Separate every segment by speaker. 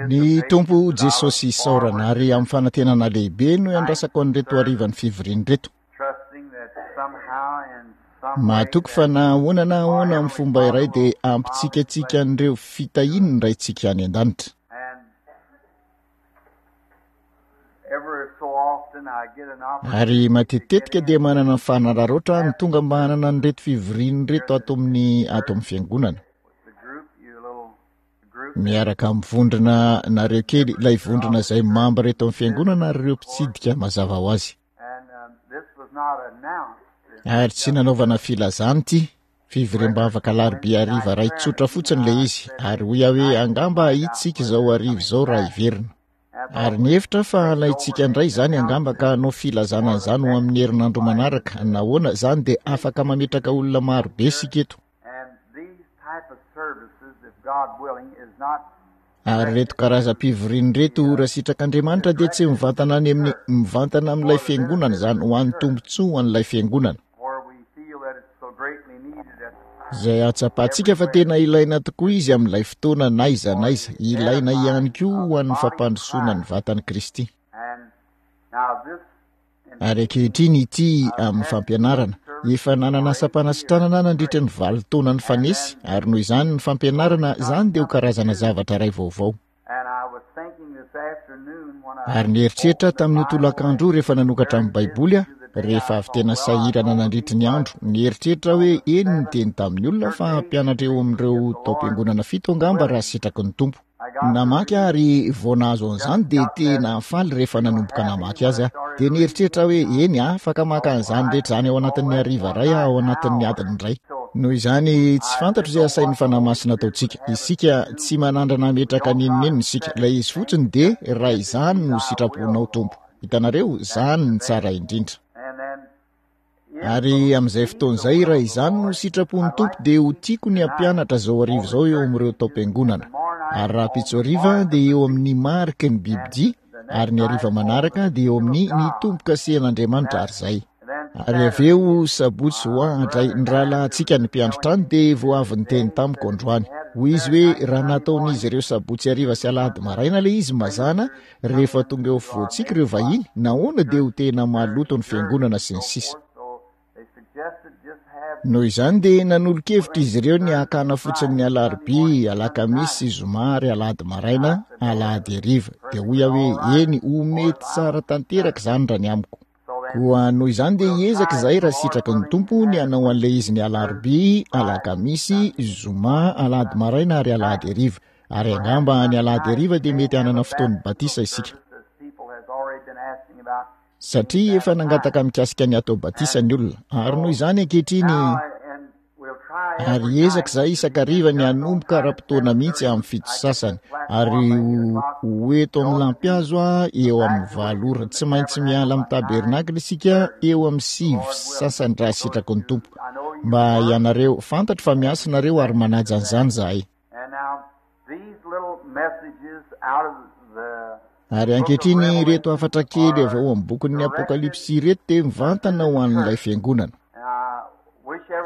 Speaker 1: Ny Tompo Jesosy isaorana ary amin'ny fanantenana lehibe no iandrasako an'ireto harivan'ny fivoriana ireto. Mahatoky fa na ahoana na ahoana amin'ny fomba iray dia ampitsikatsika an'ireo fitahiany ny Raintsika any an-danitra. Ary matetitetika dia manana ny fanararaotra aho ny tonga mba hanana an'ireto fivoriana ireto ato amin'ny ato amin'ny fiangonana. Miaraka amin'ny vondrona nareo kely, ilay vondrona izay mambra eto amin'ny fiangonana ary ireo mpitsidika mazava ho azy. Ary tsy nanaovana filazana ity, fivoriam-bavaka alarobia hariva iray tsotra fotsiny ilay izy, ary hoy aho hoe angamba hahita isika izao hariva izao raha hiverina. Ary nihevitra aho fa halaintsika indray izany angamba ka hanao filazana an'izany ho amin'ny herinandro manaraka. Nahoana, izany dia afaka mametraka olona maro be isika eto. Ary ireto karazam-pivoriana ireto, raha sitrak'Andriamanitra, dia tsy mivantana any amin'ny, mivantana amin'ilay fiangonana izany, ho an'ny tombontsoa ho an'ilay fiangonana. Izay ahatsapantsika fa tena ilaina tokoa izy amin'ilay fotoana n'aiza n'aiza, ilaina ihany koa ho an'ny fampandrosoana ny vatan'i Kristy. Ary ankehitriny ity amin'ny fampianarana. Efa nanana asam-panasitranana aho nandritra ny valo taona nifanesy, ary noho izany ny fampianarana, izany dia ho karazana zavatra iray vaovao. Ary nieritreritra aho tamin'io tolakandro io rehefa nanokatra ny Baiboly aho, rehefa avy tena sahirana nandritry ny andro, nieritreritra aho hoe eny niteny tamin'ny olona fa hampianatra eo amin'ireo taom-piangonana fito angamba raha sitraky ny Tompo. Namaky aho ary vao nahazo an'izany dia tena faly rehefa nanomboka namaky azy aho. Dia nieritreritra aho hoe eny, afaka maka an'izany rehetra izany ao anatin'ny hariva iray aho, ao anatin'ny adiny iray. Noho izany, tsy fantatro izay asain'ny Fanahy Masina ataontsika. Isika, tsy manandrana hametraka n'inon'inona isika. Ilay izy fotsiny dia, raha izany no sitraponao, Tompo. Hitanareo, izany no tsara indrindra. Ary amin'izay fotoana izay, raha izany no sitrapon'ny Tompo, dia ho tiako ny hampianatra izao hariva izao eo amin'ireo taom-piangonana. Ary rahampitso hariva dia eo amin'ny mariky ny bibidia, ary ny hariva manaraka dia eo amin'ny ny tombo-kasehan'Andriamanitra, ary izay. Ary avy eo, sabotsy ho ahy, ny rahalahintsika ny mpiandry trano dia vao avy niteny tamiko androany. Hoy izy hoe, raha nataon'izy ireo sabotsy hariva sy alahady maraina ilay izy, mazàna, Rehefa tonga eo afovoantsika ireo vahiny, nahoana dia ho tena maloto ny fiangonana sy ny sisa. Noho izany dia nanolo-kevitra izy ireo ny hakana fotsiny ny alarobia, alakamisy sy zoma ary alahady maraina, alahady hariva. Dia hoy aho hoe, eny, ho mety tsara tanteraka izany raha ny amiko. Koa noho izany dia hiezaka izahay raha sitraky ny Tompo ny hanao an'ilay izy ny alarobia, alakamisy, zoma, alahady maraina ary alahady hariva. Ary angamba ny alahady hariva dia mety hanana fotoan'ny batisa isika. Satria efa nangataka mikasika ny hatao batisa ny olona. Ary noho izany ankehitriny Ary hiezaka izahay isan-kariva ny hanomboka ara-potoana mihitsy amin'ny fito sy sasany, ary ho, ho eto amin'ny lampihazo aho eo amin'ny valo ora. Tsy maintsy miala amin'ny tabernakla isika eo amin'ny sivy sy sasany raha sitraky ny Tompo. Mba ianareo, fantatro fa miasa nareo ary manaja an'izany izahay. Ary ankehitriny ireto hafatra kely avy ao amin'ny bokin'ny Apokalypsy ireto dia mivantana ho an'ilay fiangonana.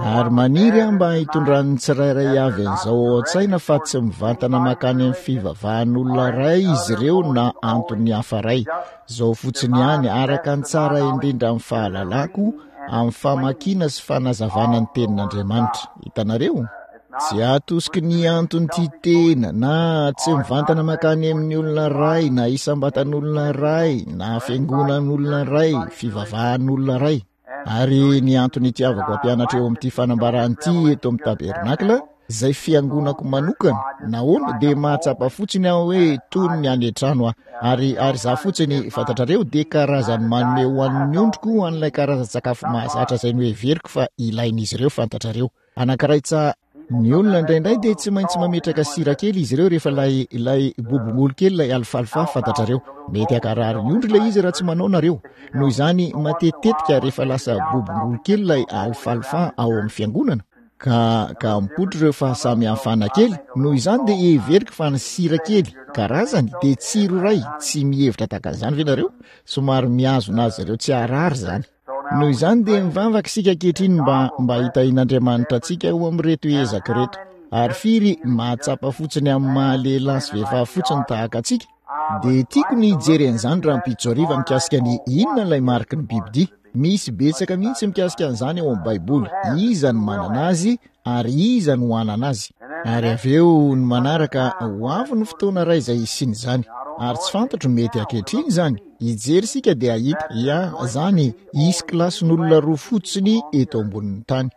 Speaker 1: Ary maniry aho mba hitondran'ny tsirairay avy an'izao ao an-tsaina fa tsy mivantana mankany amin'ny fivavahan'olona iray izy ireo na antony hafa iray. Izao fotsiny ihany, araka ny tsara indrindra amin'ny fahalalako, amin'ny famakiana sy fanazavana ny tenin'Andriamanitra. Hitanareo? Tsy atosiky ny antony tia tena na tsy mivantana mankany amin'ny olona iray na isam-batan'olona iray na fiangonan'olona iray, fivavahan'olona iray. Ary ny antony itiavako hampianatra eo amin'ity fanambarana ity eto amin'ny tabernakla, izay fiangonako manokana, nahoana, dia mahatsapa fotsiny aho hoe toy ny any an-trano aho. Ary, ary izaho fotsiny, fantatrareo, dia karazany manome ho an'ny ondriko an'ilay karazan-tsakafo mahazatra izay noheveriko fa ilain'izy ireo, fantatrareo. Anankiray tsa. Ny olona indraindray dia tsy maintsy mametraka sira kely izy ireo rehefa ilay, ilay bobongolo kely ilay alfalfa, fantatrareo. Mety hankarary ny ondry ilay izy raha tsy manao nareo. Noho izany, matetitetika rehefa lasa bobongolo kely ilay alfalfa ao amin'ny fiangonana, ka, ka mipoitra ireo fahasamihafana kely, noho izany dia heveriko fa ny sira kely, karazany, dia tsiro iray, tsy mihevitra tahaka an'izany ve nareo? Somary mihazona azy ireo tsy harary izany. Noho izany dia mivavaka isika ankehitriny mba, mba hitahian'Andriamanitra antsika eo amin'ireto ezaka ireto. Ary firy mahatsapa fotsiny amin'ny maha lehilahy sy vehivavy fotsiny tahaka antsika? Dia tiako ny hijery an'izany rahampitso hariva mikasika ny inona ilay mariky ny bibidia. Misy betsaka mihitsy mikasika an'izany ao amin'ny Baiboly. Iza no manana azy ary iza no hanana azy. Ary avy eo ny manaraka, ho avy ny fotoana iray izay hisian'izany. Ary tsy fantatro, mety ankehitriny izany. Hijery isika dia hahita, ya, izany, hisy kilasin'olona roa fotsiny eto ambonin'ny tany.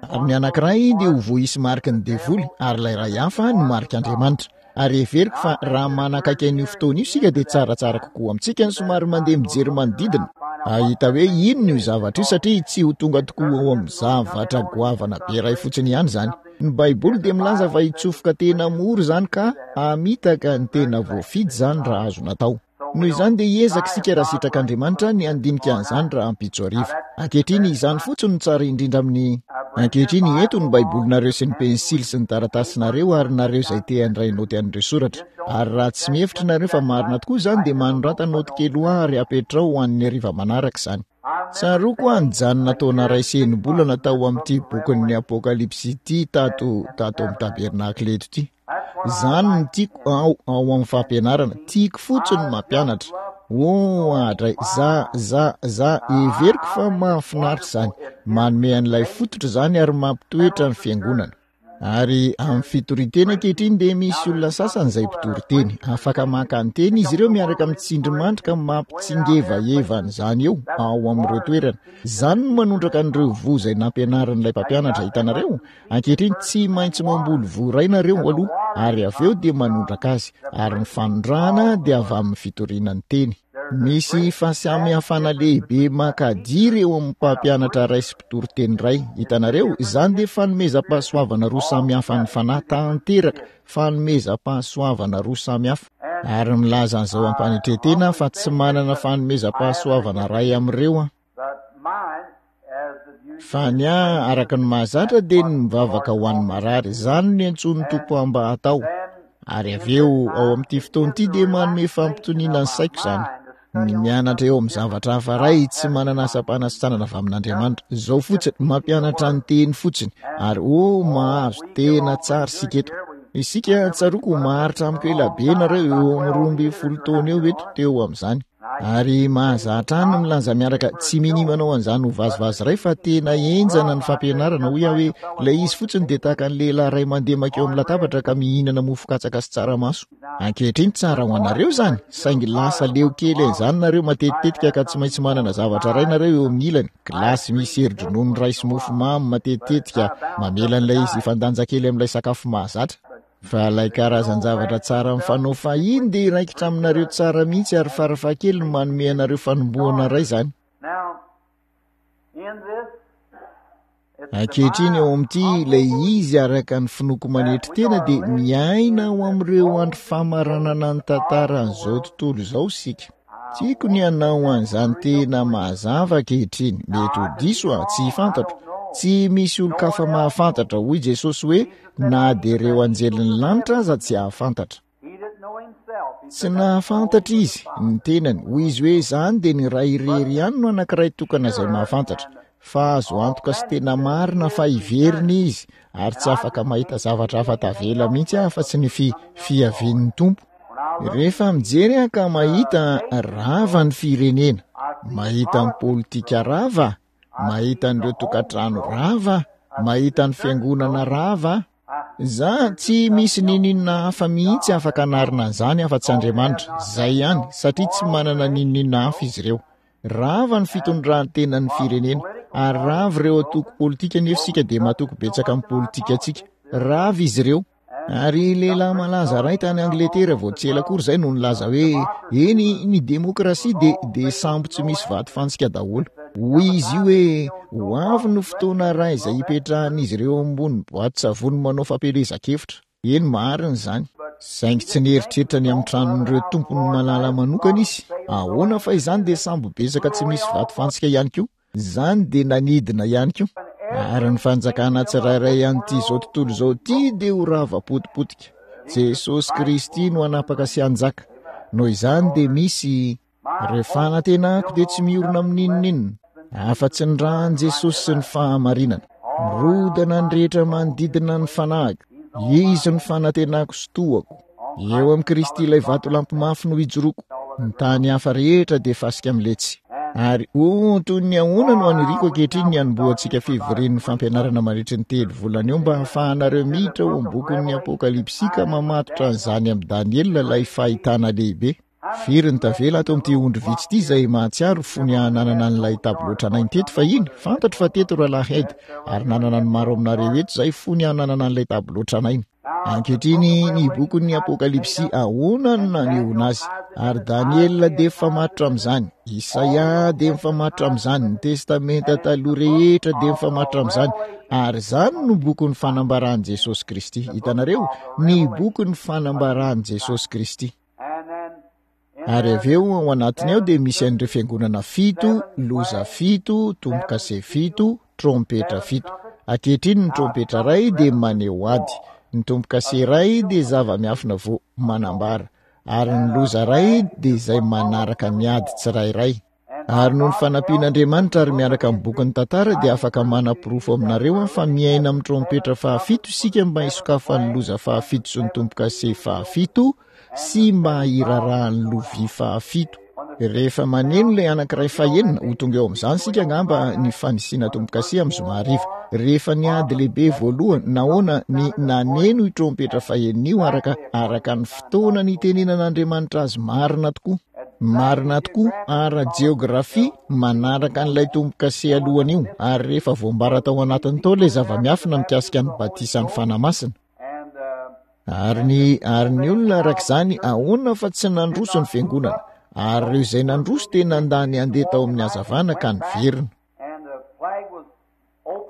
Speaker 1: Ary ny anankiray dia ho voaisy mariky ny devoly, ary ilay iray hafa ny marik'Andriamanitra. Ary heveriko fa raha manakaiky an'io fotoana io isika dia tsaratsara kokoa amintsika ny somary mandeha mijery manodidina, hahita hoe inona io zavatra io, satria tsy ho tonga tokoa ao amin'ny zavatra goavana be iray fotsiny ihany izany. Ny Baiboly dia milaza fa hitsofoka tena mora izany ka hamitaka ny tena voafidy izany raha azo natao. Noho izany dia hiezaka isika raha sitrak'Andriamanitra ny handinika an'izany rahampitso hariva. Ankehitriny, izany fotsiny no tsara indrindra amin'ny. Ankehitriny, eto ny Baibolinareo sy ny pensily sy ny taratasinareo ary nareo izay te handray naoty an'ireo soratra. Ary raha tsy mihevitra nareo fa marina tokoa izany dia manorata naoty kely ho ahy ary apetraho ho an'ny hariva manaraka izany. Tsaroako aho nijanona taona iray sy enim-bolana tao amin'ity bokin'ny Apokalypsy ity tato, tato amin'ny tabernakla eto ity. Izany no tiako ao, ao amin'ny fampianarana. Tiako fotsiny ny mampianatra. Oh, adray, za, za, za, heveriko fa mahafinaritra izany. Manome an'ilay fototra izany ary mampitoetra ny fiangonana. Ary amin'ny fitorian-teny ankehitriny dia misy olona sasany izay mpitory teny. Afaka maka ny teny izy ireo miaraka amin'ny tsindrimandry ka mampitsingevaheva an'izany eo, ao amin'ireo toerana. Izany no manondraka an'ireo voa izay nampianarin'ilay mpampianatra, hitanareo? Ankehitriny, tsy maintsy mamboly voa iray nareo aloha, ary avy eo dia manondraka azy, ary ny fanondrahana dia avy amin'ny fitoriana ny teny. Misy fahasamihafana lehibe makadiry eo amin'ny mpampianatra iray sy mpitory teny iray. Hitanareo, izany dia fanomezam-pahasoavana roa samy hafa an'ny Fanahy tanteraka, fanomezam-pahasoavana roa samy hafa. Ary milaza an'izao am-panetren-tena aho fa tsy manana fanomezam-pahasoavana iray amin'ireo aho. Fa ny ahy, araka ny mahazatra, dia ny mivavaka ho an'ny marary. Izany no niantsoan'ny Tompo ahy mba hatao. Ary avy eo, ao amin'ity fotoana ity, dia manome fampitoniana ny saiko izany. Ny mianatra eo amin'ny zavatra hafa iray, tsy manana asam-panasitranana avy amin'Andriamanitra. Izao fotsiny, mampianatra ny teny fotsiny. Ary, oh, mahazo tena tsara isika eto. Isika, tsaroako, maharitra amiko ela be nareo, eo amin'ny 12 taona eo eto, teo amin'izany. Ary mahazatra ahy ny milaza miaraka, tsy minia manao an'izany ho vazivazy iray fa tena henjana ny fampianarana, hoy aho hoe ilay izy fotsiny dia tahaka ny lehilahy iray mandeha mankeo amin'ny latabatra ka mihinana mofo katsaka sy tsaramaso. Ankehitriny tsara ho anareo izany, saingy lasa leo kely an'izany nareo matetitetika ka tsy maintsy manana zavatra iray nareo eo amin'ny ilany, gilasy misy hery-dronono iray sy mofo mamy matetitetika, mamela an'ilay izy hifandanja kely amin'ilay sakafo mahazatra. Fa ilay karazan-javatra tsara mifanao fahiny dia hiraikitra aminareo tsara mihitsy ary farafahakeliny manome anareo fanombohana iray izany. Ankehitriny ao amin'ity ilay izy araka ny finoako manetry tena dia miaina ao amin'ireo andro famaranana ny tantaran'izao tontolo izao isika. Tiako ny hanao an'izany tena mazava ankehitriny. Mety ho diso aho, tsy fantatro. Tsy misy olon-kafa mahafantatra, hoy Jesosy hoe, na dia ireo anjelin'ny lanitra aza tsy hahafantatra. Tsy nahafantatra izy, ny tenany. Hoy izy hoe, izany dia ny Ray irery ihany no anankiray tokana izay mahafantatra. Fa azo antoka sy tena marina fa hiverina izy, ary tsy afaka mahita zavatra hafa tavela mihitsy aho afa-tsy ny fi, fiavian'ny Tompo. Rehefa mijery aho ka mahita rava ny firenena, mahita ny politika rava, mahita an'ireo tokantrano rava, mahita ny fiangonana rava, za tsy misy ninoninona hafa mihitsy afaka anarina an'izany afa-tsy Andriamanitra, zay ihany, satria tsy manana ninoninona hafa izy ireo. Rava ny fitondran-tenan'ny firenena, ary rava ireo antoko politika nefa isika dia matoky betsaka amin'ny politikantsika. Rava izy ireo. Ary lehilahy malaza iray tany Angletera vao tsy ela akory izay no nilaza hoe, Eny, ny demokrasia dia, dia sambo tsy misy vato fantsika daholo. Hoy izy io hoe, Ho avy ny fotoana iray izay hipetrahan'izy ireo ambony boatin-tsavony manao fampielezan-kevitra. Eny, marina izany. Saingy tsy nieritreritra ny amin'ny tranon'ireo tompony malala manokana izy. Ahoana fa izany dia sambo betsaka tsy misy vato fantsika ihany koa. Izany dia nanidina ihany koa. Ary ny fanjakana tsirairay an'ity izao tontolo izao ity dia ho rava potipotika. Jesosy Kristy no hanapaka sy hanjaka. Noho izany dia misy, ireo fanantenako dia tsy miorina amin'inon'inona. Afa-tsy ny ran'i Jesosy sy ny fahamarinana. Mirodana ny rehetra manodidina ny fanahiko. Izy no fanantenako sy tohako. Eo amin'i Kristy ilay vatolampy mafy no ijoroako. Ny tany hafa rehetra dia fasika miletsy. Ary oh, toy ny ahoana no aniriako ankehitriny ny hanombohantsika fivorian'ny fampianarana mandritry ny telo volana eo mba hahafahanareo miditra ao amin'ny bokin'ny Apokalypsy ka mamatotra an'izany amin'i Daniela ilay fahitana lehibe. Firy ny tavela ato amin'ity ondry vitsy ity izay mahatsiaro fony aho nanana an'ilay tableau tranainy teto fahiny? Fantatro fa teto Rahalahy Ed, ary nanana ny maro aminareo eto izay fony aho nanana an'ilay tableau tranainy. Ankehitriny, ny bokin'ny Apokalypsy, ahoana no nanehoana azy? Ary Daniela dia mifamatotra amin'izany, Isaia dia mifamatotra amin'izany, ny Testamenta Taloha rehetra dia mifamatotra amin'izany, ary izany no bokin'ny fanambaran'i Jesosy Kristy. Hitanareo? Ny bokin'ny fanambaran'i Jesosy Kristy. Ary avy eo ao anatiny ao dia misy an'ireo fiangonana fito, loza fito, tombo-kase fito, trompetra fito. Ankehitriny ny trompetra iray dia maneho ady, ny tombo-kase iray dia zava-miafina vao manambara, ary ny loza iray dia izay manaraka ny ady tsirairay. Ary noho ny fanampian'Andriamanitra ary miaraka amin'ny bokin'ny tantara dia afaka manaporofo aminareo aho fa miaina amin'ny trompetra fahafito isika mba hisokafan'ny loza fahafito sy ny tombo-kase fahafito sy mba hirarahan'ny lovia fahafito. Rehefa maneno ilay anankiray fahenina, ho tonga eo amin'izany isika angamba ny fanisiana tombo-kase amin'ny zoma hariva. Rehefa ny ady lehibe voalohany, nahoana ny naneno io trompetra fahenina io araka araka ny fotoana nitenenan'Andriamanitra azy marina tokoa. Marina tokoa, ara-jeografia, manaraka an'ilay tombo-kase alohany io, ary rehefa voambara tao anatiny tao ilay zava-miafina mikasika ny batisan'ny Fanahy Masina. Ary ny, ary ny olona araka izany, ahoana fa tsy nandroso ny fiangonana, ary ireo izay nandroso dia nandà ny handeha tao amin'ny hazavana ka niverina.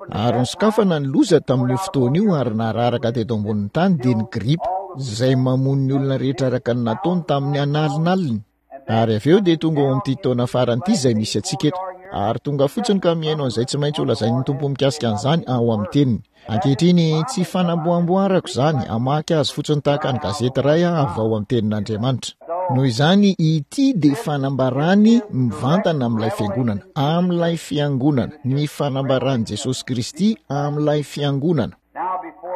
Speaker 1: Ary nosokafana ny loza tamin'io fotoana io ary nararaka teto ambonin'ny tany dia ny gripa, izay mamono ny olona rehetra araka ny nataony tamin'ny analinaliny. Ary avy eo dia tonga ao amin'ity taona farany ity izay misy antsika eto. Ary tonga fotsiny ka mihaino an'izay tsy maintsy holazain'ny Tompo mikasika an'izany ao amin'ny Teniny. Ankehitriny, tsy fanamboamboarako izany, hamaky azy fotsiny tahaka ny gazety iray aho avy ao amin'ny Tenin'Andriamanitra. Noho izany, ity dia fanambarany mivantana amin'ilay Fiangonana, amin'ilay Fiangonana, ny fanambaran'i Jesosy Kristy amin'ilay Fiangonana.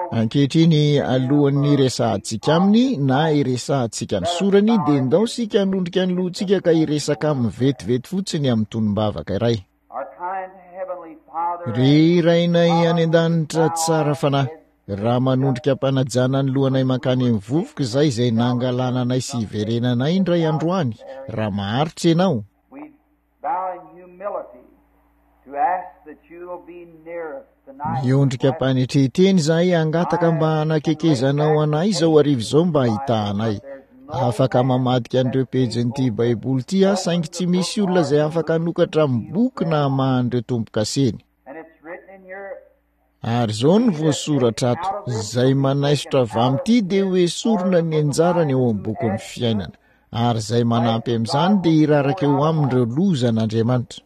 Speaker 1: Ankehitriny, alohan'ny hiresahantsika Aminy, na hiresahantsika ny Sorany, dia ndao isika hanondrika ny lohantsika ka hiresaka Aminy vetivety fotsiny amin'ny tonom-bavaka iray. Ry Rainay any an-danitra tsara fanahy, raha manondrika am-panajana ny lohanay mankany amin'ny vovoka izay izay nangalana anay sy hiverenanay indray androany, raha maharitra Ianao, Miondrika am-panetren-tena izahay hangataka mba hanakekezanao anay izao hariva izao mba hahitahanay. Afaka mamadika an'ireo pejin'ity Baiboly ity aho, saingy tsy misy olona izay afaka hanokatra amin'ny boky na hamaha an'ireo tombo-kaseny. Ary izao no voasoratra ato, Izay manaisotra avy amin'ity dia ho esorina ny anjarany ao amin'ny bokin'ny fiainana, ary izay manampy amin'izany dia hiraraka eo aminy ireo lozan'Andriamanitra.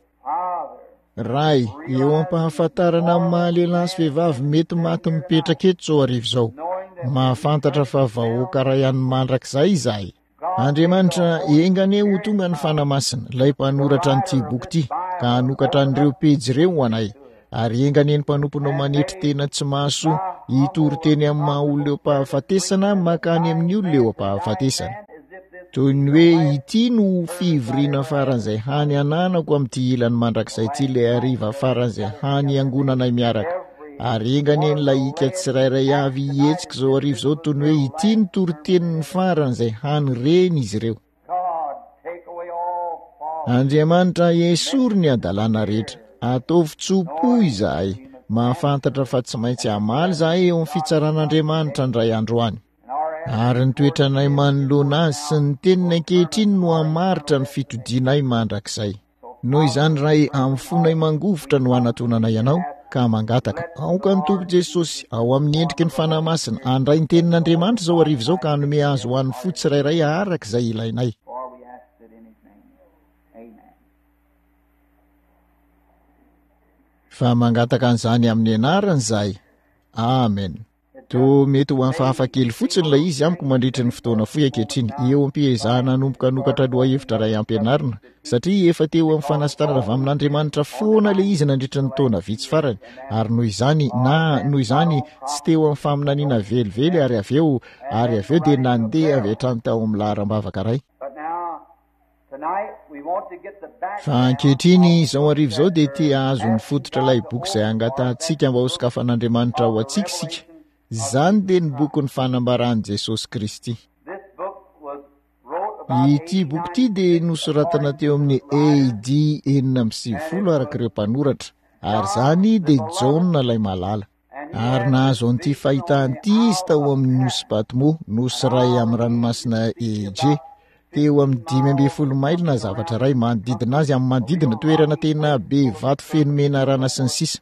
Speaker 1: Ray, eo am-pahafantarana amin'ny maha lehilahy sy vehivavy mety maty mipetraka eto izao hariva izao, mahafantatra fa vahoaka iray an'ny mandrakizay izahay. Andriamanitra, enga anie ho tonga ny Fanahy Masina, ilay mpanoratra an'ity boky ity, ka hanokatra an'ireo pejy ireo ho anay. Ary enga anie ny mpanomponao manetry tena tsy mahasoa, hitory teny amin'ny maha olona eo am-pahafatesana mankany amin'ny olona eo am-pahafatesana. Toy ny hoe ity no fivoriana faran'izay hany ananako amin'ity ilany mandrakizay ity ilay hariva faran'izay hany hiangonanay miaraka. Ary enga anie ny lahika tsirairay avy hihetsika izao hariva izao toy ny hoe ity ny toriteniny faran'izay hany reny izy ireo. Andriamanitra, esory ny hadalana rehetra. Ataovy tso-po izahay. Mahafantatra fa tsy maintsy hamaly izahay eo amin'ny fitsaran'Andriamanitra indray andro any. Ary ny toetranay manoloana Azy sy ny Teniny ankehitriny no hamaritra ny fitodianay mandrakizay. Noho izany, Ray, amin'ny fonay mangovitra no anatonanay Anao, ka mangataka, aoka ny Tompo Jesosy, ao amin'ny endriky ny Fanahy Masina, handray ny Tenin'Andriamanitra izao hariva izao ka hanome azy ho an'ny fo tsirairay araka izay ilainay. Fa mangataka an'izany amin'ny Anarany izahay. Amen. Toa mety ho hafahafa kely fotsiny ilay izy amiko mandritry ny fotoana fohy ankehitriny, eo am-piezahana hanomboka hanokatra lohahevitra iray hampianarina, satria efa teo amin'ny fanasitranana avy amin'Andriamanitra foana ilay izy nandritry ny taona vitsy farany, ary noho izany, na, noho izany, tsy teo amin'ny faminaniana velively, ary avy eo, ary avy eo dia nandeha avy hatrany tao amin'ny laharam-bavaka iray. Fa ankehitriny, izao hariva izao dia te hahazo ny fototra ilay boky izay angatahantsika mba hosokafan'Andriamanitra ho antsika isika. Izany dia ny bokin'ny fanambaran'i Jesosy Kristy. Ity boky ity dia nosoratana teo amin'ny AD 96 araka ireo mpanoratra, ary izany dia Jaona ilay malala. Ary nahazo an'ity fahitana ity izy tao amin'ny nosy Patmo, nosy iray amin'ny ranomasina Égée, teo amin'ny 15 maily na zavatra iray manodidina azy, amin'ny manodidina, toerana tena be vato feno menarana sy ny sisa.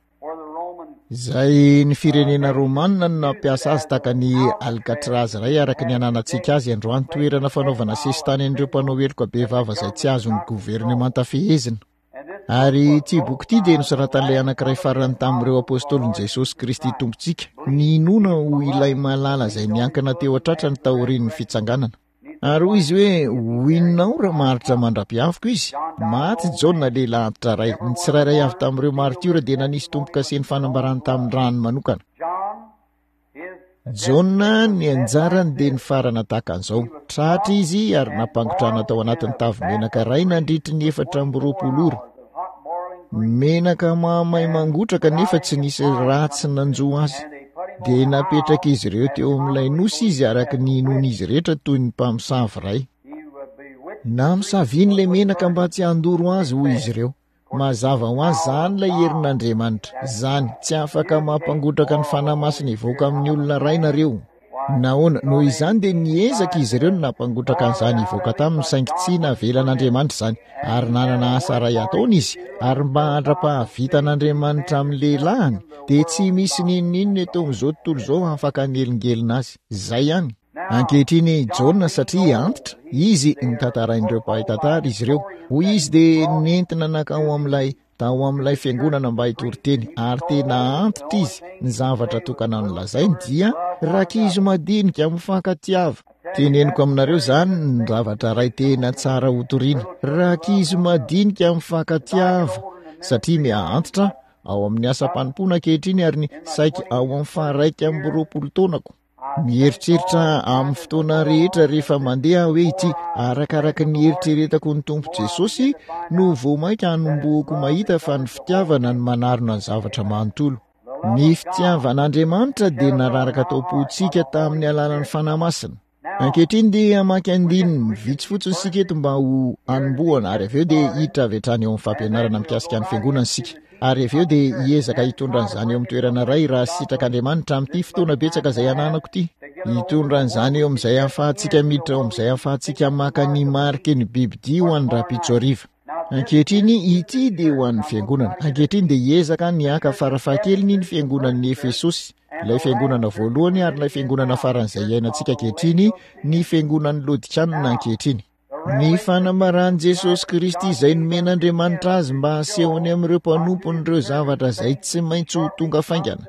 Speaker 1: Izay ny firenena romanina no nampiasa azy tahaka ny Alcatraz iray araka ny ananantsika azy androany, toerana fanaovana sesitany an'ireo mpanao heloka bevava izay tsy azon'ny governemanta fehezina. Ary ity boky ity dia nosoratan'ilay anankiray farany tamin'ireo apostolin'i Jesosy Kristy Tompontsika, ninoana ho ilay malala izay niankina teo an-tratrany taorian'ny fitsanganana. Ary hoy izy hoe, Ho inona aho raha maharitra mandra-piaviko izy? Maty Jaona lehilahy antitra iray. Ny tsirairay avy tamin'ireo maritiora dia nanisy tombo-kase ny fanambarany tamin'ny rany manokana. Jaona, ny anjarany dia nifarana tahaka an'izao. Tratra izy ary nampangotrahana tao anatin'ny tavy menaka iray nandritry ny 24 ora. Menaka mahamay mangotraka nefa tsy nisy ratsy nanjo azy. Dia napetrak'izy ireo teo amin'ilay nosy izy araka ny inoan'izy rehetra toy ny mpamosavy iray. Namosaviany ilay menaka mba tsy handoro azy, hoy izy ireo. Mazava ho azy, izany ilay herin'Andriamanitra. Izany, tsy afaka mampangotraka ny Fanahy Masina hivoaka amin'ny olona iray nareo. Nahoana? Noho izany dia niezaka izy ireo ny nampangotraka an'izany hivoaka taminy, saingy tsy navelan'Andriamanitra izany. Ary nanana asa iray hataony izy, ary mba handra-pahavitan'Andriamanitra amin'ny lehilahiny, dia tsy misy n'inon'inona eto amin'izao tontolo izao afaka hanelingelina azy. Izay ihany. Ankehitriny Jaona satria antitra, izy notantarain'ireo mpahay tantara izy ireo. Hoy izy dia nentina nankao amin'ilay tao amin'ilay fiangonana mba hitory teny ary tena antitra izy. Ny zavatra tokana nolazainy dia rankizy madinika mifankatiava. Teneniko aminareo izany ny zavatra iray tena tsara hotorina. Rankizy madinika mifankatiava satria miha antitra ao amin'ny asam-panompoana ankehitriny ary ny saiky ao amin'ny faha-21 taonako. Mieritreritra amin'ny fotoana rehetra rehefa mandeha aho hoe ity, arakaraka ny eritreretako ny Tompo Jesosy no vao mainka hanombohako mahita fa ny fitiavana no manarona ny zavatra manontolo. Ny fitiavan'Andriamanitra dia nararaka tao am-pontsika tamin'ny alalan'ny Fanahy Masina. Ankehitriny dia hamaky andininy vitsy fotsiny isika eto mba ho hanombohana ary avy eo dia hiditra avy hatrany eo amin'ny fampianarana mikasika ny fiangonana isika. Ary avy eo dia hiezaka hitondra an'izany eo amin'ny toerana iray raha sitrak'Andriamanitra amin'ity fotoana betsaka izay ananako ity. Hitondra an'izany eo amin'izay ahafahantsika miditra ao amin'izay ahafahantsika maka ny mariky ny bibidia ho an'ny rahampitso hariva. Ankehitriny, ity dia ho an'ny fiangonana. Ankehitriny dia hiezaka ny haka farafahakeliny ny fiangonan'ny Efesosy, ilay fiangonana voalohany ary ilay fiangonana faran'izay iainantsika ankehitriny, ny fiangonan'ny Lodikanina ankehitriny. Ny fanambaran'i Jesosy Kristy izay nomen'Andriamanitra azy mba hasehony amin'ireo mpanompony ireo zavatra izay tsy maintsy ho tonga faingana.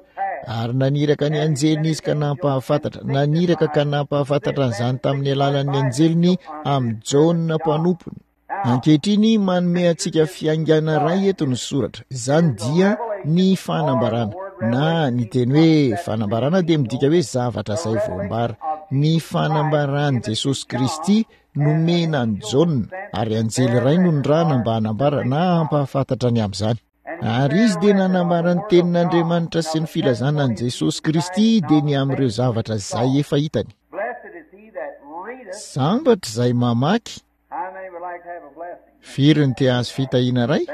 Speaker 1: Ary naniraka ny anjeliny izy ka nampahafantatra, naniraka ka nampahafantatra an'izany tamin'ny alalan'ny anjeliny amin'i Jaona mpanompony. Ankehitriny manome antsika fiaingana iray eto ny soratra. Izany dia ny fanambarana. Na ny teny hoe fanambarana dia midika hoe zavatra izay voambara. Ny fanambaran'i Jesosy Kristy nomena an'i Jaona, ary anjely iray no nirahana mba hanambara na hampahafantatra ny amin'izany. Ary izy dia nanambara ny tenin'Andriamanitra sy ny filazana an'i Jesosy Kristy dia ny amin'ireo zavatra izay efa hitany. Sambatra izay mamaky. Firy ny te hahazo fitahiana iray?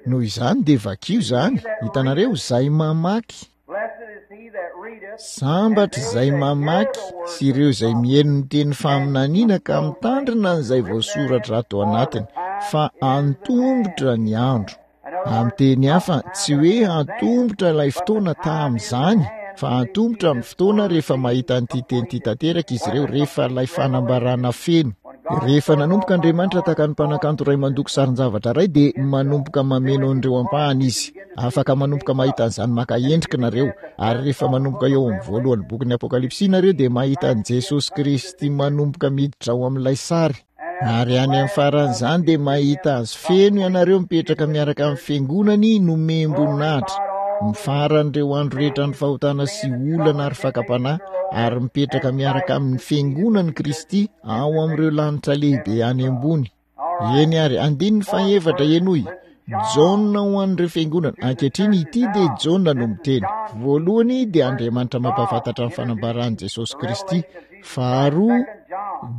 Speaker 1: Noho izany dia vakio izany. Hitanareo, izay mamaky. Sambatra izay mamaky sy ireo izay mihaino ny teny faminaniana ka mitandrina an'izay voasoratra ato anatiny, fa antomotra ny andro. Amin'ny teny hafa, tsy hoe antomotra ilay fotoana tamin'izany, fa antomotra ny fotoana rehefa mahita an'ity teny ity tanteraka izy ireo, rehefa ilay fanambarana feno. Rehefa nanomboka Andriamanitra tahaka ny mpanakanto iray mandoko sarin-javatra iray dia manomboka mameno an'ireo ampahany Izy. Afaka manomboka mahita an'izany maka endrika nareo. Ary rehefa manomboka eo amin'ny voalohan'ny bokin'ny Apokalypsy nareo dia mahita an'i Jesosy Kristy manomboka miditra ao amin'ilay sary. Ary any amin'ny faran'izany dia mahita azy feno ianareo mipetraka miaraka amin'ny fiangonany nomem-boninahitra. Mifaran'ireo andro rehetra ny fahotana sy olana ary fakam-panahy ary mipetraka miaraka amin'ny fiangonan'i Kristy ao amin'ireo lanitra lehibe any ambony. Eny ary, andininy fahefatra, henoy. Jaona ho an'ireo fiangonana. Ankehitriny ity dia Jaona no miteny. Voalohany dia Andriamanitra mampahafantatra ny fanambaran'i Jesosy Kristy. Faharoa,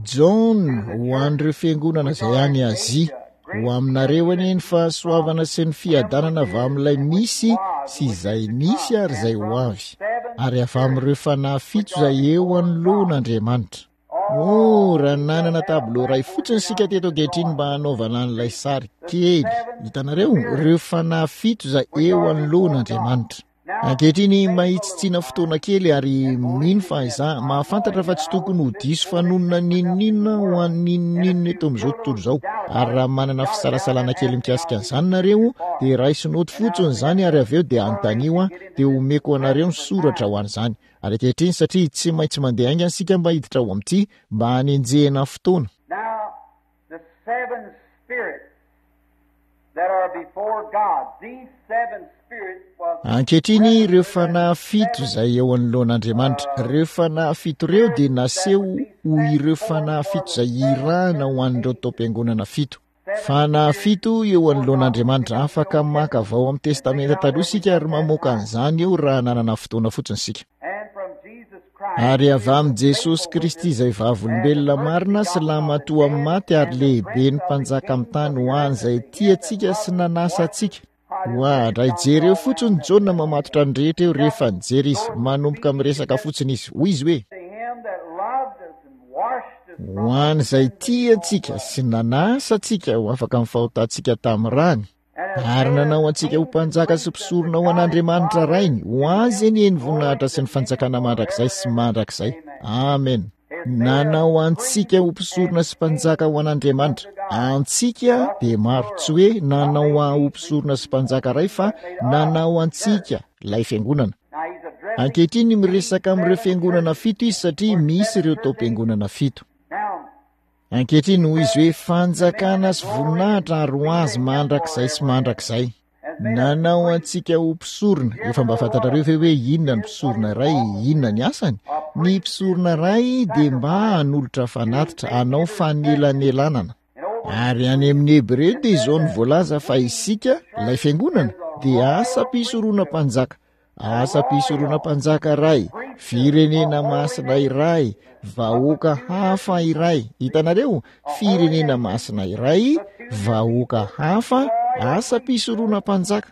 Speaker 1: Jaona ho an'ireo fiangonana izay any Azia. Ho aminareo anie ny fahasoavana sy ny fiadanana avy amin'ilay misy sy izay nisy ary izay ho avy, ary avy amin'ireo fanahy fito izay eo anoloan'Andriamanitra. Oh, raha nanana tableau iray fotsiny isika teto ankehitriny mba hanaovana an'ilay sary kely. Hitanareo, ireo fanahy fito izay eo anoloan'Andriamanitra. Ankehitriny, mahitsitsiana fotoana kely ary mino fa izaho mahafantatra fa tsy tokony ho diso fanonona n'inon'inona ho an'inon'inona eto amin'izao tontolo izao. Ary raha manana fisalasalana kely mikasika an'izany nareo, dia raiso noty fotsiny izany ary avy eo dia anontanio aho, dia omeko anareo ny soratra ho an'izany. Ary ankehitriny, satria tsy maintsy mandeha haingana isika mba hiditra ao amin'ity, mba hanenjehina fotoana.
Speaker 2: Now, the seven spirits that are before God, these seven spirits was
Speaker 1: Ankehitriny, ireo fanahy fito izay eo anoloan'Andriamanitra, ireo fanahy fito ireo dia naseho ho ireo fanahy fito izay irahina ho an'ireo taom-piangonana fito. Fanahy fito eo anoloan'Andriamanitra. Afaka maka avy ao amin'ny Testamenta Taloha isika ary mamoaka an'izany eo raha nanana fotoana fotsiny isika. Ary avy amin'i Jesosy Kristy izay vavolombelona marina sy lahimatoa amin'ny maty ary lehiben'ny mpanjaka amin'ny tany ho an'izay tia antsika sy nanasa antsika. Oadray, jereo fotsiny Jaona mamatotra ny rehetra eo rehefa nijery izy. Manomboka miresaka fotsiny izy. Hoy izy hoe, Ho an'izay tia antsika sy nanasa antsika ho afaka amin'ny fahotantsika tamin'ny rany, ary nanao antsika ho mpanjaka sy mpisorona ho an'Andriamanitra Rainy, ho azy anie ny voninahitra sy ny fanjakana mandrakizay sy mandrakizay. Amen. Nanao antsika ho mpisorona sy mpanjaka ho an'Andriamanitra. Antsika dia maro, tsy hoe nanao ahy ho mpisorona sy mpanjaka ray fa nanao antsika, ilay fiangonana. Ankehitriny miresaka amin'ireo fiangonana fito izy satria misy ireo taom-piangonana fito. Ankehitriny hoy izy hoe fanjakana sy voninahitra ary ho azy mandrakizay sy mandrakizay. Nanao antsika ho mpisorona. Efa mba fantatrareo ve hoe inona ny mpisorona iray, inona ny asany? Ny mpisorona iray dia mba hanolotra fanatitra, hanao fanelanelanana. Ary any amin'ny Hebreo dia izao no voalaza fa isika, ilay fiangonana, dia asam-pisorona mpanjaka. Asam-pisorona mpanjaka iray, firenena masina iray, vahoaka hafa iray. Hitanareo? Firenena masina iray, vahoaka hafa, asam-pisorona mpanjaka.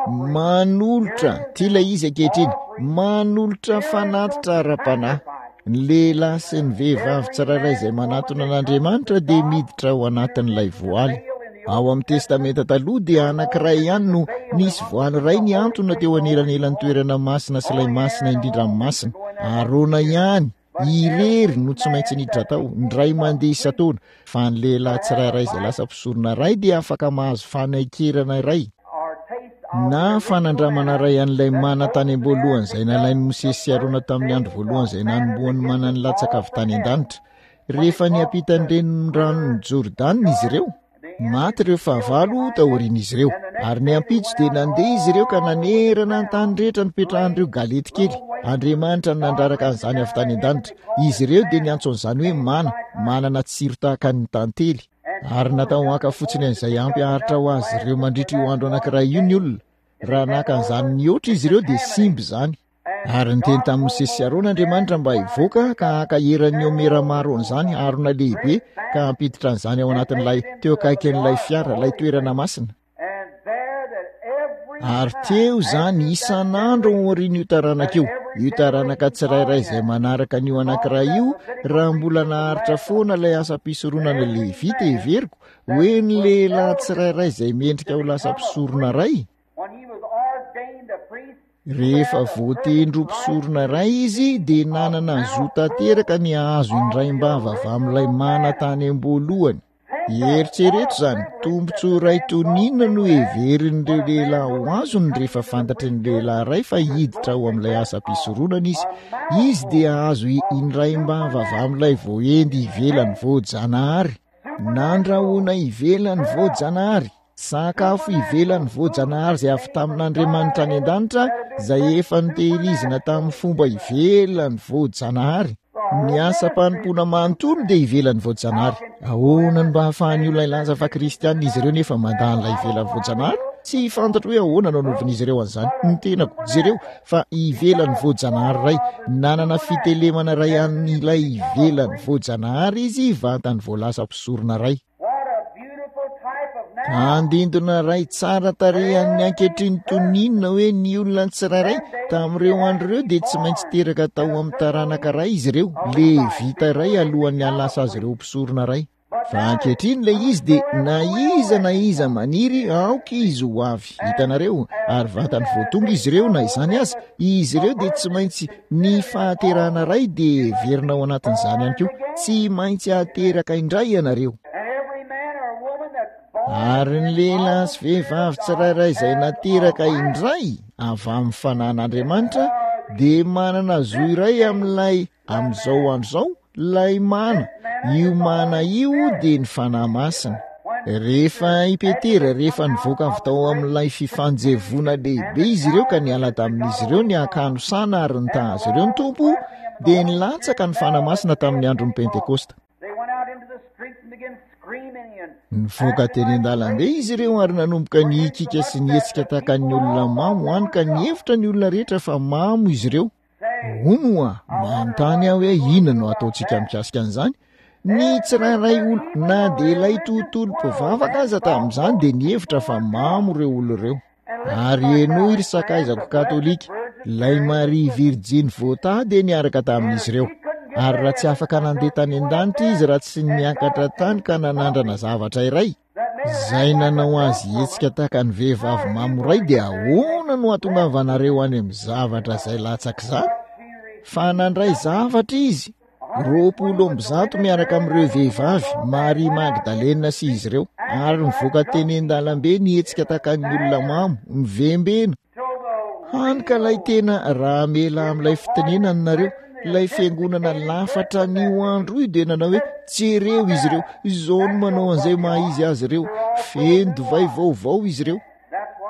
Speaker 1: Manolotra, ity ilay izy ankehitriny, manolotra fanatitra ara-panahy. Ny lehilahy sy ny vehivavy tsirairay izay manatona an'Andriamanitra dia miditra ao anatin'ilay voaly. Ao amin'ny Testamenta Taloha dia anankiray ihany no nisy voaly iray nihantona teo anelanelan'ny toerana masina sy ilay masina indrindra amin'ny masina. Arona ihany irery no tsy maintsy niditra tao, indray mandeha isan-taona, fa ny lehilahy tsirairay izay lasa mpisorona iray dia afaka mahazo fanaikerana iray na fanandramana iray an'ilay mana tany am-boalohany izay nalain'i Mosesy sy Arona tamin'ny andro voalohany izay nanombohan'ny mana nilatsaka avy tany an-danitra. Rehefa niampita ny reniranon'i Jordana izy ireo, maty ireo fahavalo taorian'izy ireo. Ary ny ampitso dia nandeha izy ireo ka nanerana ny tany rehetra nipetrahan'ireo galety kely. Andriamanitra no nandraraka an'izany avy tany an-danitra. Izy ireo dia niantso an'izany hoe mana, manana tsiro tahaka ny tantely. Ary natao haka fotsiny an'izay ampy haharitra ho azy ireo mandritra io andro anankiray io ny olona. Raha naka an'izany nihoatra izy ireo dia simba izany. Ary niteny tamin'i Mosesy sy Arona Andriamanitra mba hivoaka ka haka eran'ny omera maro an'izany harona lehibe ka hampiditra an'izany ao anatin'ilay teo akaikin'ilay fiara, ilay toerana masina. Ary teo izany isan'andro aorian'io taranaka io, io taranaka tsirairay izay manaraka an'io anankiray io, raha mbola naharitra foana ilay asam-pisoronana Levita, heveriko, hoe ny lehilahy tsirairay izay mendrika ho lasa mpisorona iray. Rehefa voatendry ho mpisorona iray izy dia nanana zo tanteraka ny hahazo indraim-bava avy amin'ilay mana tany am-boalohany. Eritrereto izany, tombontsoa iray toy ny inona no heverin'ireo lehilahy ho azony rehefa fantatry ny lehilahy iray fa hiditra ao amin'ilay asam-pisoronana izy. Izy dia hahazo indraim-bava avy amin'ilay voaendy ivelan'ny voajanahary. Nandrahona ivelan'ny voajanahary. Sakafo ivelan'ny voajanahary izay avy tamin'Andriamanitra any an-danitra, izay efa notehirizina tamin'ny fomba ivelan'ny voajanahary. Ny asam-panompoana manontolo dia ivelan'ny voajanahary. Ahoana no mba ahafahan'ny olona hilaza fa kristianina izy ireo nefa mandà an'ilay ivelan'ny voajanahary? Tsy fantatro hoe ahoana no anaovan'izy ireo an'izany. Ny tenako, jereo, fa ivelan'ny voajanahary iray. Nanana fitelemana iray an'ilay ivelan'ny voajanahary izy vantany vao lasa mpisorona iray. Andindona iray tsara tarehy an'ny ankehitriny toy ny inona hoe ny olona tsirairay tamin'ireo andro ireo dia tsy maintsy teraka tao amin'ny taranaka iray izy ireo, levita iray alohan'ny hahalasa azy ireo ho mpisorona iray. Fa ankehitriny ilay izy dia na iza na iza maniry aoka izy ho avy. Hitanareo? Ary vantany vao tonga izy ireo na izany aza, izy ireo dia tsy maintsy Ny fahaterahana iray dia heverina ao anatin'izany ihany koa. Tsy maintsy ateraka indray ianareo. Ary ny lehilahy sy vehivavy tsirairay izay nateraka indray avy amin'ny fanan'Andriamanitra dia manana zo iray amin'ilay amin'izao andro izao Ilay mana, io mana io dia ny Fanahy Masina. Rehefa i Petera, rehefa nivoaka avy tao amin'ilay fifanjevoana lehibe izy ireo ka niala tamin'izy ireo ny hakanosana ary nitaha azy ireo ny Tompo, dia nilatsaka ny Fanahy Masina tamin'ny andron'ny Pentekosta. Nivoaka teny an-dalambe izy ireo ary nanomboka nihikika sy nihetsika tahaka ny olona mamo, hany ka nihevitra ny olona rehetra fa mamo izy ireo. Hono hoa, manontany aho hoe inona no ataontsika mikasika an'izany? Ny tsirairay olo, na dia ilay tontolo mpivavaka aza tamin'izany dia nihevitra fa mamo ireo olo ireo. Ary henoy ry sakaizako katolika, ilay Maria Virjiny voatahy dia niaraka tamin'izy ireo. Ary raha tsy afaka nandeha tany an-danitra izy raha tsy niakatra tany ka nanandrana zavatra iray, Izay nanao azy hihetsika tahaka ny vehivavy mamo iray dia ahoana no hahatongavanareo any amin'ny zavatra izay latsak'izany? Fa nandray zavatra izy, 120 miaraka amin'ireo vehivavy, Maria Magdalena sy izy ireo, ary nivoaka teny an-dalambe nihetsika tahaka ny olona mamo, mivembena. Hany ka ilay tena raha hamela amin'ilay fitenenana nareo, ilay fiangonana lafatra an'io andro io dia nanao hoe jereo izy ireo, izao no manao an'izay maha izy azy ireo, feno divay vaovao izy ireo.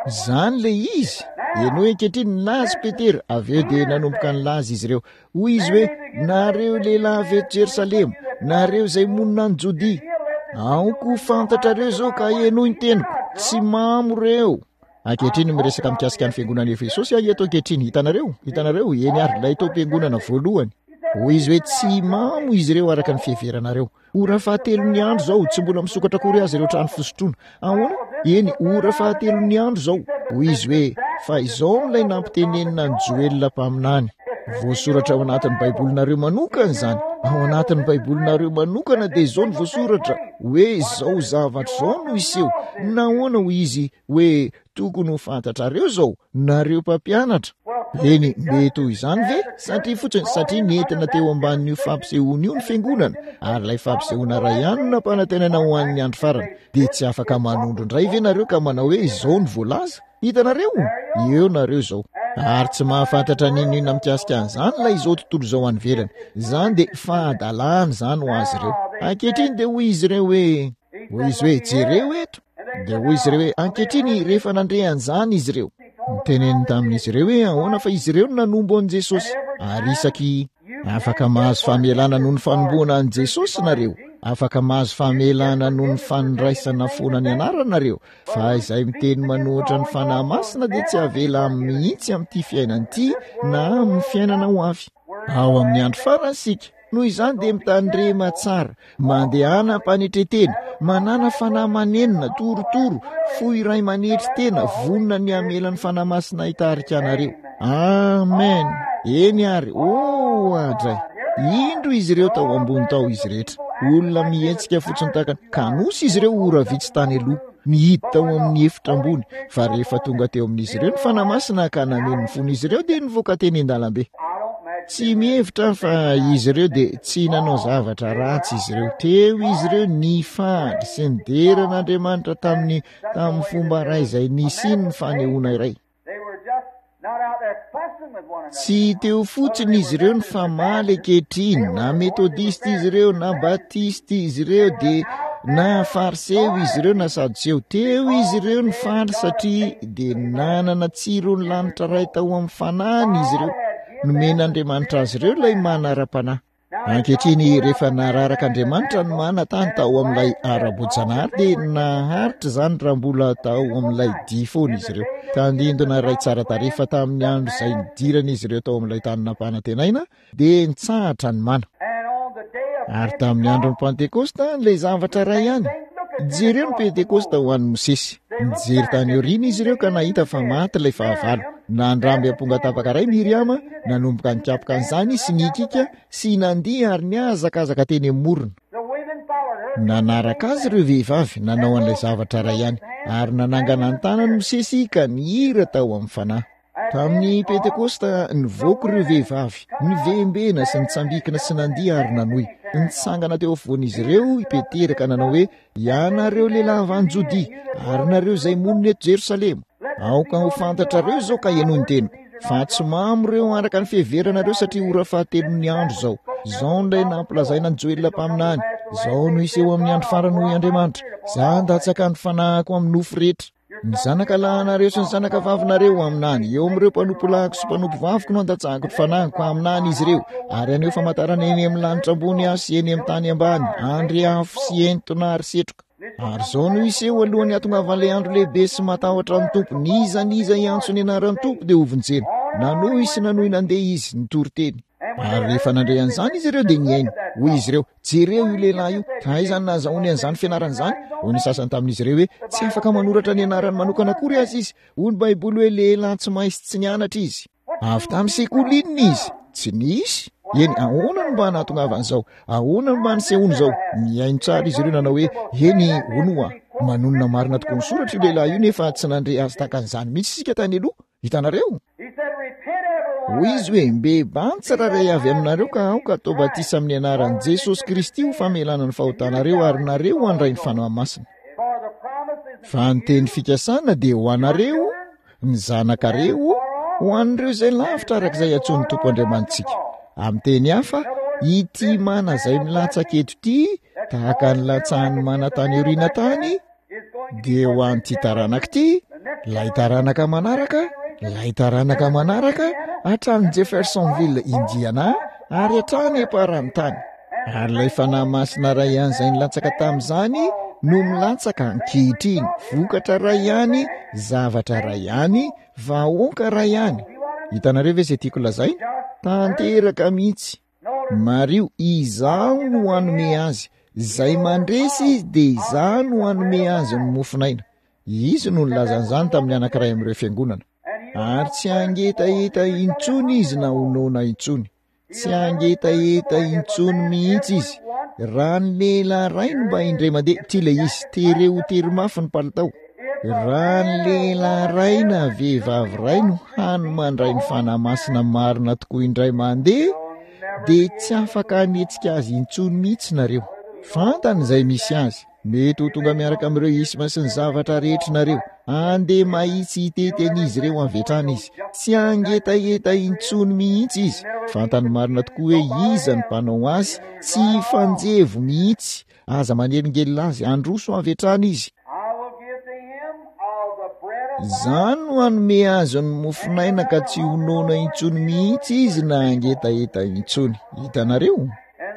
Speaker 1: Izany ilay izy. Henoy ankehitriny, nilaza i Petera, avy eo dia nanomboka nilaza izy ireo. Hoy izy hoe, nareo lehilahy avy eto Jerosalema, nareo izay monina any Jodia, aoka ho fantatrareo izao ka henoy ny teniko, tsy mamo ireo. Ankehitriny miresaka mikasika ny fiangonan'i Efesosy aho eto ankehitriny. Hitanareo? Hitanareo? Eny ary, ilay taom-piangonana voalohany. Hoy izy hoe tsy mamo izy ireo araka ny fiheveranareo. Ora fahatelon'ny andro izao, tsy mbola misokatra akory aza ireo trano fisotroana. Ahoana? Eny, ora fahatelon'ny andro izao. Hoy izy hoe, fa izao no ilay nampitenenina an'i Joela mpaminany. Voasoratra ao anatin'ny Baibolinareo manokana izany. Ao anatin'ny Baibolinareo manokana dia izao no voasoratra, hoe izao zavatra izao no hiseho. Nahoana hoy izy hoe tokony ho fantatrareo izao, nareo mpampianatra? Eny, mety ho izany ve? Satria fotsiny, satria nentina teo ambanin'io fampisehoana io ny fiangonana, ary ilay fampisehoana iray ihany no nampanantenana ho an'ny andro farany, dia tsy afaka manondro indray ve nareo ka manao hoe izao no voalaza? Hitanareo? Eo nareo izao. Ary tsy mahafantatra n'inon'inona mikasika an'izany ilay izao tontolo izao any ivelany. Izany dia fahadalana izany ho azy ireo. Ankehitriny dia hoy izy ireo hoe, hoy izy hoe, jereo eto. Dia hoy izy ireo hoe, ankehitriny rehefa nandre an'izany izy ireo. Niteneniny tamin'izy ireo hoe ahoana fa izy ireo no nanombo an'i Jesosy. Ary isaky Afaka mahazo famelana noho ny fanomboana an'i Jesosy nareo. Afaka mahazo famelana noho ny fandraisana foana ny anarany nareo. Fa izay miteny manohitra ny Fanahy Masina dia tsy havela mihitsy amin'ity fiainana ity na amin'ny fiainana ho avy. Ao amin'ny andro farany isika. Noho izany dia mitandrema tsara, mandehana am-panetren-tena, manàna fanahy manenina, torotoro, fo iray manetry tena, vonona ny hamela ny Fanahy Masina hitarika anareo. Amen. Eny ary, oh, adray. Indro izy ireo tao ambony tao izy rehetra. Olona mihetsika fotsiny tahaka ny kanosa izy ireo ora vitsy tany aloha. nihidy tao amin'ny efitra ambony, fa rehefa tonga teo amin'izy ireo ny Fanahy Masina ka nameno ny fon'izy ireo dia nivoaka teny an-dalambe. Tsy mihevitra aho fa izy ireo dia tsy nanao zavatra ratsy izy ireo. Teo izy ireo nifaly sy nidera an'Andriamanitra tamin'ny tamin'ny fomba iray izay nisian'ny fanehoana iray. Tsy teo fotsiny izy ireo nifamaly ankehitriny, na metodista izy ireo, na batista izy ireo, dia na fariseo izy ireo, na sadoseo. Teo izy ireo nifaly satria dia nanana tsiron'ny lanitra iray tao amin'ny fanahiny izy ireo. Nomen'Andriamanitra azy ireo ilay mana ara-panahy. Ankehitriny, rehefa nararaka Andriamanitra ny mana tany tao amin'ilay ara-boajanahary dia naharitra izany raha mbola tao amin'ilay dihy foana izy ireo. Tandindona iray tsara tarehy fa tamin'ny andro izay nidiran'izy ireo tao amin'ilay tany nampanantenaina dia nitsahatra ny mana. Ary tamin'ny andron'ny Pantekosta, ilay zavatra iray ihany. Jereo ny Pentekosta ho an'i Mosesy. Nijery tany aoriana izy ireo ka nahita fa maty ilay fahavalo. Nandramby amponga tapaka iray Miriama, nanomboka nikapoka an'izany sy nihikiaka sy nandihy ary nihazakazaka teny amin'ny morona. Nanaraka azy ireo vehivavy, nanao an'ilay zavatra iray ihany, ary nanangana ny tanany Mosesy ka nihira tao amin'ny fanahy. Tamin'ny Pentekosta, nivoaka ireo vehivavy, nivembena sy nitsambikina sy nandihy ary nanohy. Nitsangana teo afovoan'izy ireo i Petera ka nanao hoe, Ianareo lehilahy avy any Jodia, ary nareo izay monina eto Jerosalema, aoka ho fantatrareo izao ka henoy ny teniko, fa tsy mamo ireo araka ny fiheveranareo satria ora fahatelon'ny andro izao. Izao indray nampilazaina an'i Joela mpaminany, izao no hiseho amin'ny andro farany hoy Andriamanitra, Izaho handatsaka ny fanahiko amin'ny nofo rehetra. Ny zanaka lahinareo sy ny zanaka vavinareo haminany, eo amin'ireo mpanompo lahiko sy mpanompo vaviko no handatsahako ny fanahiko, haminany izy ireo, ary haneho famantarana eny amin'ny lanitra ambony aho sy eny amin'ny tany ambany, andry afo sy entona ary setroka. Ary izao no hiseho alohan'ny hatongavan'ilay andro lehibe sy matahotra ny Tompo, n'iza n'iza hiantso ny anaran'ny Tompo dia hovonjena. Nanohy sy nanohy nandeha izy, nitory teny. Ary rehefa nandre an'izany izy ireo dia nihaino. Hoy izy ireo, Jereo io lehilahy io, aiza no nahazahoany an'izany fianarana izany? Hoy ny sasany tamin'izy ireo hoe, Tsy afaka manoratra ny anarany manokana akory aza izy. Hoy ny Baiboly hoe lehilahy tsy mahay sy tsy nianatra izy. Avy tamin'ny sekoly inona izy? Tsy nisy. Eny, ahoana no mba nahatongavan'izao? Ahoana no mba nisehoan'izao? Nihaino tsara izy ireo nanao hoe, Eny, hono hoa, manonona marina tokoa ny soratra io lehilahy io nefa tsy nandre azy tahaka an'izany mihitsy isika tany aloha. Hitanareo? Hoy izy hoe, Mibebaha ny tsirairay avy aminareo ka aoka atao batisa amin'ny anaran'i Jesosy Kristy ho famelana ny fahotanareo ary nareo handray ny Fanahy Masina. Fa ny teny fikasana dia ho anareo, ny zanakareo, ho an'ireo izay lavitra araka izay antsoin'ny Tompo Andriamanitsika. Amin'ny teny hafa, ity mana izay milatsaka eto ity, tahaka ny latsahan'ny mana tany aoriana tany, dia ho an'ity taranaka ity, ilay taranaka manaraka, ilay taranaka manaraka, hatrany Jeffersonville, Indiana, ary hatrany am-paran'ny tany. Ary ilay Fanahy Masina iray ihany izay nilatsaka tamin'izany no milatsaka ankehitriny, vokatra iray ihany, zavatra iray ihany, vahoaka iray ihany. Hitanareo ve izay tiako lazaina? Tanteraka mihitsy. Mariho, Izaho no hanome azy. Izay mandresy izy dia Izaho no hanome azy ny mofon'aina. Izy no nilaza an'izany tamin'ny anankiray amin'ireo fiangonana. Ary tsy hangetaheta intsony izy na ho noana intsony. Tsy hangetaheta intsony mihitsy izy. Raha ny lehilahy iray no mba indray mandeha, ity ilay izy, tereo ho tery mafy ny palitao. Raha ny lehilahy iray na vehivavy iray no hany mandray ny Fanahy Masina marina tokoa indray mandeha, dia tsy afaka hanetsika azy intsony mihitsy nareo. Fantany izay misy azy. Mety ho tonga miaraka amin'ireo isma sy ny zavatra rehetra nareo. Andeha mahitsy hitety an'izy ireo avy hatrany izy. Tsy hangetaheta intsony mihitsy izy. Fantany marina tokoa hoe iza ny mpanao azy. Tsy hifanjevo mihitsy. Aza manelingelina azy, handroso avy hatrany izy. Izany no hanome azy ny mofon'aina ka tsy ho noana intsony mihitsy izy na hangetaheta intsony. Hitanareo?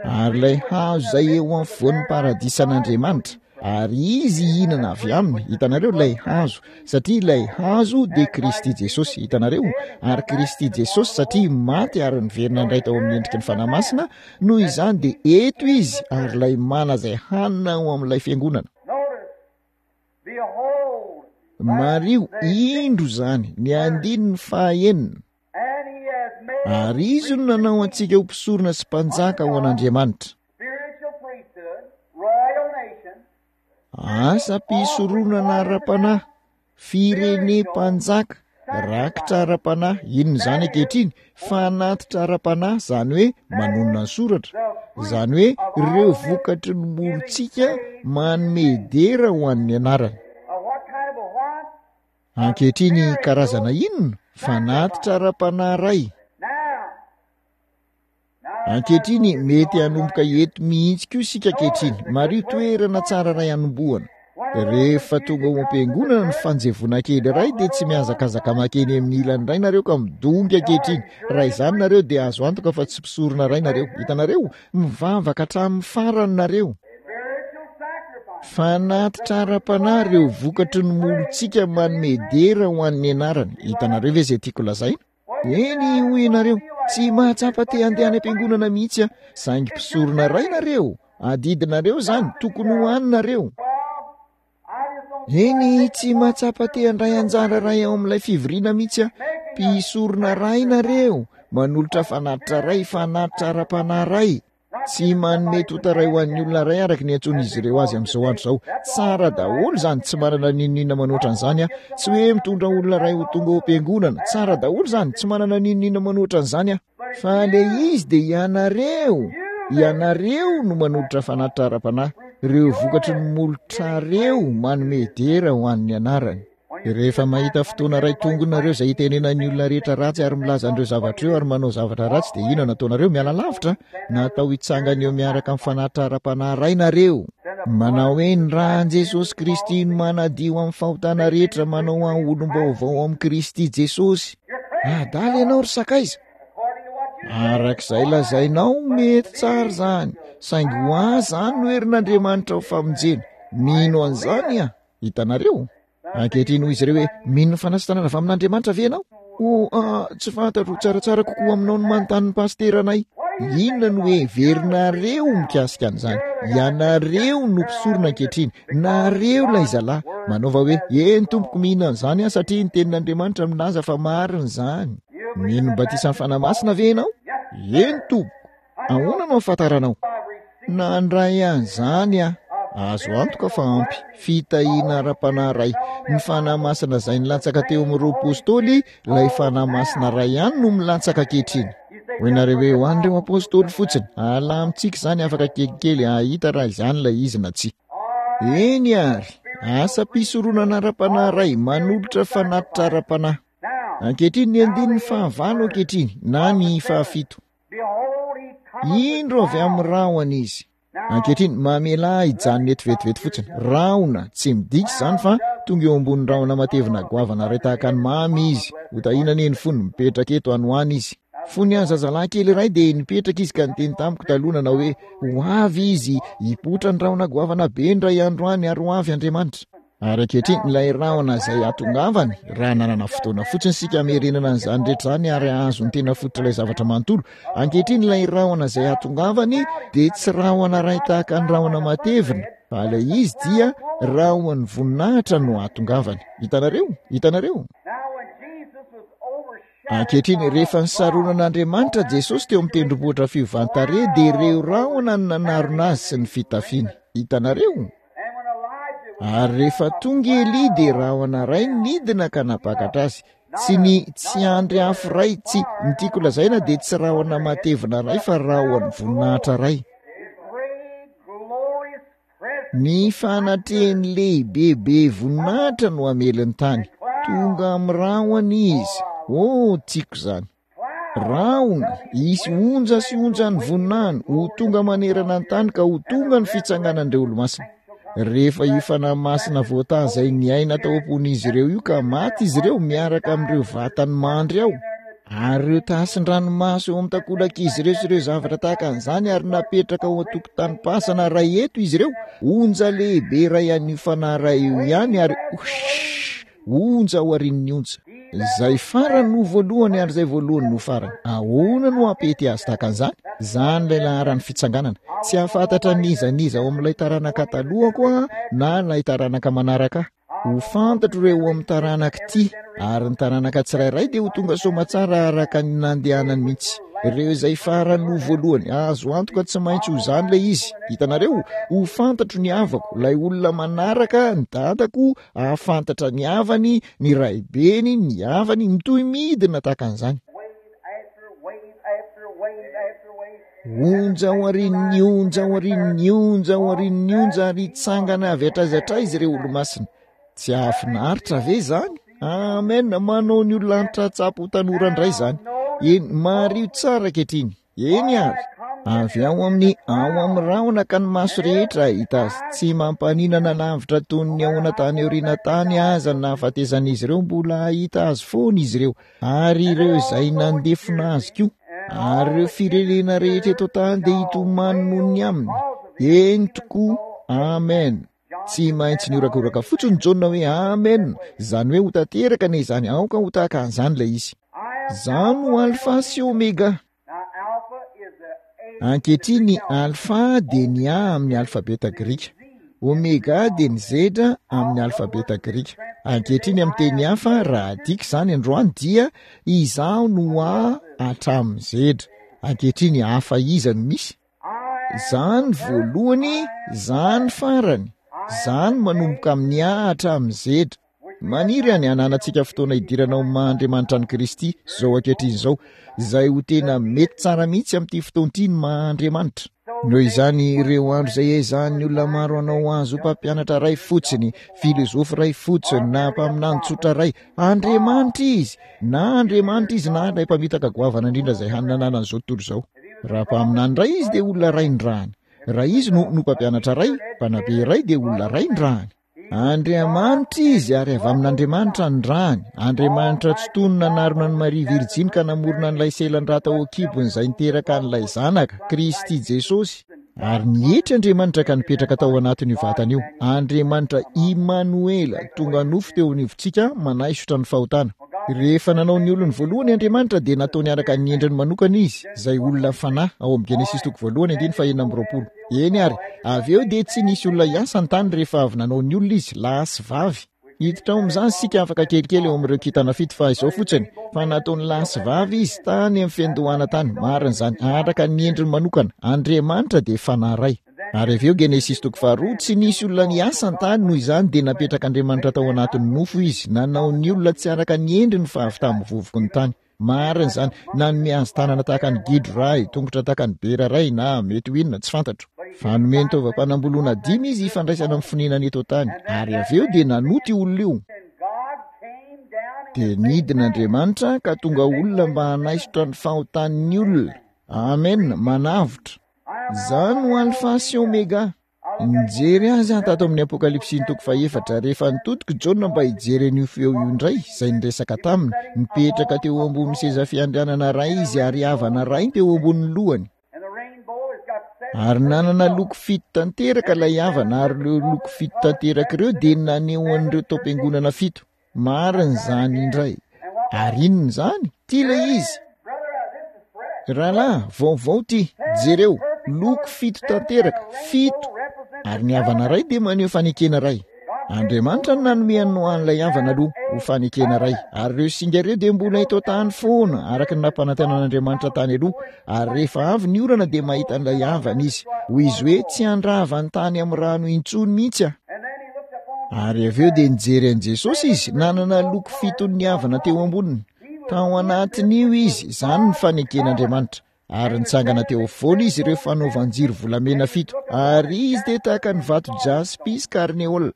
Speaker 1: Ary ilay hazo izay eo afovoan'ny paradisan'Andriamanitra, ary izy hihinana avy aminy, hitanareo, ilay hazo, satria ilay hazo dia Kristy Jesosy, hitanareo? Ary Kristy Jesosy, satria maty ary niverina indray tao amin'ny endriky ny Fanahy Masina, Noho izany dia eto izy ary ilay mana izay hanina ao amin'ilay fiangonana. Mariho, indro izany, ny andininy fahaenina. Ary izy no nanao antsika ho mpisorona sy mpanjaka ho an'Andriamanitra. Asam-pisoronana ara-panahy, firene-mpanjaka, rakitra ara-panahy, inona izany ankehitriny? Fanatitra ara-panahy, izany hoe manonona ny soratra, izany hoe ireo vokatry ny molotsika manome dera ho an'ny anarany. Ankehitriny karazana inona? Fanatitra ara-panahy iray. Ankehitriny, mety hanomboka eto mihitsy koa isika ankehitriny. Mariho toerana tsara iray hanombohana. Rehefa tonga ao am-piangonana ny fanjevoana kely iray dia tsy mihazakazaka makeny amin'ny ilany iray nareo ka midongy ankehitriny. Raha izany nareo dia azo antoka fa tsy mpisorona iray nareo. Hitanareo? Mivavaka hatramin'ny farany nareo. Fanatitra ara-panahy ireo vokatry ny molotsika manome dera ho an'ny anarany. Hitanareo ve izay tiako lazaina? Eny, hoy ianareo, tsy mahatsapa te handeha any am-piangonana mihitsy aho, saingy mpisorona iray nareo, adidinareo izany, tokony ho any nareo. Eny, tsy mahatsapa te handray anjara iray ao amin'ilay fivoriana mihitsy aho, mpisorona iray nareo, manolotra fanatitra iray, fanatitra ara-panahy iray. Tsy manome tota iray ho an'ny olona iray araka ny antsoin'izy ireo azy amin'izao andro izao. Tsara daholo izany, tsy manana n'inon'inona manoatra an'izany aho. Tsy hoe mitondra olona iray ho tonga ao am-piangonana. Tsara daholo izany, tsy manana n'inon'inona manoatra an'izany aho. Fa ilay izy dia ianareo, ianareo no manolotra fanatitra ara-panahy, ireo vokatry ny molotrareo manome dera ho an'ny anarany. Rehefa mahita fotoana iray tonga nareo izay hitenenan'ny olona rehetra ratsy ary milaza an'ireo zavatra ireo ary manao zavatra ratsy dia inona no ataonareo? Miala lavitra? Natao hitsangana eo miaraka amin'ny fanatitra ara-panahy iray nareo. Manao hoe ny ràn'i Jesosy Kristy no manadio amin'ny fahotana rehetra, manao ahy olom-baovao amin'i Kristy Jesosy. Adala ianao ry sakaiza. Araka izay lazainao, mety tsara izany, saingy ho ahy izany no herin'Andriamanitra ho famonjena. Mino an'izany aho. Hitanareo? Ankehitriny hoy izy ireo hoe, Mino ny fanasitranana avy amin'Andriamanitra ve ianao? Oh, ah, tsy fantatro, tsaratsara kokoa aminao ny manontany ny pasiteranay. Inona no heverinareo mikasika an'izany? Ianareo no mpisorona ankehitriny, nareo ilay zalahy. Manaova hoe, Eny tompoko, mino an'izany aho satria ny tenin'Andriamanitra milaza fa marina izany. Mino ny batisan'ny Fanahy Masina ve ianao? Eny tompoko. Ahoana no ahafantaranao? Nandray an'izany aho. Azo antoka fa ampy fitahiana ara-panahy iray. Ny Fanahy Masina izay nilatsaka teo amin'ireo Apostoly, ilay Fanahy Masina iray ihany no milatsaka ankehitriny. Hoy nareo hoe, ho an'ireo Apostoly fotsiny. Alamintsika izany afaka kelikely hahita raha izany ilay izy na tsia. Eny àry, asam-pisoronana ara-panahy iray manolotra fanatitra ara-panahy. Ankehitriny ny andininy fahavalo ankehitriny, na ny fahafito. Indro avy amin'ny rahona izy. Ankehitriny, mamelà ahy hijanona eto vetivety fotsiny. Rahona, tsy midika izany fa tonga eo ambonin'ny rahona matevina goavana iray tahaka ny mamy izy. Ho tahiana anie ny fony, mipetraka eto any ho any izy. Fony aho zazalahy kely iray dia nipetraka izy ka niteny tamiko taloha nanao hoe, Ho avy izy, hipoitra ny rahona goavana be indray andro any ary ho avy Andriamanitra. Ary ankehitriny, ilay rahona izay hatongavany, raha nanana fotoana fotsiny isika hamerenana an'izany rehetra izany ary hahazo ny tena fototr'ilay zavatra manontolo. Ankehitriny, ilay rahona izay hatongavany dia tsy rahona iray tahaka ny rahona matevina, fa ilay izy dia rahon'ny voninahitra no hatongavany. Hitanareo? Hitanareo? Ankehitriny, rehefa nisaronan'Andriamanitra Jesosy teo amin'ny tendrombohitra fiovan-tarehy, dia ireo rahona no nanarona azy sy ny fitafiany. Hitanareo? Ary rehefa tonga i Elia dia rahona iray nidina ka nampakatra azy. Tsy ny tsy andry afo iray, tsy, ny tiako lazaina dia tsy rahona matevina iray fa rahon'ny voninahitra iray. Ny fanatrehany lehibe be voninahitra no hamely ny tany. Tonga amin'ny rahona izy. Oh, tiako izany. Rahona, hisy onja sy onjan'ny voninahiny ho tonga manerana ny tany ka ho tonga ny fitsanganan'ireo olomasina. Rehefa io fanahy masina voataha izay niaina tao am-pon'izy ireo io ka maty izy ireo miaraka amin'ireo vatany mandry ao, ary ireo tasin-dranomaso eo amin'ny takolak'izy ireo sy ireo zavatra tahaka an'izany ary napetraka ao an-tokotanim-pasana iray eto izy ireo, onja lehibe iray an'io fanahy iray io ihany ary hush! Onja aorian'ny onja. Izay farany no voalohany ary izay voalohany no farany. Ahoana no hampety azy tahaka an'izany? Izany ilay laharan'ny fitsanganana. Tsy hahafantatra n'iza n'iza ao amin'ilay taranaka talohako aho na ilay taranaka manaraka ahy. Ho fantatro ireo ao amin'ny taranaka ity, ary ny taranaka tsirairay dia ho tonga soamatsara araka ny nandehanany mihitsy. Ireo izay farany ho voalohany, azo antoka tsy maintsy ho izany ilay izy. Hitanareo? Ho fantatro ny havako, ilay olona manaraka, ny dadako, hahafantatra ny havany, ny raibeny, ny havany, mitohy midina tahaka an'izany. Onja aorian'ny onja aorian'ny onja aorian'ny onja ary hitsangana avy hatraiza hatraiza ireo olomasina. Tsy hahafinaritra ve izany? Amen! Manao ny olona hantra-tsapo ho tanora indray izany. Eny, mariho tsara ankehitriny. Eny ary. Avy ao amin'ny ao amin'ny rahona ka ny maso rehetra hahita azy. Tsy mampaninana lavitra toy ny ahoana tany aoriana tany aza ny nahafatesan'izy ireo, mbola hahita azy foana izy ireo. Ary ireo izay nandefona azy koa, ary ireo firenena rehetra eto an-tany dia hitomany noho ny aminy. Eny tokoa, amen. Tsy maintsy nihorakoraka fotsiny Jaona hoe amen, izany hoe ho tanteraka anie izany, aoka ho tahaka an'izany ilay izy. Izaho no Alfa sy Omega. Ankehitriny ny alfa dia ny A amin'ny alfabeta grika. Omega dia ny Z amin'ny alfabeta grika. Ankehitriny amin'ny teny hafa, raha adika izany androany dia Izaho no A hatramin'ny Z. Ankehitriny hafa iza no misy? Izaho ny voalohany, izaho ny farany. Izaho no manomboka amin'ny A hatramin'ny Z. Maniry aho ny hananantsika fotoana hidirana ao amin'ny maha Andriamanitra an'i Kristy izao ankehitriny izao, izay ho tena mety tsara mihitsy amin'ity fotoana ity ny maha Andriamanitra. Noho izany, ireo andro izay ezahan'ny olona maro hanao azy ho mpampianatra iray fotsiny, filozofy iray fotsiny, na mpaminany tsotra iray, Andriamanitra Izy! Na Andriamanitra Izy na ilay mpamitaka goavana indrindra izay hany nananan'izao tontolo izao. Raha mpaminany iray Izy dia olona iray nirahany. Raha Izy no, no mpampianatra iray, mpanabe iray dia olona iray nirahany. Andriamanitra Izy ary avy amin'Andriamanitra ny rany. Andriamanitra Tsitoha no nanarona an'i Maria Virjiny ka namorona an'ilay selan-drà tao an-kibony izay niteraka an'ilay Zanaka, Kristy Jesosy. Ary nietry Andriamanitra ka nipetraka tao anatin'io vatana io. Andriamanitra Imanoela, tonga nofo teo anivontsika, manaisotra ny fahotana. Rehefa nanao ny olony voalohany Andriamanitra dia nataony araka ny endriny manokana izy, izay olona fanahy, ao amin'ny Genesisy toko voalohany andininy faha-26. Eny ary, avy eo dia tsy nisy olona hiasa ny tany rehefa avy nanao ny olona izy, lahy sy vavy. Hiditra ao amin'izany isika afaka kelikely eo amin'ireo kintana fito fa izao fotsiny, fa nataony lahy sy vavy izy tany amin'ny fiandohana tany, marina izany, araka ny endriny manokana. Andriamanitra dia fanahy iray. Ary avy eo Genesisy toko faharoa, tsy nisy olona niasa ny tany, noho izany dia napetrak'Andriamanitra tao anatin'ny nofo izy, nanao ny olona tsy araka ny endriny fa avy tamin'ny vovoky ny tany. Marina izany, nanome azy tanana tahaka ny gidro iray, tongotra tahaka ny bera iray, na mety ho inona, tsy fantatro. Fa nomeny taovam-panamboloana dimy izy hifandraisana amin'ny fonenany eto an-tany, ary avy eo dia nanota io olona io. Dia nidina Andriamanitra ka tonga olona mba hanaisotra ny fahotan'ny olona. Amen, manavotra. Izaho no Alfa sy Omega. Nijery azy aho tato amin'ny Apokalypsy toko fahefatra, rehefa nitodika i Jaona mba hijery an'io feo io indray, izay niresaka taminy. Nipetraka teo ambonin'ny seza fiandrianana iray izy ary havana iray teo ambonin'ny lohany. Ary nanana loko fito tanteraka ilay havana, ary ireo loko fito tanteraka ireo dia naneho an'ireo taom-piangonana fito. Marina izany indray. Ary inona izany? Ity ilay izy. Rahalahy, vaovao ity. Jereo, loko fito tanteraka, fito. Ary ny havana iray dia maneho fanekena iray. Andriamanitra no nanome an'i Noa an'ilay havana aloha, ho fanekena iray. Ary ireo singa ireo dia mbola eto an-tany foana, araka ny nampanantenan'Andriamanitra tany aloha. Ary rehefa avy ny orana dia mahita an'ilay havana izy. Hoy izy hoe, tsy handrava ny tany amin'ny rano intsony mihitsy aho. Ary avy eo dia nijery an'i Jesosy izy, nanana loko fiton'ny havana teo amboniny. Tao anatin'io izy, izany ny faneken'Andriamanitra. Ary nitsangana teo afovoany izy ireo fanaovan-jiro volamena fito, ary izy dia tahaka ny vato jaspy sy karneola.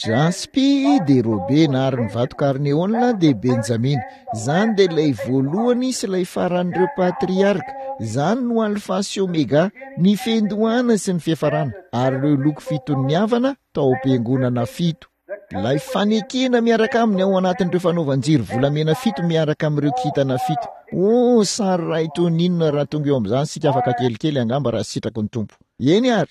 Speaker 1: Jaspy dia Robena ary ny vato karneola dia Benjamina. Izany dia ilay voalohany sy ilay faran'ireo patriarka. Izany no Alfa sy Omega, ny fiandohana sy ny fiafarana, ary ireo loko fiton'ny havana tao am-piangonana fito. Ilay fanekena miaraka aminy ao anatin'ireo fanaovan-jiro volamena fito miaraka amin'ireo kintana fito. Oh, sary iray toy ny inona raha tonga eo amin'izany isika afaka kelikely angamba raha sitraky ny Tompo. Eny ary.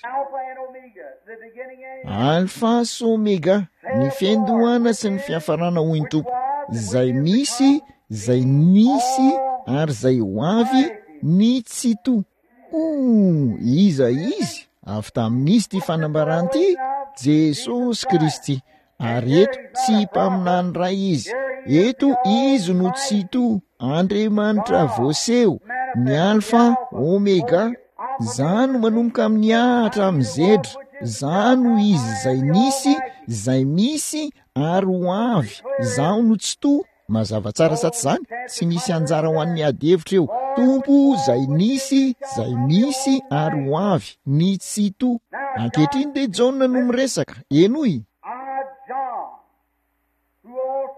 Speaker 1: Alfa sy Omega, ny fiandohana sy ny fiafarana hoy ny Tompo, izay misy, izay nisy ary izay ho avy, ny Tsitoha. Oh, iza Izy? Avy tamin'iza ity fanambarana ity? Jesosy Kristy. Ary eto, tsy mpaminany iray Izy. Eto Izy no Tsitoha, Andriamanitra voaseho, ny Alfa, Omega. Za no manomboka amin'ny A hatramin'ny Z. Za no Izy izay nisy, izay misy, ary ho avy. Izaho no Tsitoha. Mazava tsara sa tsy izany? Tsy misy anjara ho an'ny ady hevitra eo. Tompo izay nisy, izay misy, ary ho avy, ny Tsitoha. Ankehitriny dia Jaona no miresaka. Henoy.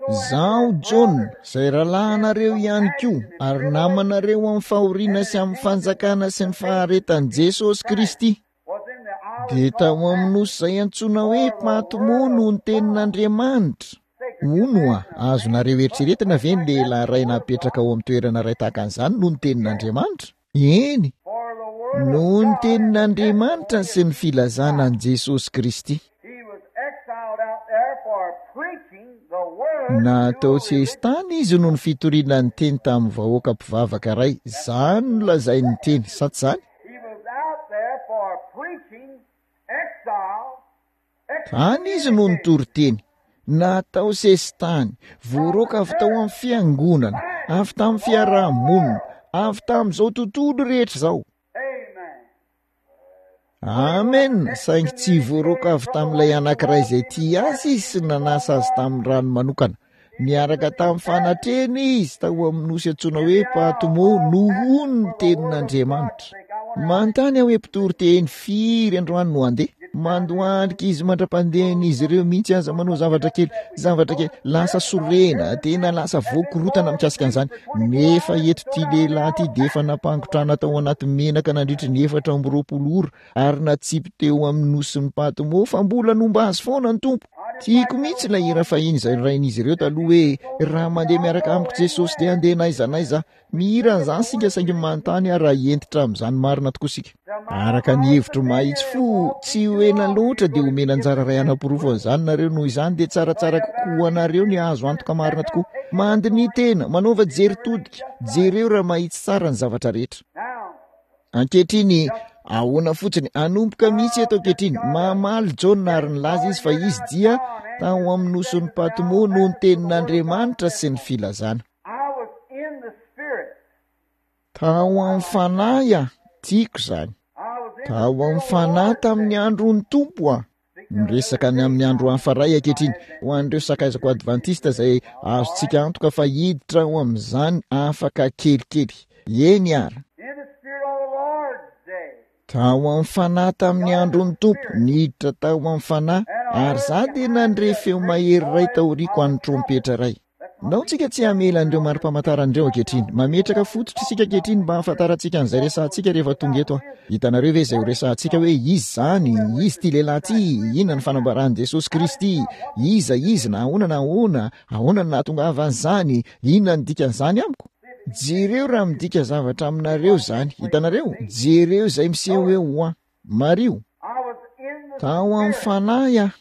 Speaker 1: Izaho Jaona, izay rahalahinareo ihany koa, ary namanareo amin'ny fahoriana sy amin'ny fanjakana sy ny faharetan'i Jesosy Kristy. Dia tao amin'ny nosy izay antsoina hoe Patmo no ny tenin'Andriamanitra. Hono oa, azonareo eritreretina ve ny lehilahy iray napetraka ao amin'ny toerana iray tahaka an'izany noho ny tenin'Andriamanitra? Eny, noho ny tenin'Andriamanitra sy ny filazana an'i Jesosy Kristy. Natao sesitany izy noho ny fitoriana ny teny tamin'ny vahoaka mpivavaka iray. Izany no lazain'ny teny, sa tsy izany? Tany izy no nitory teny, natao sesitany, voaroaka avy tao amin'ny fiangonana, avy tamin'ny fiaraha-monina, avy tamin'izao tontolo rehetra izao. Amen! Saingy tsy voaroaka avy tamin'ilay anankiray izay tia azy izy sy nanasa azy tamin'ny rano manokana. Niaraka tamin'ny fanatrehana izy tao amin'ny nosy antsoina hoe Patmo noho ny tenin'Andriamanitra. Manontany aho hoe mpitory teny firy androany no handeha? Mandohalika izy mandra-pandehan'izy ireo mihitsy aza manao zavatra kely, zavatra kely, lasa sorena, tena lasa voakorotana mikasika an'izany. Nefa eto ity lehilahy ity dia efa nampangotrana tao anaty menaka nandritry ny 24 ora ary natsipy teo amin'ny nosin'i Patmo fa mbola nomba azy foana ny Tompo. Tiako mihitsy ilay hira fahiny izay norain'izy ireo taloha hoe raha mandeha miaraka amiko Jesosy dia handeha n'aiza n'aiza aho. Mihira an'izany isika saingy manontany aho raha hentitra amin'izany marina tokoa isika. Araka ny hevitro mahitsy fo, tsy ho ela loatra dia homena anjara iray hanaporofo an'izany nareo, noho izany dia tsaratsara kokoa ho anareo ny hahazo antoka marina tokoa. Mandiniha tena, manaova jery todika, jereo raha mahitsy tsara ny zavatra rehetra. Ankehitriny, ahoana fotsiny, hanomboka mihitsy eto ankehitriny. Mamaly Jaona ary nilaza izy fa izy dia tao amin'ny nosin'i Patmo noho ny tenin'Andriamanitra sy ny filazana. Tao amin'ny fanahy aho, tiako izany. Tao amin'ny fanahy tamin'ny andron'ny Tompo aho. Miresaka ny amin'ny andro hafa iray ankehitriny, ho an'ireo sakaizako advantista izay azontsika antoka fa hiditra ao amin'izany afaka kelikely. Eny ary. Tao amin'ny fanahy tamin'ny andron'ny Tompo, niditra tao amin'ny fanahy, ary izaho dia nandre feo mahery iray taoriako an'ny trompetra iray. Ndao tsika tsy hamela an'ireo mari-pamantarana ireo ankehitriny. Mametraka fototra isika ankehitriny mba hahafantarantsika an'izay resahantsika rehefa tonga eto aho. Hitanareo ve izay ho resahantsika hoe iza izany, iza ity lehilahy ity, inona ny fanambaran'i Jesosy Kristy, iza izy, na ahoana na ahoana, ahoana no nahatongavan'izany, inona no dikan'izany amiko? Jereo raha midika zavatra aminareo izany. Hitanareo? Jereo izay miseho eo ho ahy. Mariho. Tao amin'ny fanahy aho.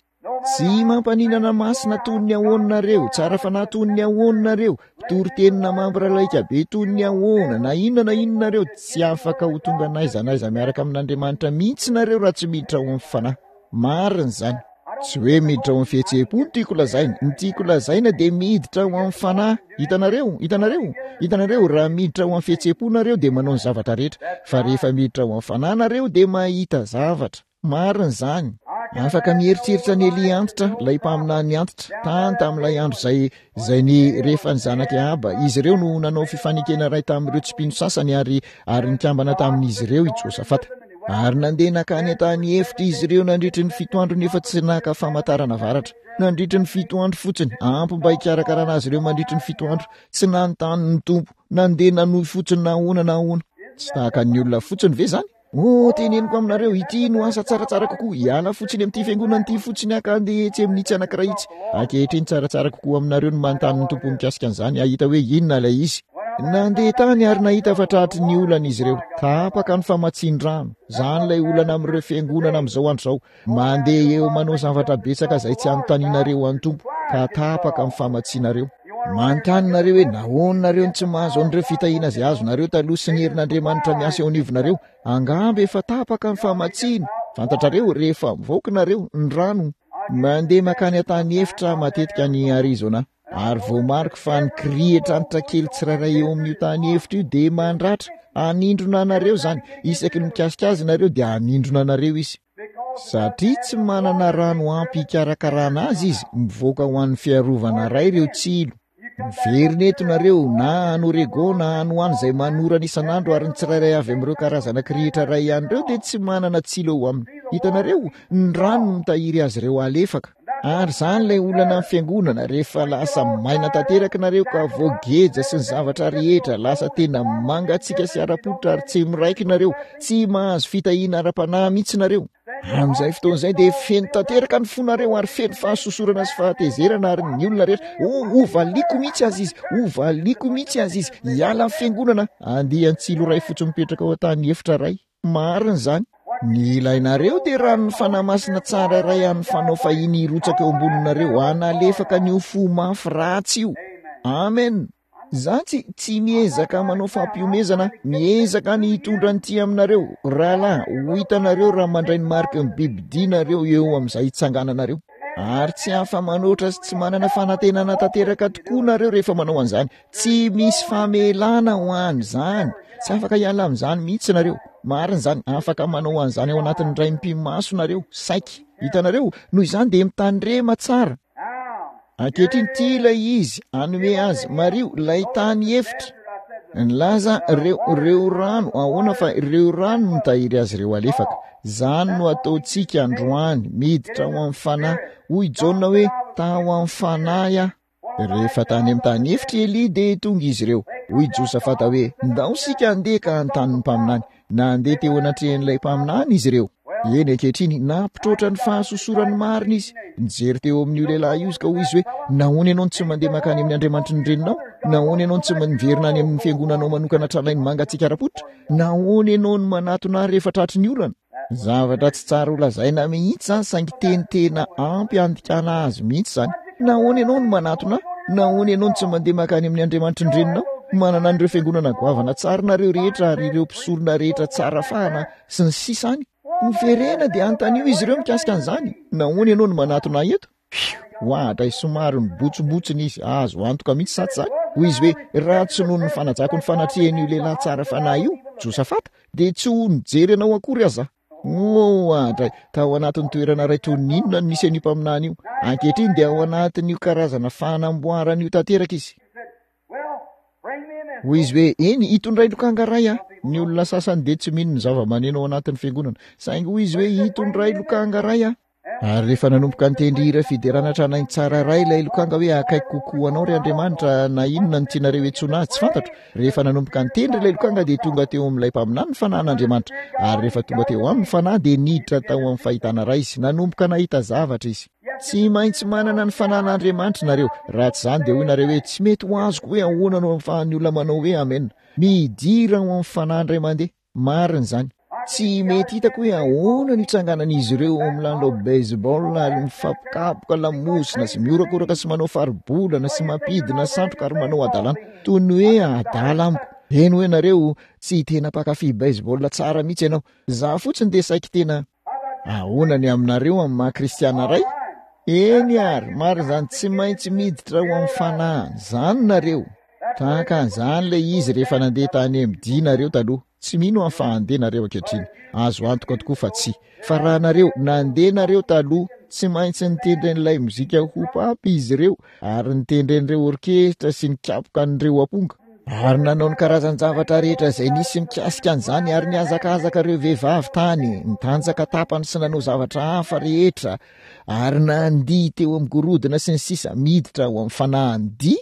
Speaker 1: Tsy mampaninana masina toy ny ahoana nareo, tsara fanahy toy ny ahoana nareo, mpitory teny na mambra laika be toy ny ahoana, na inona na inona nareo, tsy afaka ho tonga n'aiza n'aiza miaraka amin'Andriamanitra mihitsy nareo raha tsy miditra ao amin'ny fanahy. Marina izany. Tsy hoe miditra ao amin'ny fihetseham-po no tiako lazaina. Ny tiako lazaina dia miditra ao amin'ny fanahy. Hitanareo? Hitanareo? Hitanareo, raha miditra ao amin'ny fihetseham-po nareo dia manao ny zavatra rehetra. Fa rehefa miditra ao amin'ny fanahy nareo dia mahita zavatra. Marina izany. Afaka mieritreritra an'i Elia antitra, ilay mpaminany antitra, tany tamin'ilay andro izay, izay ny, rehefa ny zanak'i Ahaba, izy ireo no nanao fifanekena iray tamin'ireo tsy mpino sasany ary, ary nikambana tamin'izy ireo i Josafata. Ary nandeha nankany an-tany efitra izy ireo nandritry ny fito andro nefa tsy naka famantarana varatra. Nandritry ny fito andro fotsiny, ampy mba hikarakarana azy ireo mandritry ny fito andro. Tsy nanontany ny Tompo, nandeha nanohy fotsiny na ahoana na ahoana. Tsy tahaka ny olona fotsiny ve izany? Oh, teneniko aminareo, ity no asa tsaratsara kokoa. Hiala fotsiny amin'ity fiangonana ity fotsiny aho ka handeha etsy amin'itsy anankiray itsy. Ankehitriny, tsaratsara kokoa aminareo ny manontany ny Tompo mikasika an'izany, hahita hoe inona ilay izy. Nandeha tany ary nahita fa tratry ny olana izy ireo. Tapaka ny famatsian-drano. Izany ilay olana amin'ireo fiangonana amin'izao andro izao. Mandeha eo manao zavatra betsaka izay tsy anontanianareo an'ny Tompo, ka tapaka ny famatsianareo. Manontany nareo hoe nahoana nareo no tsy mahazo an'ireo fitahiana izay azonareo taloha sy ny herin'Andriamanitra miasa eo anivonareo. Angamba efa tapaka ny famatsiana. Fantatrareo, rehefa mivoaka nareo, ny rano, mandeha mankany an-tany efitra matetika any Arizona. Ary voamariko fa ny kirihitra antitra kely tsirairay eo amin'io tany efitra io dia mandratra, hanindrona anareo izany, isaky ny mikasika azy nareo dia hanindrona anareo izy. Satria tsy manana rano ampy hikarakarana azy izy, mivoaka ho an'ny fiarovana iray ireo tsilo. Miverina eto nareo, na any Oregon na any ho any izay manorana isan'andro ary ny tsirairay avy amin'ireo karazana kirihitra iray ihany ireo dia tsy manana tsilo eo aminy. Hitanareo, ny rano no mitahiry azy ireo halefaka. Ary izany ilay olana amin'ny fiangonana, rehefa lasa maina tanteraka nareo ka voageja sy ny zavatra rehetra, lasa tena mangatsiaka sy ara-pototra ary tsy miraiky nareo, tsy mahazo fitahiana ara-panahy mihitsy nareo. Amin'izay fotoana izay dia feno tanteraka ny fonareo ary feno fahasosorana sy fahatezerana ary ny olona rehetra, oh, hovaliako mihitsy azy izy, hovaliako mihitsy azy izy, hiala ny fiangonana, andian-tsilo iray fotsiny mipetraka ao an-tany efitra iray. Marina izany. Ny ilainareo dia ranon'ny Fanahy Masina tsara iray an'ny fanao fahiny hirotsaka eo amboninareo hanalefaka an'io fo mafy ratsy io. Amen. Za tsy, tsy miezaka manao fampihomezana, miezaka ny hitondra an'ity aminareo. Rahalahy, ho hitanareo raha mandray ny mariky ny bibidia nareo eo amin'izay hitsangananareo. Ary tsy afa-manoatra sy tsy manana fanantenana tanteraka tokoa nareo rehefa manao an'izany. Tsy misy famelana ho an'izany. Tsy afaka hiala amin'izany mihitsy nareo. Marina izany, afaka manao an'izany ao anatin'ny iray mipi-maso nareo, saiky. Hitanareo? Noho izany dia mitandrema tsara. Ankehitriny, ity ilay izy, hanome azy. Mariho, ilay tany efitra. Nilaza ireo, ireo rano, ahoana fa ireo rano no nitahiry azy ireo alefaka. Izany no ataontsika androany, miditra ao amin'ny Fanahy. Hoy Jaona hoe, Tao amin'ny Fanahy aho. Rehefa tany amin'ny tany efitra i Elia dia tonga izy ireo. Hoy Josafata hoe, Ndao isika handeha ka hanontany ny mpaminany. Nandeha teo anatrehan'ilay mpaminany izy ireo. Eny, ankehitriny, nampitroatra ny fahasosorany marina izy. Nijery teo amin'io lehilahy io izy ka hoy izy hoe, Nahoana ianao no tsy mandeha mankany amin'ny Andriamanitry ny reninao? Nahoana ianao no tsy miverina any amin'ny fiangonanao manokana tranainy mangatsiaka ara-pototra? Nahoana ianao no manatona ahy rehefa tratry ny olana? Zavatra tsy tsara ho lazaina mihitsy izany saingy teny tena ampy handikana azy mihitsy izany. Nahoana ianao no manatona ahy? Nahoana ianao no tsy mandeha mankany amin'ny Andriamanitry ny reninao? Manana an'ireo fiangonana goavana tsara nareo rehetra ary ireo mpisorona rehetra tsara fahana sy ny sisa any. Miverena dia anontanio izy ireo mikasika an'izany. Nahoana ianao no manatona ahy eto? Fiu! Oadray somary mibotsimbotsina izy, azo antoka mihitsy sa tsy izany? Hoy izy hoe, Raha tsy noho ny fanajako ny fanatrehan'io lehilahy tsara fanahy io, Josafata, dia tsy ho nijery anao akory aza aho. Oadray! Tao anatin'ny toerana iray toy ny inona no nisy an'io mpaminany io? Ankehitriny dia ao anatin'io karazana fanamboarana io tanteraka izy. Hoy izy hoe, Eny, hitondray lokanga iray aho. Ny olona sasany dia tsy mino ny zava-maneno ao anatin'ny fiangonana. Saingy hoy izy hoe, Hitondray lokanga iray aho. Ary rehefa nanomboka nitendry hira fiderana tranainy tsara iray ilay lokanga hoe Akaiky kokoa anao ry Andriamanitra na inona no tianareo iantsoana azy tsy fantatro. Rehefa nanomboka nitendry ilay lokanga dia tonga teo amin'ilay mpaminany ny fanahin'Andriamanitra. Ary rehefa tonga teo aminy ny fanahy dia niditra tao amin'ny fahitana iray izy. Nanomboka nahita zavatra izy. Tsy maintsy manana ny fanahin'Andriamanitra nareo. Raha tsy izany dia hoy nareo hoe tsy mety ho azoko hoe ahoana no ahafahan'ny olona manao hoe amena. Midira ao amin'ny fanahy indray mandeha. Marina izany. Tsy mety hitako hoe ahoana no itsanganan'izy ireo ao amin'ny lalao baseball ary mifampikapoka lamosina sy mihorakoraka sy manao faribolana sy mampidina satroka ary manao hadalana. Toy ny hoe adala amiko. Eny hoe nareo, tsy tena mpankafy baseball tsara mihitsy ianao. Izaho fotsiny dia saiky tena. Ahoana ny aminareo amin'ny maha kristiana iray? Eny ary, marina izany, tsy maintsy miditra ao amin'ny fanahy izany nareo. Tahaka an'izany ilay izy rehefa nandeha tany MD nareo taloha. Tsy mino aho fa handeha nareo ankehitriny. Azo antoka tokoa fa tsia. Fa raha nareo, nandeha nareo taloha, tsy maintsy nitendry an'ilay mozika hop-up izy ireo, ary nitendry an'ireo orkesitra sy nikapoka an'ireo amponga. Ary nanao ny karazan-javatra rehetra izay nisy mikasika an'izany, ary nihazakazaka ireo vehivavy tany, nitanjaka tapany sy nanao zavatra hafa rehetra, ary nandihy teo amin'ny gorodona sy ny sisa, miditra ao amin'ny fanahin'ny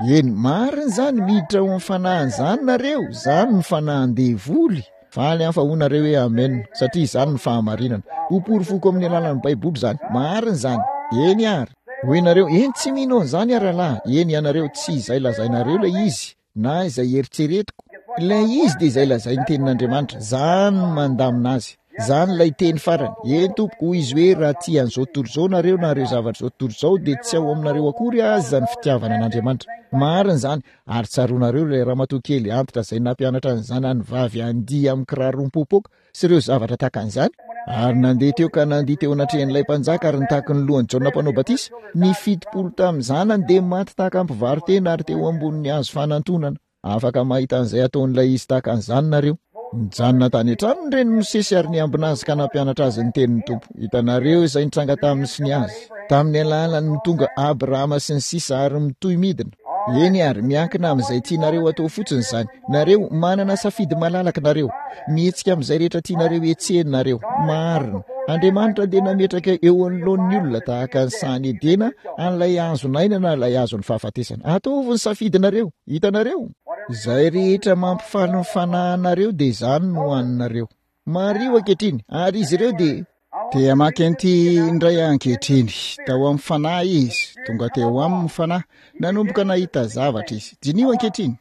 Speaker 1: Eny, marina izany, miditra ao amin'ny fanahin'izany nareo, izany ny fanahin-devoly. Faly aho fa hoy nareo hoe amen, satria izany no fahamarinana. Ho porofoko amin'ny alalan'ny Baiboly izany. Marina izany. Eny ary. Hoy nareo, eny tsy mino an'izany aho rahalahy. Eny ianareo, tsy izay lazainareo ilay izy, na izay eritreretiko. Ilay izy dia izay lazain'ny tenin'Andriamanitra. Izany no mandamina azy. Izany ilay teny farany. Eny, tompoko, hoy izy hoe, raha tia an'izao tontolo izao nareo na ireo zavatra izao tontolo izao, dia tsy ao aminareo akory aza ny fitiavana an'Andriamanitra. Marina izany. Ary tsaroanareo ilay ramatoa kely antitra izay nampianatra ny zanany vavy handihy amin'ny kiraro mipoapoaka sy ireo zavatra tahaka an'izany? Ary nandeha teo ka nandihy teo anatrehan'ilay mpanjaka ary nitaky ny lohan'i Jaona Mpanao Batisa. Ny 70 tamin'ny zanany dia maty tahaka ny mpivaro-tena ary teo ambonin'ny hazo fanantonana. Afaka mahita an'izay ataon'ilay izy tahaka an'izany nareo. Nijanona tany an-trano ny renin'i Mosesy ary niambina azy ka nampianatra azy ny tenin'ny Tompo. Hitanareo izay nitranga taminy sy ny azy. Tamin'ny alalan'ny no tonga Abrahama sy ny sisa ary mitohy midina. Eny ary, miankina amin'izay tianareo atao fotsiny izany. Nareo, manana safidy malalaka nareo. Mihetsika amin'izay rehetra tianareo hetsehina nareo. Marina. Andriamanitra dia nametraka eo anoloan'ny olona tahaka ny sahan'i Edena an'ilay hazon'aina na ilay hazon'ny fahafatesana. Ataovy ny safidinareo. Hitanareo? Izay rehetra mampifaly ny fanahinareo dia izany no haninareo. Mariho ankehitriny, ary izy ireo dia. Te hamaky an'ity indray aho ankehitriny. Tao amin'ny fanahy izy. Tonga teo aminy ny fanahy. Nanomboka nahita zavatra izy. Diniho ankehitriny.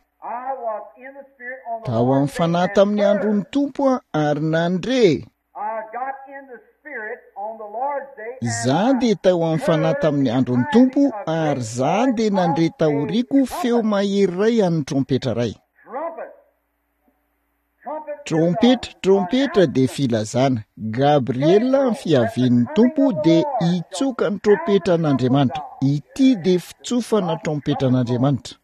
Speaker 1: Tao amin'ny fanahy tamin'ny andron'ny Tompo aho ary nandre. Izaho dia tao amin'ny fanahy tamin'ny andron'ny Tompo ary izaho dia nandre taoriako feo mahery iray an'ny trompetra iray. Trompetra, trompetra dia filazana. Gabriela amin'ny fiavian'ny Tompo dia hitsoka ny trompetran'Andriamanitra. Ity dia fitsofana trompetran'Andriamanitra.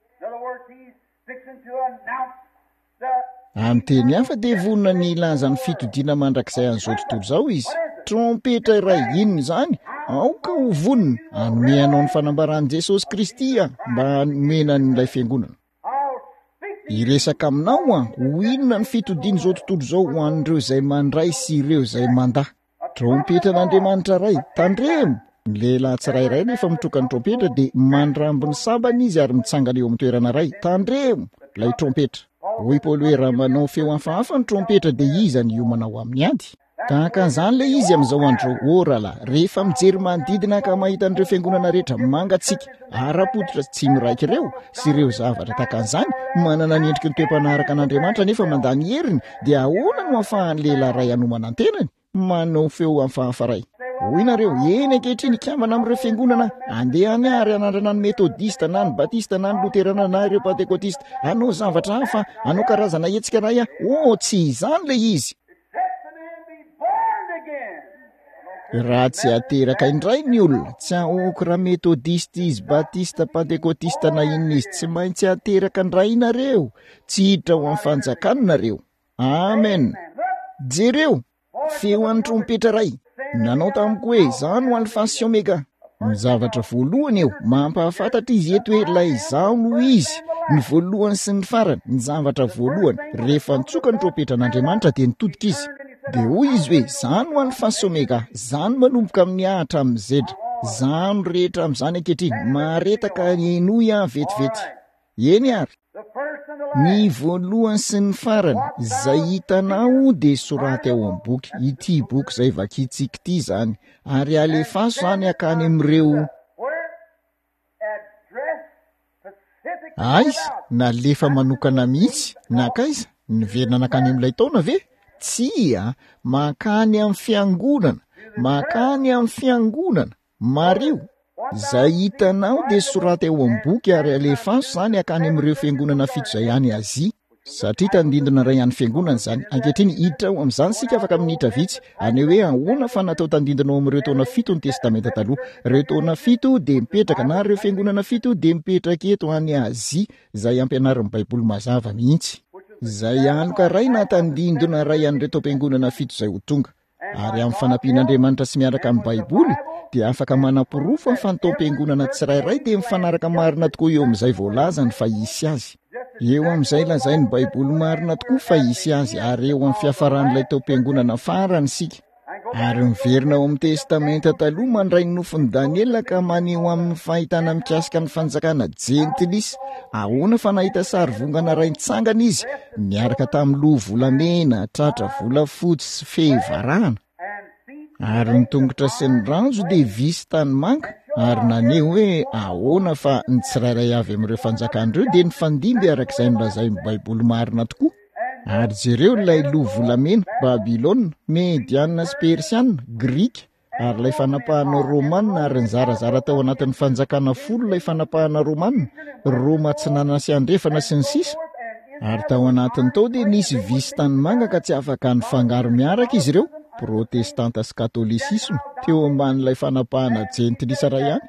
Speaker 1: Amin'ny teny hafa dia vonona ny hilaza ny fitodiana mandrakizay an'izao tontolo izao izy. Trompetra iray inona izany? Aoka ho vonona hanome anao ny fanambaran'i Jesosy Kristy aho mba hanomena an'ilay fiangonana. Hiresaka aminao aho ho inona ny fitodian'izao tontolo izao ho an'ireo izay mandray sy ireo izay mandà. Trompetran'Andriamanitra Ray, tandremo! Ny lehilahy tsirairay rehefa mitroka ny trompetra dia mandramby ny sabany izy ary mitsangana eo amin'ny toerana iray. Tandremo! Ilay trompetra. Hoy Paoly hoe raha manao feo hafahafa ny trompetra dia iza no hiomana ho amin'ny ady? Tahaka an'izany ilay izy amin'izao andro izao. Oh rahalahy, rehefa mijery manodidina ka mahita an'ireo fiangonana rehetra mangatsiaka, ara-pototra tsy miraika ireo, sy ireo zavatra tahaka an'izany, manana ny endriky ny toe-panahy araka an'Andriamanitra nefa mandà ny heriny, dia ahoana no ahafahan'ny lehilahy iray hanomana ny tenany? Manao feo hafahafa iray. Hoy nareo, eny ankehitriny hikambana amin'ireo fiangonana, andeha any ary hanandrana ny metodista na ny batista na ny loterana na ireo pantekotista, hanao zavatra hafa, hanao karazana hetsika iray aho. Oh, tsy izany ilay izy. Raha tsy ateraka indray ny olona, tsy ahoako raha metodista izy, batista, pantekotista na inona izy, tsy maintsy ateraka indray nareo, tsy hiditra ao amin'ny fanjakana nareo. Amen. Jereo, feo an'ny trompetra iray. Nanao tamiko hoe, Izaho no Alfa sy Omega. Ny zavatra voalohany eo, mampahafantatra izy eto hoe ilay izaho no izy, ny voalohany sy ny farany, ny zavatra voalohany. Rehefa nitsoka ny trompetran'Andriamanitra dia nitodika izy. Dia hoy izy hoe, Izaho no Alfa sy Omega, izaho no manomboka amin'ny A hatramin'ny Z. Izaho no rehetra amin'izany ankehitriny. Mahareta ka henoy aho vetivety. Eny ary. Ny voalohany sy ny farany, izay hitanao dia soraty ao amin'ny boky, ity boky izay vakintsika ity izany, ary alefaso izany hakany amin'ireo. Aiza? Nalefa manokana mihitsy? Nankaiza? Niverina nankany amin'ilay taona ve? Tsia, mankany amin'ny fiangonana, mankany amin'ny fiangonana. Mariho, izay hitanao dia soraty ao amin'ny boky ary alefaso izany hakany amin'ireo fiangonana fito izay any Azia. Satria tandindona iray an'ny fiangonana izany. Ankehitriny, hiditra ao amin'izany isika afaka minitra vitsy, haneho hoe ahoana fa natao tandindona ao amin'ireo taona fito ny Testamenta Taloha. Ireo taona fito dia mipetraka, na ireo fiangonana fito dia mipetraka eto any Azia, izay ampianarin'ny Baiboly mazava mihitsy. Izay aloka iray na tandindona iray an'ireo taom-piangonana fito izay ho tonga. Ary amin'ny fanampian'Andriamanitra sy miaraka amin'ny Baiboly, dia afaka manaporofo fa ny taom-piangonana tsirairay dia mifanaraka marina tokoa eo amin'izay voalazany fa hisy azy. Eo amin'izay lazain'ny Baiboly marina tokoa fa hisy azy, ary eo amin'ny fiafaran'ilay taom-piangonana farany isika. Ary miverina ao amin'ny Testamenta Taloha mandray ny nofin'i Daniela ka maneho aminy fahitana mikasika ny fanjakana jentilisa. Ahoana fa nahita sary vongana iray nitsangana izy, niaraka tamin'ny loha volamena, tratra volafotsy sy fehy varahana, ary ny tongotra sy ny ranjo dia vy sy tanimanga, ary naneho hoe ahoana fa ny tsirairay avy amin'ireo fanjakana ireo dia nifandimby araka izay nolazain'ny Baiboly marina tokoa. Ary jereo ilay loha volamena, Babylona, Mediana sy Persiana, Grika, ary ilay fanapahana Romana, ary nizarazara tao anatin'ny fanjakana folo ilay fanapahana Romana, Roma atsinanana sy andrefana sy ny sisa. Ary tao anatiny tao dia nisy vy sy tanimanga ka tsy afaka nifangaro miaraka izy ireo, Protestanta sy Katolisisma, teo ambanin'ilay fanapahana jentilisa iray ihany.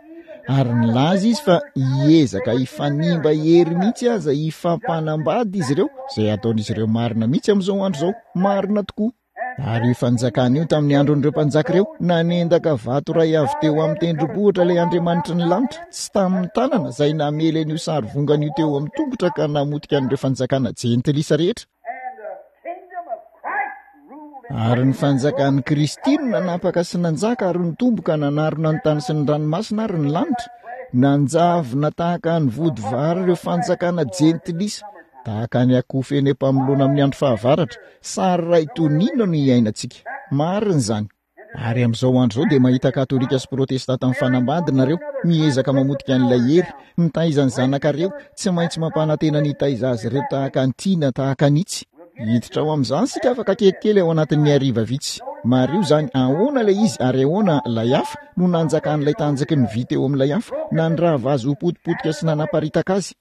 Speaker 1: Ary nilaza izy fa hiezaka hifanimba hery mihitsy aza hifampanambady izy ireo, izay ataon'izy ireo marina mihitsy amin'izao andro izao. Marina tokoa. Ary io fanjakana io tamin'ny andron'ireo mpanjaka ireo, nanendaka vato iray avy teo amin'ny tendrombohitra ilay Andriamanitry ny lanitra, tsy tamin'ny tanana, izay namely an'io sarivongana io teo amin'ny tongotra ka namotika an'ireo fanjakana jentilisa rehetra. Ary ny fanjakan'i Kristy no nanapaka sy nanjaka ary nitombo ka nanarona ny tany sy ny ranomasina ary ny lanitra. Nanjavona tahaka ny vody vary ireo fanjakana jentilisa, tahaka ny akofa eny am-pamoloana amin'ny andro fahavaratra. Sary iray toy ny inona no iainantsika? Marina izany. Ary amin'izao andro izao dia mahita Katolika sy Protestanta mifanambady nareo, miezaka mamotika an'ilay hery, mitaiza ny zanakareo, tsy maintsy mampanantena ny hitaiza azy ireo tahaka an'ity na tahaka an'itsy. Hiditra ao amin'izany isika afaka kelikely ao anatin'ny hariva vitsy. Mariho izany, ahoana ilay izy ary ahoana ilay hafa no nanjakan'ilay tanjaky ny vy teo amin'ilay hafa, nandrava azy ho potipotika sy nanaparitaka azy.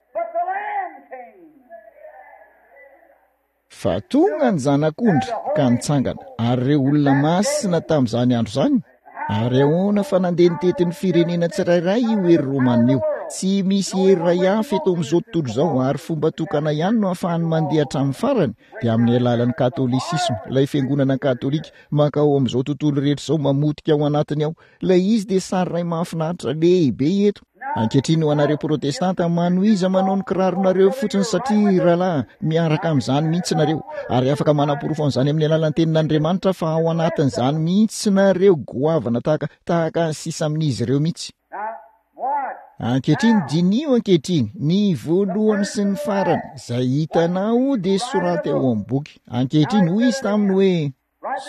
Speaker 1: Fa tonga ny Zanak'ondry ka nitsangana, ary ireo olona masina tamin'izany andro izany, ary ahoana fa nandeha nitety ny firenena tsirairay io hery romana io. Tsy misy hery iray hafa eto amin'izao tontolo izao, ary fomba tokana ihany no ahafahany mandeha hatramin'ny farany, dia amin'ny alalan'ny katolisisma, ilay fiangonana katolika, mankao amin'izao tontolo rehetra izao, mamotika ao anatiny ao. Ilay izy dia sary iray mahafinaritra lehibe eto. Ankehitriny ho anareo protestanta, manohiza manao ny kiraronareo fotsiny satria rahalahy, miaraka amin'izany mihitsy nareo. Ary afaka manaporofo an'izany amin'ny alalan'ny tenin'Andriamanitra fa ao anatin'izany mihitsy nareo goavana tahaka, tahaka ny sisa amin'izy ireo mihitsy. Ankehitriny, diniho ankehitriny, ny voalohany sy ny farany, izay hitanao dia soraty ao amin'ny boky. Ankehitriny, hoy izy taminy hoe,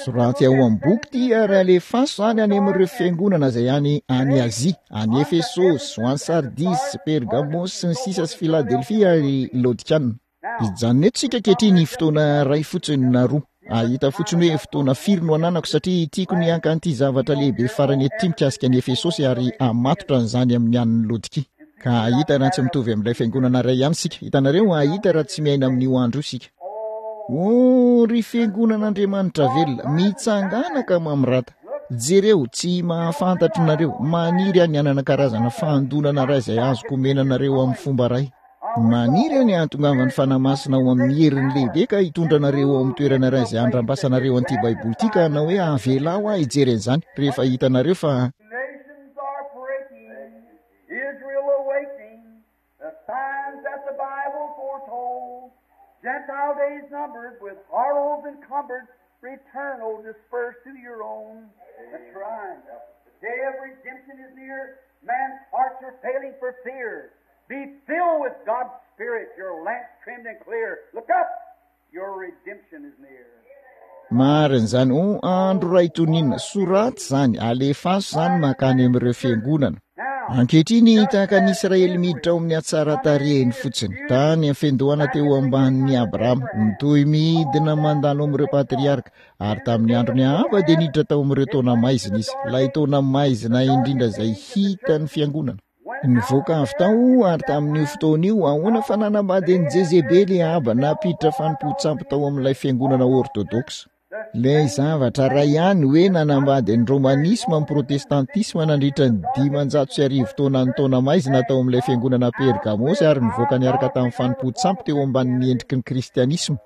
Speaker 1: Soraty ao amin'ny boky ity ary alefaso izany any amin'ireo fiangonana izay any any Azia, any Efesosy, ho any Sardisy sy Pergamosy sy ny sisa sy Filadelfia ary Laodikiana. Hijanona eto isika ankehitriny fotoana iray fotsiny na roa. Hahita fotsiny hoe fotoana firy no ananako satria tiako ny haka an'ity zavatra lehibe farany eto ity mikasika an'i Efesosy ary hamatotra an'izany amin'ny an'ny Laodikia. Ka hahita raha tsy mitovy amin'ilay fiangonana iray ihany isika. Hitanareo, hahita raha tsy miaina amin'io andro io isika. Oh, ry fiangonan'Andriamanitra velona, mitsangàna ka mamirata. Jereo, tsy mahafantatro nareo, maniry aho ny hanana karazana fahandonana iray izay azoko omena anareo amin'ny fomba iray. Maniry aho ny hahatongavan'ny Fanahy Masina ao amin'ny heriny lehibe ka hitondra anareo ao amin'ny toerana iray izay handrambasanareo an'ity Baiboly ity ka hanao hoe avelao aho hijery an'izany rehefa hitanareo fa
Speaker 2: The signs that the Bible foretold, Gentile days numbered, with horrors encumbered, return, O dispersed to your own. That's right. The day of redemption is near. Man's hearts are failing for fear. Be filled with God's Spirit, your lamps trimmed and clear. Look up! Your redemption is near.
Speaker 1: Marina izany. O andro iray toy ny inona. Soraty izany, alefaso izany mankany amin'ireo fiangonana. Ankehitriny, tahaka ny Israely miditra ao amin'ny hatsaran-tarehiny fotsiny, tany am-fiandohana teo ambanin'i Abrahama, mitohy midina mandalo amin'ireo patriarka, ary tamin'ny andron'i Ahaba dia niditra tao amin'ireo taona maizina izy, ilay taona maizina indrindra izay hitan'ny fiangonana. Nivoaka avy tao ary tamin'io fotoana io, ahoana fa nanambady an'i Jezebely i Ahaba, nampiditra fanompoan-tsampy tao amin'ilay fiangonana ortodoksa. Ilay zavatra iray ihany hoe nanambady ny romanisma ny protestantisma nandritra ny 1500 taona ny taona maizina tao amin'ilay fiangonana Pergamosy ary nivoaka niaraka tamin'ny fanompoan-tsampy teo ambanin'ny endriky ny kristianisma.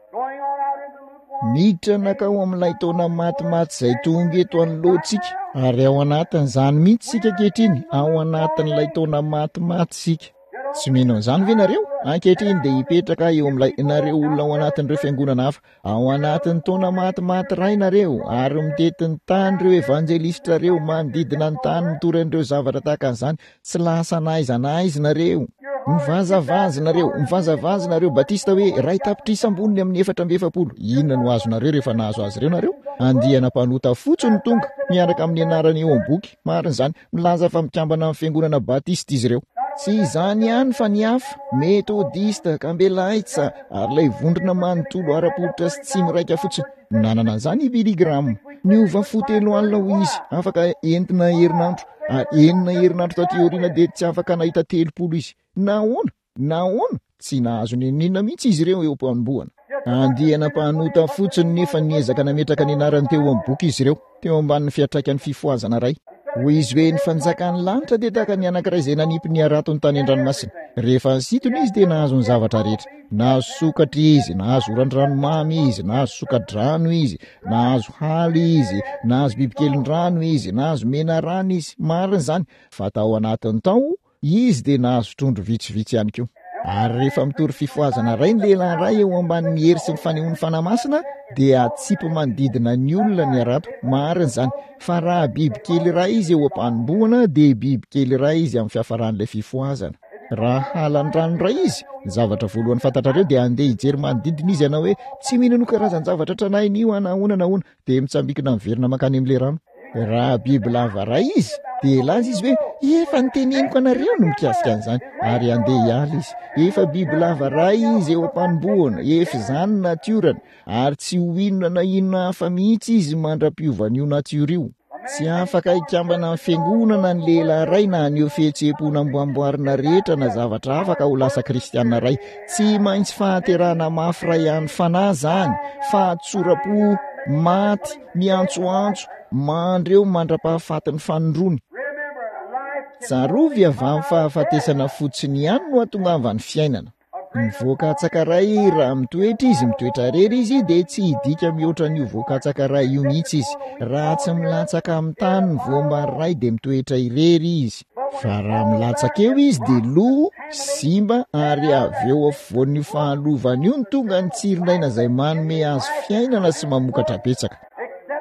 Speaker 1: Miditra nankao amin'ilay taona matimaty izay tonga eto anoloantsika, ary ao anatin'izany mihitsy isika ankehitriny, ao anatin'ilay taona matimaty isika. Tsy mino an'izany ve nareo? Ankehitriny dia hipetraka eo amin'ilay nareo olona ao anatin'ireo fiangonana hafa. Ao anatin'ny taona matimaty iray nareo, ary mitety ny tany ireo evanjelistra ireo, manodidina ny tany mitory an'ireo zavatra tahaka an'izany. Tsy lasa na aiza na aiza nareo. Mivazavaza nareo, mivazavaza nareo Batista hoe 1 tapitrisa amboniny amin'ny 44. Inona no azonareo rehefa nahazo azy ireo nareo? Andiana mpanota fotsiny no tonga, miaraka amin'ny anarany eo amin'ny boky. Marina izany. Milaza fa mikambana amin'ny fiangonana Batista izy ireo. Tsy izany ihany fa ny hafa, Metodista, Kambelaitsa, ary ilay vondrona manontolo ara-pototra sy tsy miraika fotsiny. Nanana an'izany i Billy Graham. Niova fo telo alina hoy izy, afaka entina herinandro, ary enina herinandro taty aoriana dia tsy afaka nahita 30 izy. Nahoana? Nahoana? Tsy nahazo n'inon'inona mihitsy izy ireo eo am-panombohana. Andiana mpanota fotsiny nefa niezaka nametraka ny anarany teo amin'ny boky izy ireo, teo ambanin'ny fiantraikan'ny fifohazana iray. Hoy izy hoe, Ny fanjakan'ny lanitra dia tahaka ny anankiray izay nanipy ny haratony tany an-dranomasina. Rehefa nisintona izy dia nahazo ny zavatra rehetra. Nahazo sokatra izy, nahazo oran-dranomamy izy, nahazo soka-drano izy, nahazo hala izy, nahazo bibikelin-drano izy, nahazo menarana izy. Marina izany, fa tao anatiny tao Izy dia nahazo trondro vitsivitsy ihany koa. Ary rehefa mitory fifohazana iray ny lehilahy iray eo ambanin'ny hery sy ny fanehoan'ny Fanahy Masina, dia atsipy manodidina ny olona ny harato. Marina izany. Fa raha bibikely iray izy eo am-panombohana, dia bibikely iray izy amin'ny fiafaran'ilay fifohazana. Raha halan-drano iray izy, ny zavatra voalohany fantatrareo dia handeha hijery manodidina izy hanao hoe, Tsy mino an'io karazan-javatra tranainy io aho na ahoana na ahoana. Dia mitsambikina miverina mankany amin'ilay rano. Raha biby lava ray izy, dia hilaza izy hoe, Efa noteneniko anareo ny mikasika an'izany, ary handeha hiala izy. Efa biby lava ray izy eo am-panombohana, efa izany ny natiorany, ary tsy ho inona na inona hafa mihitsy izy mandra-piovan'io natiora io. Tsy afaka hikambana amin'ny fiangonana ny lehilahy iray na haneho fihetseham-po namboamboarina rehetra na zavatra hafa ka ho lasa kristiana iray. Tsy maintsy fahaterahana mafy iray an'ny fanahy izany, fahatsoram-po maty, miantsoantso, mandry eo mandra-pahafatin'ny fanindroany. Tsarovy avy amin'ny fahafatesana fotsiny ihany no hatongavan'ny fiainana. Ny voakatsaka iray, raha mitoetra izy, mitoetra irery izy, dia tsy hidika mihoatra an'io voakatsaka iray io mihitsy izy. Raha tsy milatsaka amin'ny tany ny voambary iray dia mitoetra irery izy. Fa raha milatsaka eo izy dia lo, simba ary avy eo afovoan'io fahalovana io no tonga ny tsirin'aina izay manome azy fiainana sy mamokatra betsaka.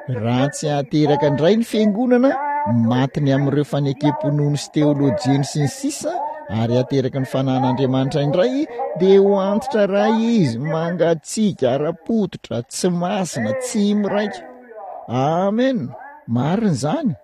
Speaker 1: Raha tsy ateraka indray ny fiangonana, maty ny amin'ireo fanekem-pinoany sy teolojiany sy ny sisa, ary ateraky ny fanahin'Andriamanitra indray, dia ho antitra iray izy, mangatsiaka, ara-pototra, tsy masina, tsy miraika. Amen! Marina izany.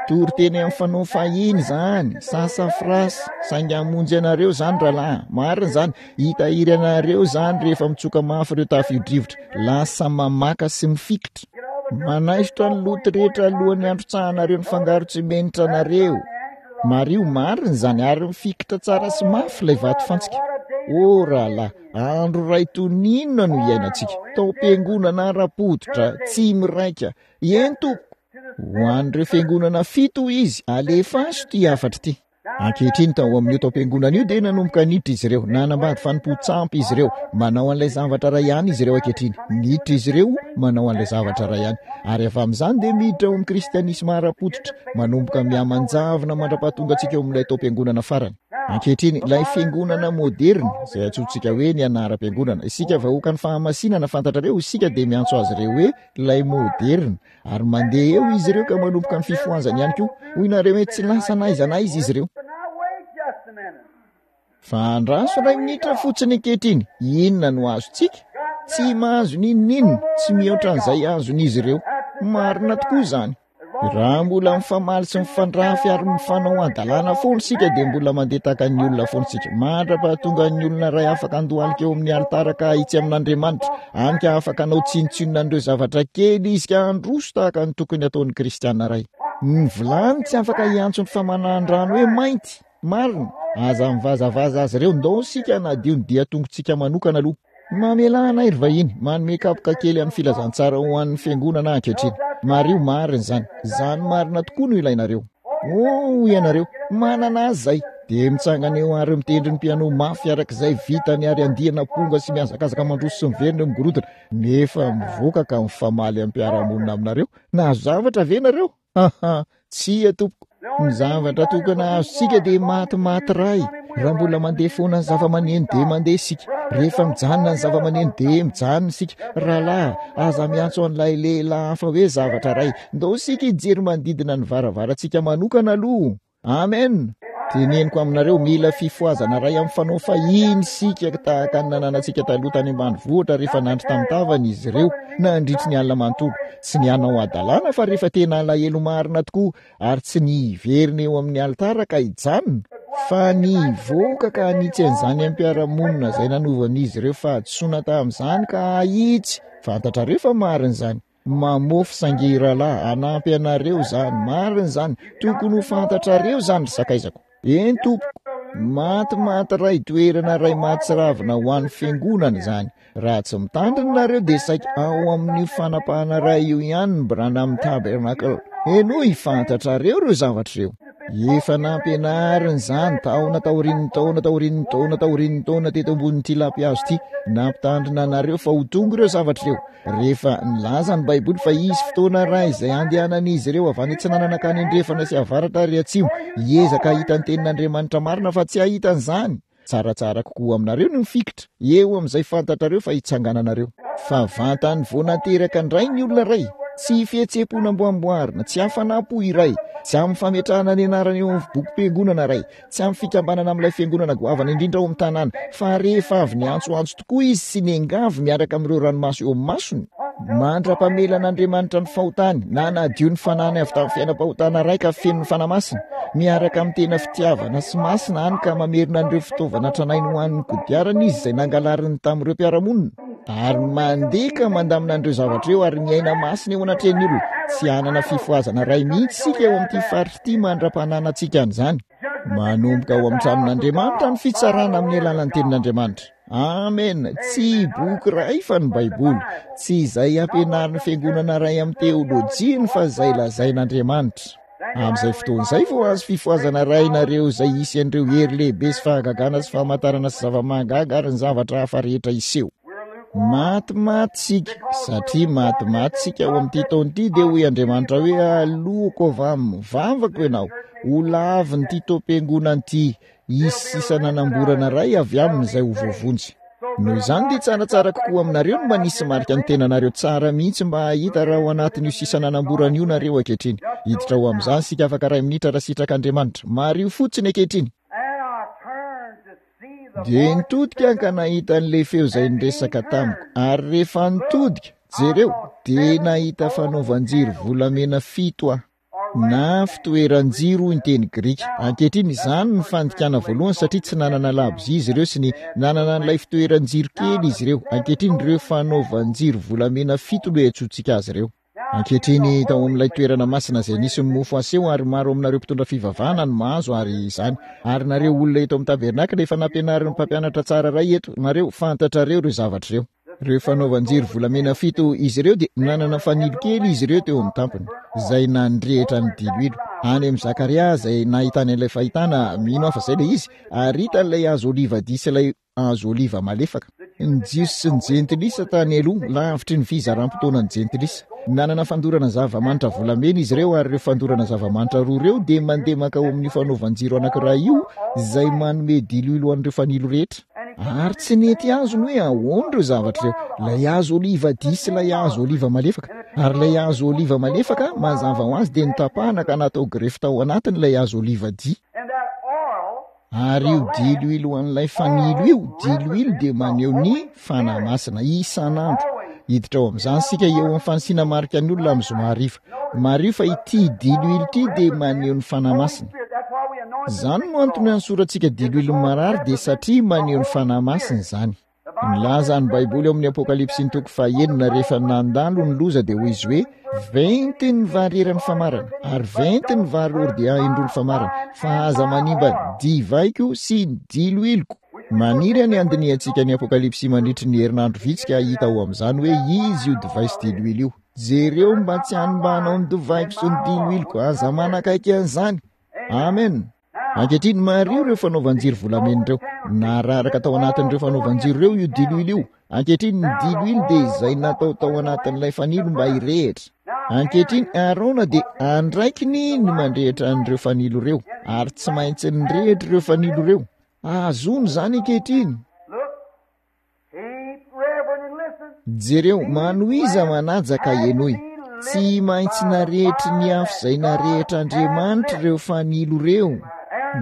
Speaker 1: Toriteny amin'ny fanao fahiny izany, sassafras, saingy hamonjy anareo izany rahalahy, marina izany, hitahiry anareo izany rehefa mitsoka mafy ireo tafio-drivotra, lasa mamaka sy mifikitra. Manaisotra ny loto rehetra alohan'ny handrotsahanareo ny fangaro tsimenitra anareo. Mariho, marina izany, ary mifikitra tsara sy mafy ilay vatofantsika. Oh rahalahy, andro iray toy ny inona no iainantsika, taom-piangonana ara-pototra, tsy miraika, Eny tompoko. Ho an'ireo fiangonana fito hoy izy, alefaso ity hafatra ity. Ankehitriny tao amin'io taom-piangonana io dia nanomboka niditra izy ireo, nanambady fanompoan-tsampy izy ireo, manao an'ilay zavatra iray ihany izy ireo ankehitriny. Niditra izy ireo, manao an'ilay zavatra iray ihany. Ary avy amin'izany dia miditra ao amin'ny kristianisma ara-pototra, manomboka mihamanjavona mandra-pahatonga antsika eo amin'ilay taom-piangonana farany. Ankehitriny, ilay fiangonana moderina, izay antsointsika hoe ny anaram-piangonana, isika vahoakan'ny fahamasinana, fantatrareo, isika dia miantso azy ireo hoe ilay moderina, ary mandeha eo izy ireo ka manomboka ny fifohazany ihany koa. Hoy nareo hoe tsy lasa na aiza na aiza izy ireo. Fa andraso iray minitra fotsiny ankehitriny, inona no azontsika? Tsy mahazo n'inon'inona, tsy mihoatra an'izay azon'izy ireo. Marina tokoa izany. Raha mbola mifamaly sy mifandrafy ary mifanao hadalana foana isika dia mbola mandeha tahaka ny olona foana isika. Mandra-pahatonga ny olona iray afaka handohalika eo amin'ny alitara ka hahitsy amin'Andriamanitra, hany ka afaka hanao tsinontsinona an'ireo zavatra kely izy ka handroso tahaka ny tokony hataon'ny kristiana iray. Ny vilany tsy afaka hiantso ny famanahan-drano hoe mainty. Marina. Aza mivazavaza azy ireo. Ndao isika hanadio ny dian-tongotsika manokana aloha. Mamelà anay ry vahiny, manome kapoka kely amin'ny filazantsara ho an'ny fiangonana aho ankehitriny. Mariho marina izany. Izany marina tokoa no ilainareo. Oh, hoy ianareo, manana azy izay. Dia mitsangana eo ary mitendry ny piano mafy araka izay vitany ary andiana amponga sy mihazakazaka mandroso sy miverina eo amin'ny gorodona, nefa mivoaka ka mifamaly amin'ny mpiara-monina aminareo. Nahazo zavatra ve nareo? Haha, tsia tompoko. Ny zavatra tokana azontsika dia matimaty ray. Raha mbola mandeha foana ny zava-maneno dia mandeha isika. Rehefa mijanona ny zava-maneno dia mijanona isika. Rahalahy, aza miantso an'ilay lehilahy hafa hoe zavatra ray. Ndao isika hijery manodidina ny varavarantsika manokana aloha. Amen! Teneniko aminareo, mila fifohazana iray amin'ny fanao fahiny isika tahaka ny nananantsika taloha tany ambanivohitra rehefa nandry tamin'ny tavany izy ireo nandritry ny alina manontolo. Tsy ny hanao hadalana fa rehefa tena alahelo marina tokoa ary tsy ny hiverina eo amin'ny alitara ka hijanona. Fa ny hivoaka ka hanitsy an'izany amin'ny mpiara-monina izay nanovan'izy ireo fahadisoana tamin'izany ka hahitsy. Fantatrareo fa marina izany. Mamofy saingy rahalahy, hanampy anareo izany. Marina izany. Tokony ho fantatrareo izany, ry sakaizako. Eny, tompoko. Matimaty iray, toerana iray mahatsiravina ho an'ny fiangonana izany. Raha tsy mitandrina nareo dia saika ao amin'io fanapahana iray io ihany ny Branham Tabernacle. Henoy, fantatrareo ireo zavatra ireo. Efa nampianarina izany taona taorian'ny taona taorian'ny taona taorian'ny taona teto ambonin'ity lampihazo ity. Nampitandrina anareo fa ho tonga ireo zavatra ireo. Rehefa nilaza ny Baiboly fa hisy fotoana iray izay handehanan'izy ireo avy any atsinanana ka any andrefana sy avaratra ary atsimo, hiezaka hahita ny tenin'Andriamanitra marina fa tsy hahita an'izany. Tsaratsara kokoa aminareo ny mifikitra eo amin'izay fantatrareo fa hitsangananareo. Fa vantany vao nateraka indray ny olona iray, tsy fihetseham-po namboamboarina, tsy hafanam-po iray, tsy amin'ny fametrahana ny anarana eo amin'ny bokim-piangonana iray, tsy amin'ny fikambanana amin'ilay fiangonana goavana indrindra ao amin'ny tanàna, fa rehefa avy niantsoantso tokoa izy sy niangavy miaraka amin'ireo ranomaso eo amin'ny masony, mandra-pamelan'Andriamanitra ny fahotany, nanadio ny fanahiny avy tamin'ny fiainam-pahotana iray ka feno ny Fanahy Masina, miaraka amin'ny tena fitiavana sy masina hany ka mamerina an'ireo fitaovana tranainy ho an'ny kodiarana izy izay nangalariny tamin'ireo mpiara-monina, ary mandeha ka mandamina an'ireo zavatra ireo ary miaina masina eo anatrehan'ny olona. Tsy hanana fifohazana iray mihitsy isika eo amin'ity faritra ity mandra-pananantsika an'izany. Manomboka ao amin'ny tranon'Andriamanitra ny fitsarana amin'ny alalan'ny tenin'Andriamanitra. Amen. Tsy boky iray fa ny Baiboly. Tsy izay ampianarin'ny fiangonana iray amin'ny teolojiany fa izay lazain'Andriamanitra. Amin'izay fotoana izay vao azo fifohazana iray nareo izay hisy an'ireo hery lehibe sy fahagagana sy famantarana sy zava-mahagaga ary ny zavatra hafa rehetra hiseho. Matimaty isika, satria matimaty isika ao amin'ity taona ity dia hoy Andriamanitra hoe aloako avy amin'ny vavako ianao, ho lavin'ity taom-piangonana ity, hisy sisa nanamborana iray avy aminy izay ho voavonjy. Noho izany dia tsaratsara kokoa aminareo ny manisy marika ny tenanareo tsara mihitsy mba hahita raha ao anatin'io sisa nanamborana io nareo ankehitriny. Hiditra ho amin'izany isika afaka iray minitra raha sitrak'Andriamanitra. Mariho fotsiny ankehitriny. Dia nitodika aho ka nahita an'ilay feo izay niresaka tamiko, ary rehefa nitodika, jereo, dia nahita fanaovan-jiro volamena fito aho. Na fitoeran-jiro hoy ny teny grika. Ankehitriny, izany no fandikana voalohany satria tsy nanana labozia izy ireo sy ny nanana an'ilay fitoeran-jiro kely izy ireo. Ankehitriny, ireo fanaovan-jiro volamena fito no iantsoantsika azy ireo. Ankehitriny, tao amin'ilay toerana masina izay nisy ny mofo aseho, ary maro aminareo mpitondra fivavahana no mahazo ary izany. Ary nareo olona eto amin'ny tabernakla efa nampianarin'ny mpampianatra tsara iray eto, nareo, fantatrareo ireo zavatra ireo. Ireo fanaovan-jiro volamena fito izy ireo dia nanana fanilo kely izy ireo teo amin'ny tampony, izay nandrehitra ny diloilo. Any amin'i Zakaria izay nahitany an'ilay fahitana, mino aho fa izay ilay izy, ary hita ilay hazo olivadia sy ilay hazo oliva malefaka. Ny Jiosy sy ny Jentilisa tany aloha, lavitry ny fizaram-potoanan'ny Jentilisa. Nanana fandorana zava-manitra volamena izy ireo, ary ireo fandorana zava-manitra roa ireo dia mandeha mankao amin'io fanaovan-jiro anankiray io, izay manome diloilo ho an'ireo fanilo rehetra. Ary tsy nety azony hoe ahoana ireo zavatra ireo, ilay hazo oliva dia sy ilay hazo oliva malefaka. Ary ilay hazo oliva malefaka, mazava ho azy, dia notapahana ka natao grefy tao anatiny ilay hazo oliva dia. Ary io diloilo an'ilay fanilo io, diloilo dia maneho ny Fanahy Masina, isan'andro. Hiditra ao amin'izany isika eo amin'ny fanisiana marika ny olona amin'ny zoma hariva. Mariho fa ity diloilo ity dia maneho ny Fanahy Masina. Izany no antony anosorantsika diloilo ny marary dia satria maneho ny Fanahy Masina izany. Milaza ny Baiboly ao amin'ny Apokalypsy ny toko fahenina rehefa nandalo ny loza dia hoy izy hoe venty ny vary eran'ny famarana ary venty ny vary ordia indroa ny famarana fa aza manimba divaiko sy ny diloiloko. Maniry ny handinihantsika ny Apokalypsy mandritry ny herinandro vitsy ka hahita ao amin'izany hoe izy io divay sy diloilo io. Jereo mba tsy hanimbanao ny divaiko sy ny diloiloko, aza manakaiky an'izany. Amen. Ankehitriny, mariho ireo fanaovan-jiro volamena ireo. Nararaka tao anatin'ireo fanaovan-jiro ireo io diloilo io. Ankehitriny, ny diloilo dia izay natao tao anatin'ilay fanilo mba hirehitra. Ankehitriny, Arona dia andraikiny ny mandrehitra an'ireo fanilo ireo, ary tsy maintsy nirehitra ireo fanilo ireo. Azony izany ankehitriny. Jereo, manohiza manaja ka henoy. Tsy maintsy narehitry ny afo izay narehitr'Andriamanitra ireo fanilo ireo.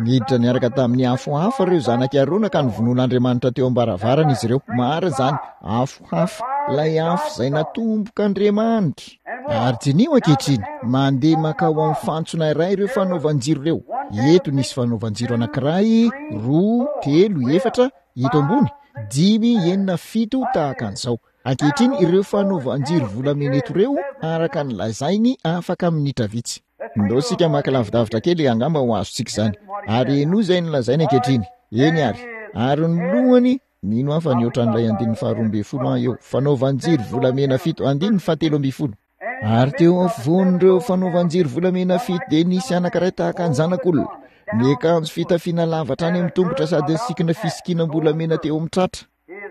Speaker 1: Niditra niaraka tamin'ny afo hafa ireo zanak'i Arona ka novonoin'Andriamanitra teo am-baravarana izy ireo. Marina izany, afo hafa, ilay afo izay natombok'Andriamanitra. Ary diniho ankehitriny, mandeha mankao amin'ny fantsona iray ireo fanaovan-jiro ireo. Eto nisy fanaovan-jiro anankiray, roa, telo, efatra, eto ambony, dimy, enina, fito, tahaka an'izao. Ankehitriny, ireo fanaovan-jiro volamena eto ireo, araka ny lazainy, afaka minitra vitsy. Ndao isika maka lavidavitra kely, angamba ho azontsika izany. Ary henoy izay nolazainy ankehitriny. Eny àry. Ary ny lohany, mino aho fa nihoatra an'ilay andininy faharoa ambin'ny folo aho eo. Fanaovan-jiro volamena fito, andininy fahatelo ambin'ny folo. Ary teo afovoan'ireo fanaovan-jiro volamena fito dia nisy anankiray tahaka ny zanak'olona, niakanjo fitafiana lava hatrany amin'ny tongotra sady nisikina fisikinam-bolamena teo amin'ny tratra.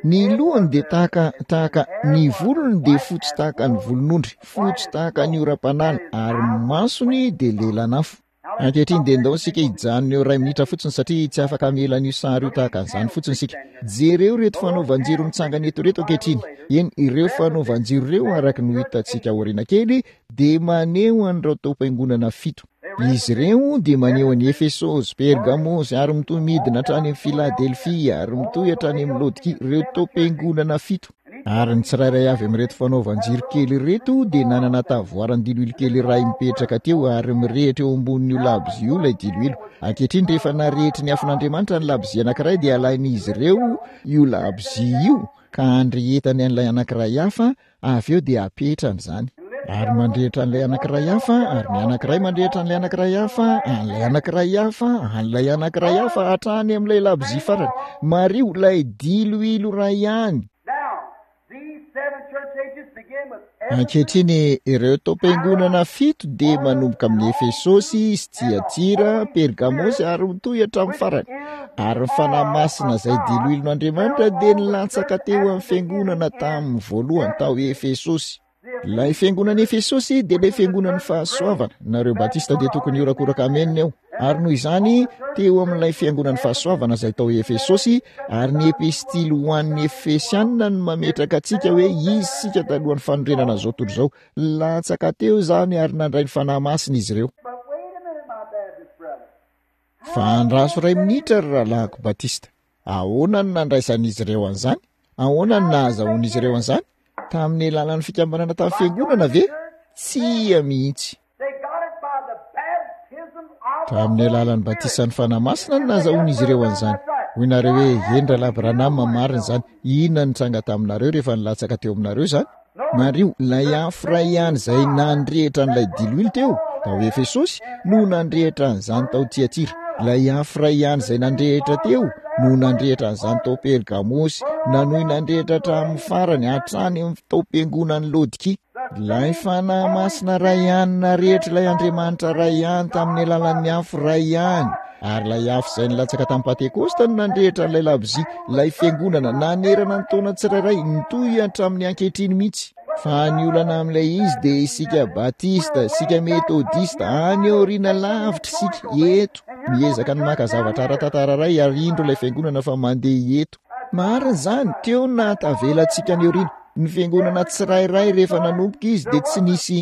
Speaker 1: Ny lohany dia tahaka, tahaka, ny volony dia fotsy tahaka ny volon'ondry, fotsy tahaka ny oram-panala, ary ny masony dia lelan'afo. Ankehitriny dia ndao isika hijanona eo iray minitra fotsiny satria tsy afaka hamela an'io sary io tahaka an'izany fotsiny isika. Jereo ireto fanaovan-jiro mitsangana eto ireto ankehitriny. Eny, ireo fanaovan-jiro ireo araka ny ho hitantsika aoriana kely dia maneho an'ireo taom-piangonana fito. Izy ireo dia maneho an'i Efesosy, Pergamosy, ary mitohy midina hatrany amin'ny Filadelfia, ary mitohy hatrany amin'ny Laodikia, ireo taom-piangonana fito. Ary ny tsirairay avy amin'ireto fanaovan-jiro kely ireto dia nanana tavoaran-diloilo kely iray mipetraka teo, ary mirehitra eo ambonin'io labozia io ilay diloilo. Ankehitriny, rehefa narehitry ny afon'Andriamanitra ny labozia anankiray, dia alain'izy ireo io labozia io ka andrehetany an'ilay anankiray hafa, avy eo dia apetrany izany. Ary mandrehitra an'ilay anankiray hafa, ary ny anankiray mandrehitra an'ilay anankiray hafa, an'ilay anankiray hafa, an'ilay anankiray hafa, hatrany amin'ilay labozia farany. Mariho, ilay diloilo iray ihany. Ankehitriny, ireo taom-piangonana fito dia manomboka amin'i Efesosy, sy Tyatira, Pergamosy, ary mitohy hatramin'ny farany. Ary ny Fanahy Masina izay diloilon'Andriamanitra dia nilatsaka teo amin'ny fiangonana tamin'ny voalohany tao Efesosy. Ilay fiangonan'i Efesosy dia ilay fiangonan'ny fahasoavana. Nareo Batista dia tokony hiorakoraka amena eo. Ary noho izany, teo amin'ilay fiangonan'ny fahasoavana izay tao Efesosy, ary ny epistily ho an'ny Efesianina no mametraka antsika hoe izy isika talohan'ny fanorenana izao tontolo izao. Latsaka teo izany ary nandray ny Fanahy Masina izy ireo. Fa andraso iray minitra ry rahalahiko Batista. Ahoana no nandraisan'izy ireo an'izany? Ahoana no nahazahoan'izy ireo an'izany? Tamin'ny alalan'ny fikambanana tamin'ny fiangonana ve? Tsia mihitsy. Tamin'ny alalan'ny batisan'ny Fanahy Masina no nahazahoan'izy ireo an'izany. Hoy nareo hoe, Eny Rahalahy Branham, marina izany. Inona no nitranga taminareo rehefa nilatsaka teo aminareo izany? Mariho, ilay afo iray ihany izay nandrehitra an'ilay diloilo teo, tao Efesosy, no nandrehitra an'izany tao Tyatira. Ilay afo iray ihany izay nandrehitra teo, no nandrehitra an'izany tao Pergamosy, nanohy nandrehitra hatramin'ny farany, hatrany amin'ny taom-piangonan'i Laodikia. Ilay Fanahy Masina iray ihany narehitr' ilay Andriamanitra iray ihany tamin'ny alalan'ny afo iray ihany. Ary ilay afo izay nilatsaka tamin'ny Pantekosta no nandrehitra an'ilay labozia, ilay fiangonana, nanerana ny taona tsirairay, nitohy hatramin'ny ankehitriny mihitsy. Fa ny olana amin'ilay izy dia isika Batista, isika Metodista, any aoriana lavitra isika, eto, miezaka ny maka zavatra ara-tantara iray ary indro ilay fiangonana fa mandeha eto. Marina izany, teo no nahatavela antsika any aoriana. Ny fiangonana tsirairay rehefa nanomboka izy dia tsy nisy.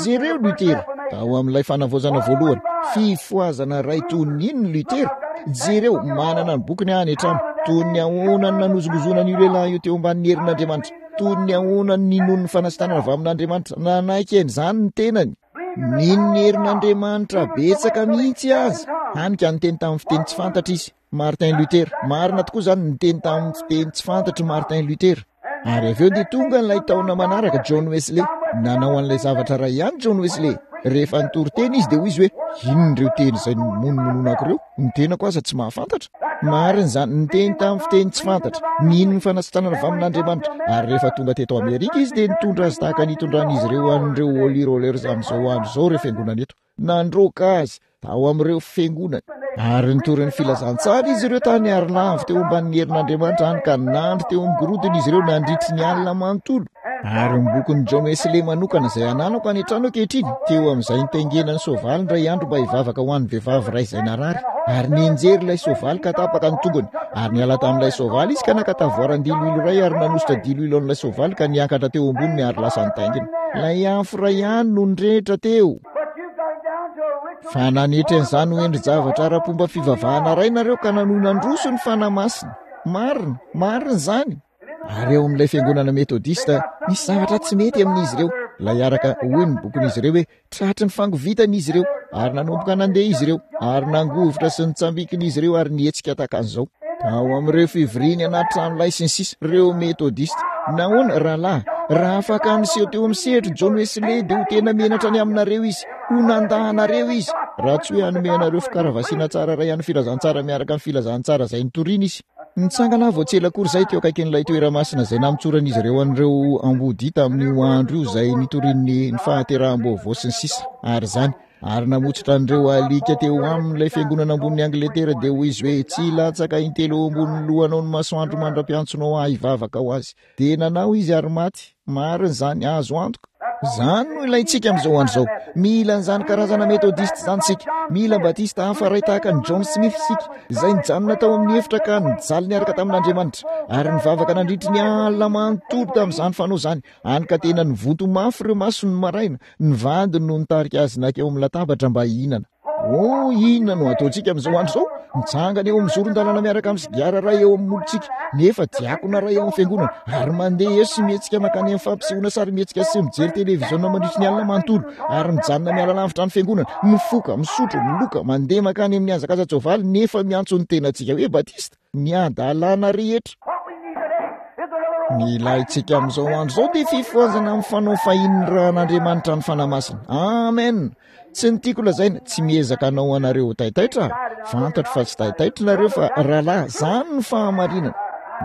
Speaker 1: Jereo Luther, tao amin'ilay fanavaozana voalohany, fifohazana iray toy ny inona Luther? Jereo, manana ny bokiny aho any an-trano. Toy ny ahoana no nanozongozonana io lehilahy io teo ambanin'ny herin'Andriamanitra. Toy ny ahoana no ninoany ny fanasitranana avy amin'Andriamanitra. Nanaiky an'izany ny tenany. Nino ny herin'Andriamanitra betsaka mihitsy aza. Hany ka niteny tamin'ny fiteny tsy fantatra izy. Martin Luther. Marina tokoa izany, niteny tamin'ny fiteny tsy fantatry Martin Luther. Ary avy eo dia tonga ilay taona manaraka, John Wesley. Nanao an'ilay zavatra iray ihany John Wesley. Rehefa nitory teny izy dia hoy izy hoe, inona ireo teny izay nomonomononako ireo? Ny tenako aza tsy mahafantatra. Marina izany, niteny tamin'ny fiteny tsy fantatra. Nino ny fanasitranana avy amin'Andriamanitra. Ary rehefa tonga teto Amerika izy dia nitondra azy tahaka ny itondran'izy ireo an'ireo Holy Rollers amin'izao andro izao ireo fiangonana eto. Nandroaka azy tao amin'ireo fiangonany. Ary nitory ny filazantsara izy ireo tany ary lavo teo ambanin'ny herin'Andriamanitra hany ka nandry teo amin'ny gorodona izy ireo nandritry ny alina manontolo. Ary ny bokin'i John Wesley manokana izay ananako any an-trano ankehitriny, teo amin'izay nitaingenany soavaly indray andro mba hivavaka ho an'ny vehivavy iray izay narary, ary nianjery ilay soavaly ka tapaka ny tongony. Ary niala tamin'ilay soavaly izy ka naka tavoaran-diloilo iray ary nanosotra diloilo an'ilay soavaly ka niakatra teo amboniny ary lasa nitaingina. Ilay afo iray ihany no nirehitra teo. Fa nanetry an'izany ho endri-javatra ara-pomba fivavahana iray nareo ka nanohy nandroso ny Fanahy Masina. Marina, marina izany. Ary ao amin'ilay fiangonana Metodista, misy zavatra tsy mety amin'izy ireo. Ilay araka, hoy ny bokin'izy ireo hoe, Tratry ny fangovitana izy ireo, ary nanomboka nandeha izy ireo, ary nangovitra sy nitsambikina izy ireo ary nihetsika tahaka an'izao. Tao amin'ireo fivoriany anaty tranolay sy ny sisa, ireo Metodista. Nahoana, rahalahy, raha afaka niseho teo amin'ny sehatra John Wesley, dia ho tena menatra ny aminareo izy. Ho nandà anareo izy, raha tsy hoe hanome anareo fikaravasiana tsara iray an'ny filazantsara miaraka amin'ny filazantsara izay nitoriany izy. Nitsangana aho vao tsy ela akory izay teo akaikin'ilay toeramasina izay namotsoran'izy ireo an'ireo ambodia tamin'io andro io izay nitoriany ny fahateraham-baovao sy ny sisa ary izany ary namotsotra an'ireo alika teo aminy ilay fiangonana ambonin'i Angletera dia hoy izy hoe tsy hilatsaka intelo eo ambonin'ny lohanao ny masoandro mandra-piantsonao ahy hivavaka ho azy. Dia nanao izy ary maty. Marina izany, azo antoka. Izany no ilaintsika amin'izao andro izao. Mila an'izany karazana Metodista izany isika. Mila Batista hafa iray tahaka an'i John Smith isika, izay nijanona tao amin'ny efitra ka nijaly niaraka tamin'Andriamanitra, ary nivavaka nandritry ny alina manontolo tamin'izany fanao izany, hany ka tena nivonto mafy ireo masony ny maraina. Ny vadiny no nitarika azy nankeo amin'ny latabatra mba hihinana. Oh, inona no ataontsika amin'izao andro izao? Mitsangana eo amin'ny zoron-dalana miaraka amin'ny sigara iray eo amin'ny molotsika, nefa diakona iray ao amin'ny fiangonana, ary mandeha eo sy mihetsika mankany amin'ny fampisehoana sarimihetsika sy mijery televiziona mandritry ny alina manontolo, ary mijanona miala lavitra ny fiangonana, mifoka, misotro, miloka, mandeha mankany amin'ny hazakaza-tsoavaly, nefa miantso ny tenantsika hoe Batista. Ny hadalana rehetra. Ny ilaintsika amin'izao andro izao dia fifohazana amin'ny fanao fahinin'ny ran'Andriamanitra ny Fanahy Masina. Amen. Tsy ny tiako lazaina, tsy miezaka hanao anareo ho taitaitra aho. Fantatro fa tsy taitaitra nareo fa rahalahy, zany ny fahamarinana.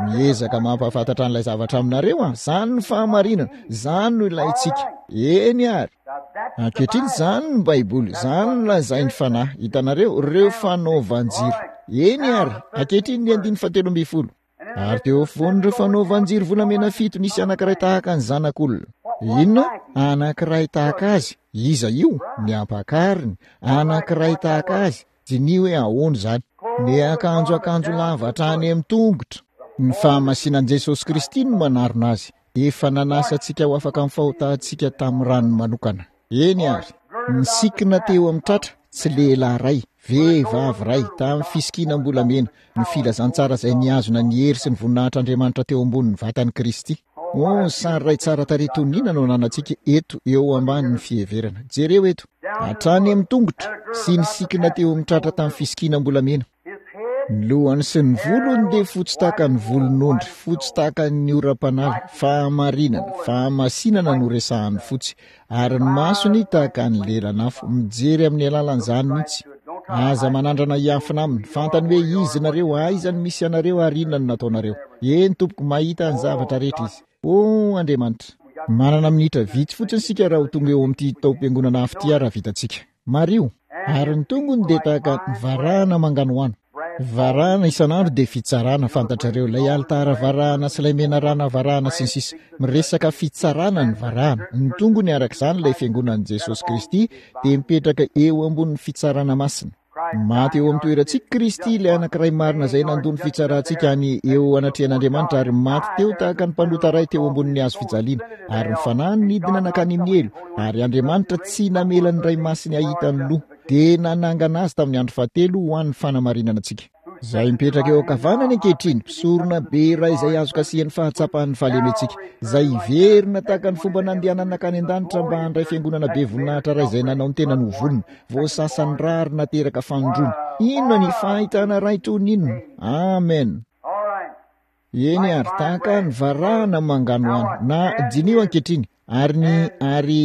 Speaker 1: Miezaka mampahafantatra an'ilay zavatra aminareo aho, zany ny fahamarinana, zany no ilaintsika. Eny ary. Ankehitriny, zany ny Baiboly, zany no lazain'ny Fanahy. Hitanareo, ireo fanaovan-jiro. Eny ary, ankehitriny ny andininy fahatelo ambin'ny folo. Ary teo afovoan'ireo fanaovan-jiro volamena fito nisy anankiray tahaka ny zanak'olona. Inona? Anankiray tahaka azy. Iza io? Ny ampakariny. Anankiray tahaka azy. Diniho hoe ahoana izany. Niakanjo akanjo lava hatrany amin'ny tongotra. Ny fahamasinan'i Jesosy Kristy no manarona azy. Efa nanasa antsika ho afaka amin'ny fahotantsika tamin'ny rany manokana. Eny ary, nisikina teo amin'ny tratra, tsy lehilahy iray, vehivavy iray, tamin'ny fisikinam-bolamena, ny filazantsara izay nihazona ny hery sy ny voninahitr'Andriamanitra teo ambonin'ny vatan'i Kristy. Oh, sary iray tsara tarehy toy ny inona no ananantsika eto eo ambanin'ny fiheverana. Jereo eto, hatrany amin'ny tongotra, sy nisikina teo amin'ny tratra tamin'ny fisikinam-bolamena. Ny lohany sy ny volony dia fotsy tahaka ny volon'ondry, fotsy tahaka ny oram-panala, fahamarinana, fahamasinana no resahan'ny fotsy, ary ny masony tahaka ny lelan'afo, mijery amin'ny alalan'izany mihitsy. Aza manandrana hiafina aminy, fantany hoe iza nareo, aiza no misy anareo ary inona no nataonareo. Eny tompoko, mahita ny zavatra rehetra izy. Oh Andriamanitra! Manana minitra vitsy fotsiny isika raha ho tonga eo amin'ity taom-piangonana afo ity raha vitantsika. Mariho, ary ny tongony dia tahaka ny varahana manganohano. Varahana isan'andro dia fitsarana, fantatrareo, ilay alitara varahana sy ilay menarana varahana sy ny sisa. Miresaka fitsarana ny varahana. Ny tongony araka izany ilay fiangonan'i Jesosy Kristy dia mipetraka eo ambonin'ny fitsarana masina. Maty eo amin'ny toerantsika Kristy, ilay anankiray marina izay nandoa ny fitsarantsika any eo anatrehan'Andriamanitra ary maty teo tahaka ny mpanota iray teo ambonin'ny hazo fijaliana, ary ny fanahiny nidina nankany amin'ny helo, ary Andriamanitra tsy namela ny Ray Masiny hahita ny loha, dia nanangana azy tamin'ny andro fahatelo ho an'ny fanamarinana antsika. Izay mipetraka eo ankavanany ankehitriny, mpisorona be iray izay azo kasihan'ny fahatsapan'ny fahalementsika, izay hiverina tahaka ny fomba nandehanany nankany an-danitra mba handray fiangonana be voninahitra iray izay nanao ny tenany ho vonona, voasasan'ny ra ary nateraka fanindroany. Inona ny fahitana iray toy ny inona! Amen! Eny ary, tahaka ny varahana manganohano, na diniho ankehitriny, ary ny, ary,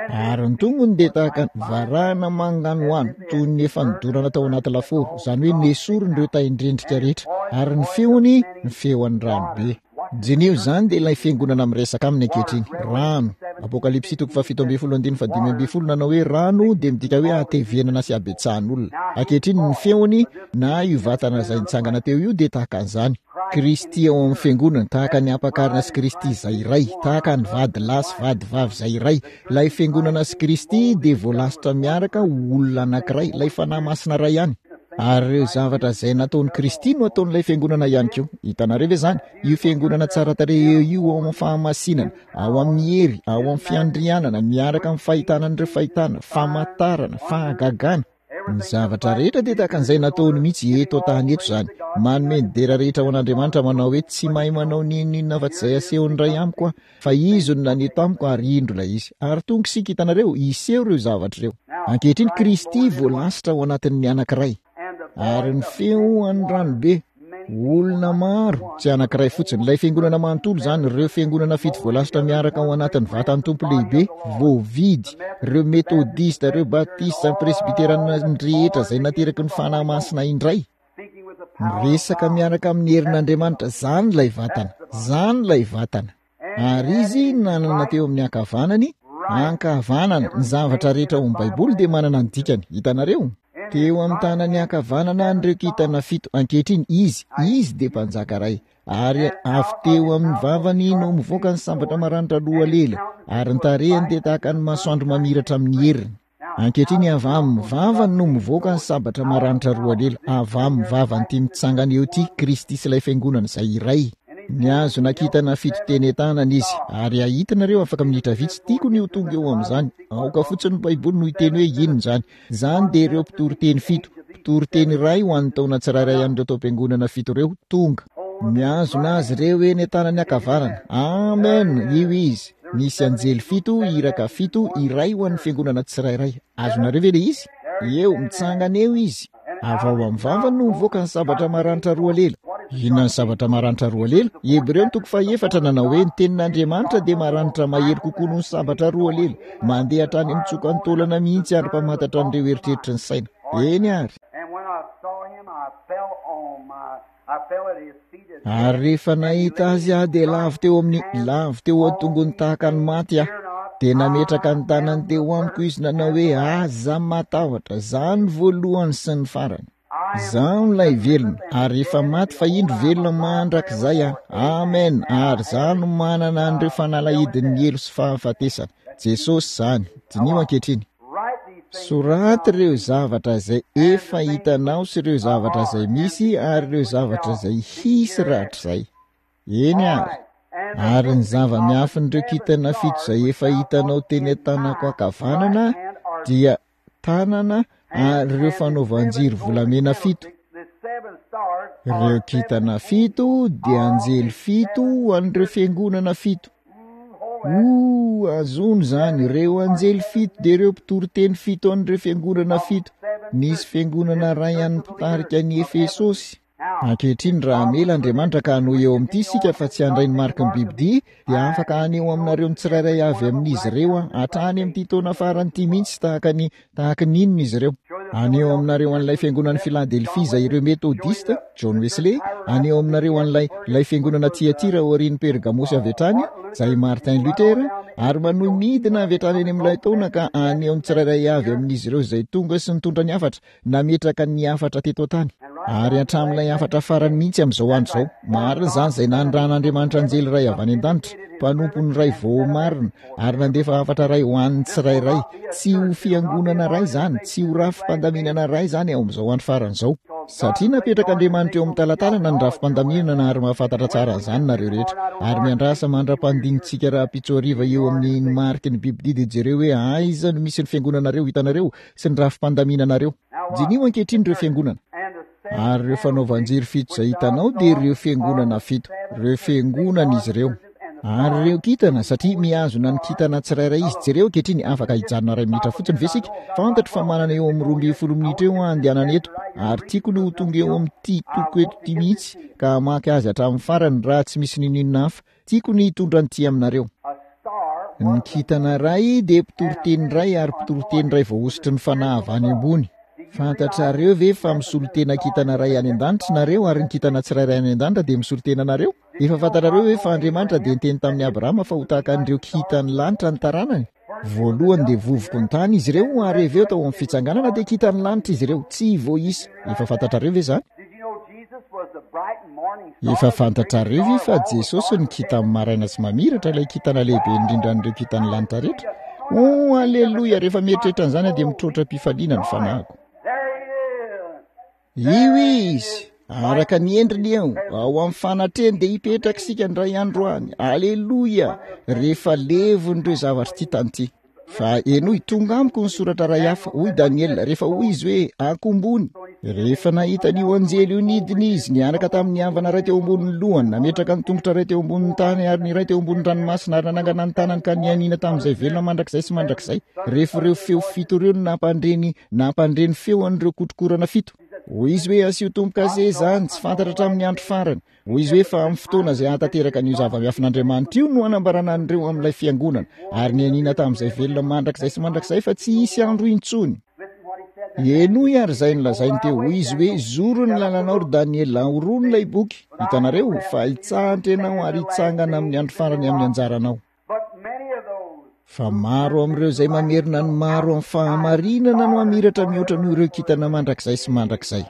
Speaker 1: Ary ny tongony dia tahaka ny varahana manganohano, toy ny efa nodorana tao anaty lafaoro, izany hoe nesoriny ireo tain-drendrika rehetra, ary ny feony, ny feon'ny rano be. Diniho, izany dia ilay fiangonana miresaka aminy ankehitriny. Rano. Apokalypsy toko faha-17 andininy faha-15 nanao hoe rano dia midika hoe hatevenana sy habetsahan'olona. Ankehitriny ny feony, na io vatana izay nitsangana teo io dia tahaka an'izany. Kristy ao amin'ny Fiangonany, tahaka ny Ampakarina sy Kristy izay iray, tahaka ny vady lahy sy vady vavy izay iray. Ilay Fiangonana sy Kristy dia voalasitra miaraka ho olona anankiray, ilay Fanahy Masina iray ihany. Ary ireo zavatra izay nataon'i Kristy no ataon'ilay Fiangonana ihany koa. Hitanareo ve izany? Io Fiangonana tsara tarehy eo io ao amin'ny fahamasinana, ao amin'ny hery, ao amin'ny fiandrianana, miaraka amin'ny fahitana an'ireo fahitana, famantarana, fahagagana. Ny zavatra rehetra dia tahaka an'izay nataony mihitsy eto an-tany eto izany. Manome ny dera rehetra ho an'Andriamanitra manao hoe tsy mahay manao n'inon'inona afa-tsy izay asehon'ny Ray amiko aho, fa Izy no naneho tamiko ary indro ilay izy. Ary tonga isika, hitanareo, hiseho ireo zavatra ireo. Ankehitriny Kristy voalasitra ao anatin'ny anankiray. Ary ny feo an'ny ranobe, olona maro, tsy anankiray fotsiny, ilay fiangonana manontolo izany, ireo fiangonana fito voalasitra miaraka ao anatin'ny vatan'ny Tompo lehibe, voavidy, ireo Metodista, ireo Batista, ny Presbyterana rehetra izay nateraky ny Fanahy Masina indray, miresaka miaraka amin'ny herin'Andriamanitra, izany ilay vatana, izany ilay vatana. Ary izy nanana teo amin'ny ankavanany, ankavanana, ny zavatra rehetra ao amin'ny Baiboly dia manana ny dikany. Hitanareo? Teo amin'ny tanany ankavanana an'ireo kintana fito. Ankehitriny, izy, izy dia mpanjaka iray. Ary avy teo amin'ny vavany no mivoaka ny sabatra maranitra loha lela, ary ny tarehiny dia tahaka ny masoandro mamiratra amin'ny heriny. Ankehitriny avy amin'ny vavany no mivoaka ny sabatra maranitra roa lela, avy amin'ny vavan'ity mitsangana eo ity, Kristy sy ilay Fiangonana izay iray. Nihazona kintana fito teny an-tanana izy, ary hahita nareo afaka minitra vitsy, tiako ny ho tonga eo amin'izany, aoka fotsiny ny Baiboly no hiteny hoe inona izany. Izany dia ireo mpitoriteny fito, mpitoriteny iray ho an'ny taona tsirairay an'ireo taom-piangonana fito ireo, tonga. Mihazona azy ireo eny an-tanany ankavanana. Amen! Io izy. Nisy anjely fito, iraka fito, iray ho an'ny fiangonana tsirairay. Azonareo ve ilay izy? Eo, mitsangana eo izy. Avy ao amin'ny vavany no mivoaka ny sabatra maranitra roa lela. Inona ny sabatra maranitra roa lela? Hebreo ny toko fahefatra nanao hoe ny tenin'Andriamanitra dia maranitra mahery kokoa noho ny sabatra roa lela, mandeha hatrany amin'ny tsokan'ny taolana mihitsy ary mpamantatra an'ireo eritreritry ny saina. Eny ary. Ary rehefa nahita azy aho dia lavo teo amin'ny, lavo teo an-tongony tahaka ny maty aho. Dia nametraka ny tanany teo amiko izy nanao hoe, Aza matahotra, izaho no voalohany sy ny farany. Izaho ilay velona, ary efa maty fa indro velona mandrakizay aho. Amen! Ary izaho no manana an'ireo fanalahidin'ny helo sy fahafatesana. Jesosy izany. Diniho ankehitriny. Soraty ireo zavatra izay efa hitanao sy ireo zavatra izay misy ary ireo zavatra izay hisy rahatrizay. Eny ary. Ary ny zava-miafin'ireo kintana fito izay efa hitanao teny an-tanako ankavanana dia tanana ary ireo fanaovan-jiro volamena fito. Ireo kintana fito dia anjely fito ho an'ireo fiangonana fito. Oh, azony izany, ireo anjely fito dia ireo mpitoriteny fito an'ireo fiangonana fito. Nisy fiangonana iray an'ny mpitarika ny Efesosy. Ankehitriny, raha hamela Andriamanitra ka hanohy eo amin'ity isika fa tsy handray ny mariky ny bibidia, dia afaka haneho aminareo ny tsirairay avy amin'izy ireo aho, hatrany amin'ity taona farany ity mihitsy, tahaka ny, tahaka ny inona izy ireo. Haneho aminareo an'ilay fiangonan'i Filadelfia izay ireo Metodista, John Wesley, haneho aminareo an'ilay, ilay fiangonana Tyatira aorian'i Pergamosy avy hatrany, izay Martin Luther, ary manohy midina avy hatrany any amin'ilay taona ka haneho ny tsirairay avy amin'izy ireo izay tonga sy nitondra ny hafatra, nametraka ny hafatra teto an-tany, ary hatramin'ilay hafatra farany mihitsy amin'izao andro izao. Marina izany, izay nanirahan'Andriamanitra anjely iray avy any an-danitra, mpanompony iray voamarina, ary nandefa hafatra iray ho an'ny tsirairay. Tsy ho fiangonana iray izany, tsy ho rafi-pandaminana iray izany ao amin'izao andro farany izao. Satria napetrak'Andriamanitra eo amin'ny talatalana ny rafi-pandaminana ary mahafantatra tsara an'izany nareo rehetra. Ary miandrasa mandra-pandinitsika rahampitso hariva eo amin'ny ny mariky ny bibidia dia jereo hoe aiza no misy ny fiangonanareo, hitanareo, sy ny rafi-pandaminanareo. Diniho ankehitriny ireo fiangonana. Ary ireo fanaovan-jiro fito izay hitanao dia ireo fiangonana fito. Ireo fiangonana izy ireo. Ary ireo kintana, satria mihazona ny kintana tsirairay izy. Jereo ankehitriny, afaka hijanona iray minitra fotsiny ve isika? Fantatro fa manana eo amin'ny 12 minitra eo aho handehanana eto, ary tiako ny ho tonga eo amin'ity toko eto ity mihitsy, ka hamaky azy hatramin'ny farany, raha tsy misy n'inon'inona hafa. Tiako ny hitondra an'ity aminareo. Ny kintana iray dia mpitoriteny iray ary mpitoriteny iray voahosotry ny fanahy avy any ambony. Fantatrareo ve fa misolo tena kintana iray any an-danitra nareo ary ny kintana tsirairay any an-danitra dia misolo tena anareo? Efa fantatrareo ve fa Andriamanitra dia niteny tamin'i Abrahama fa ho tahaka an'ireo kintan'ny lanitra ny taranany? Voalohany dia vovoky ny tany izy ireo ary avy eo tao amin'ny fitsanganana dia kintan'ny lanitra izy ireo, tsy voaisa. Efa fantatrareo ve izany? Efa fantatrareo ve fa Jesosy no kintan'ny maraina sy mamiratra, ilay kintana lehibe indrindra an'ireo kintan'ny lanitra rehetra? Oh, aleloia! Rehefa mieritreritra an'izany aho dia mitroatra am-pifaliana ny fanahiko. Io Izy, araka ny endriny eo, ao amin'ny fanatrehany dia hipetraka isika indray andro any. Aleloia! Rehefa levon'ireo zavatra ity tany ity. Fa henoy, tonga amiko ny soratra iray hafa, hoy Daniela, rehefa hoy izy hoe, Akombony. Rehefa nahita an'io anjely io nidina izy, niaraka tamin'ny havana iray teo ambonin'ny lohany, nametraka ny tongotra iray teo ambonin'ny tany ary ny iray teo ambonin'ny ranomasina ary nanangana ny tanany ka nianiana tamin'izay velona mandrakizay sy mandrakizay. Rehefa ireo feo fito ireo no nampandre ny, nampandre ny feo an'ireo kotrokorana fito. Hoy izy hoe, Asio tombo-kase izany, tsy fantatra hatramin'ny andro farany. Hoy izy hoe, Fa amin'ny fotoana izay hahatanteraka an'io zava-miafin'Andriamanitra io no hanambarana an'ireo amin'ilay fiangonana, ary nianiana tamin'izay velona mandrakizay sy mandrakizay fa tsy hisy andro intsony. Henoy ary izay nolazainy teo. Hoy izy hoe, Zoro ny lalanao, ry Daniela, horono ilay boky. Hitanareo? Fa hitsahatra ianao ary hitsangana amin'ny andro farany amin'ny anjaranao. Fa maro amin'ireo izay mamerina ny maro amin'ny fahamarinana no hamiratra mihoatra noho ireo kintana mandrakizay sy mandrakizay.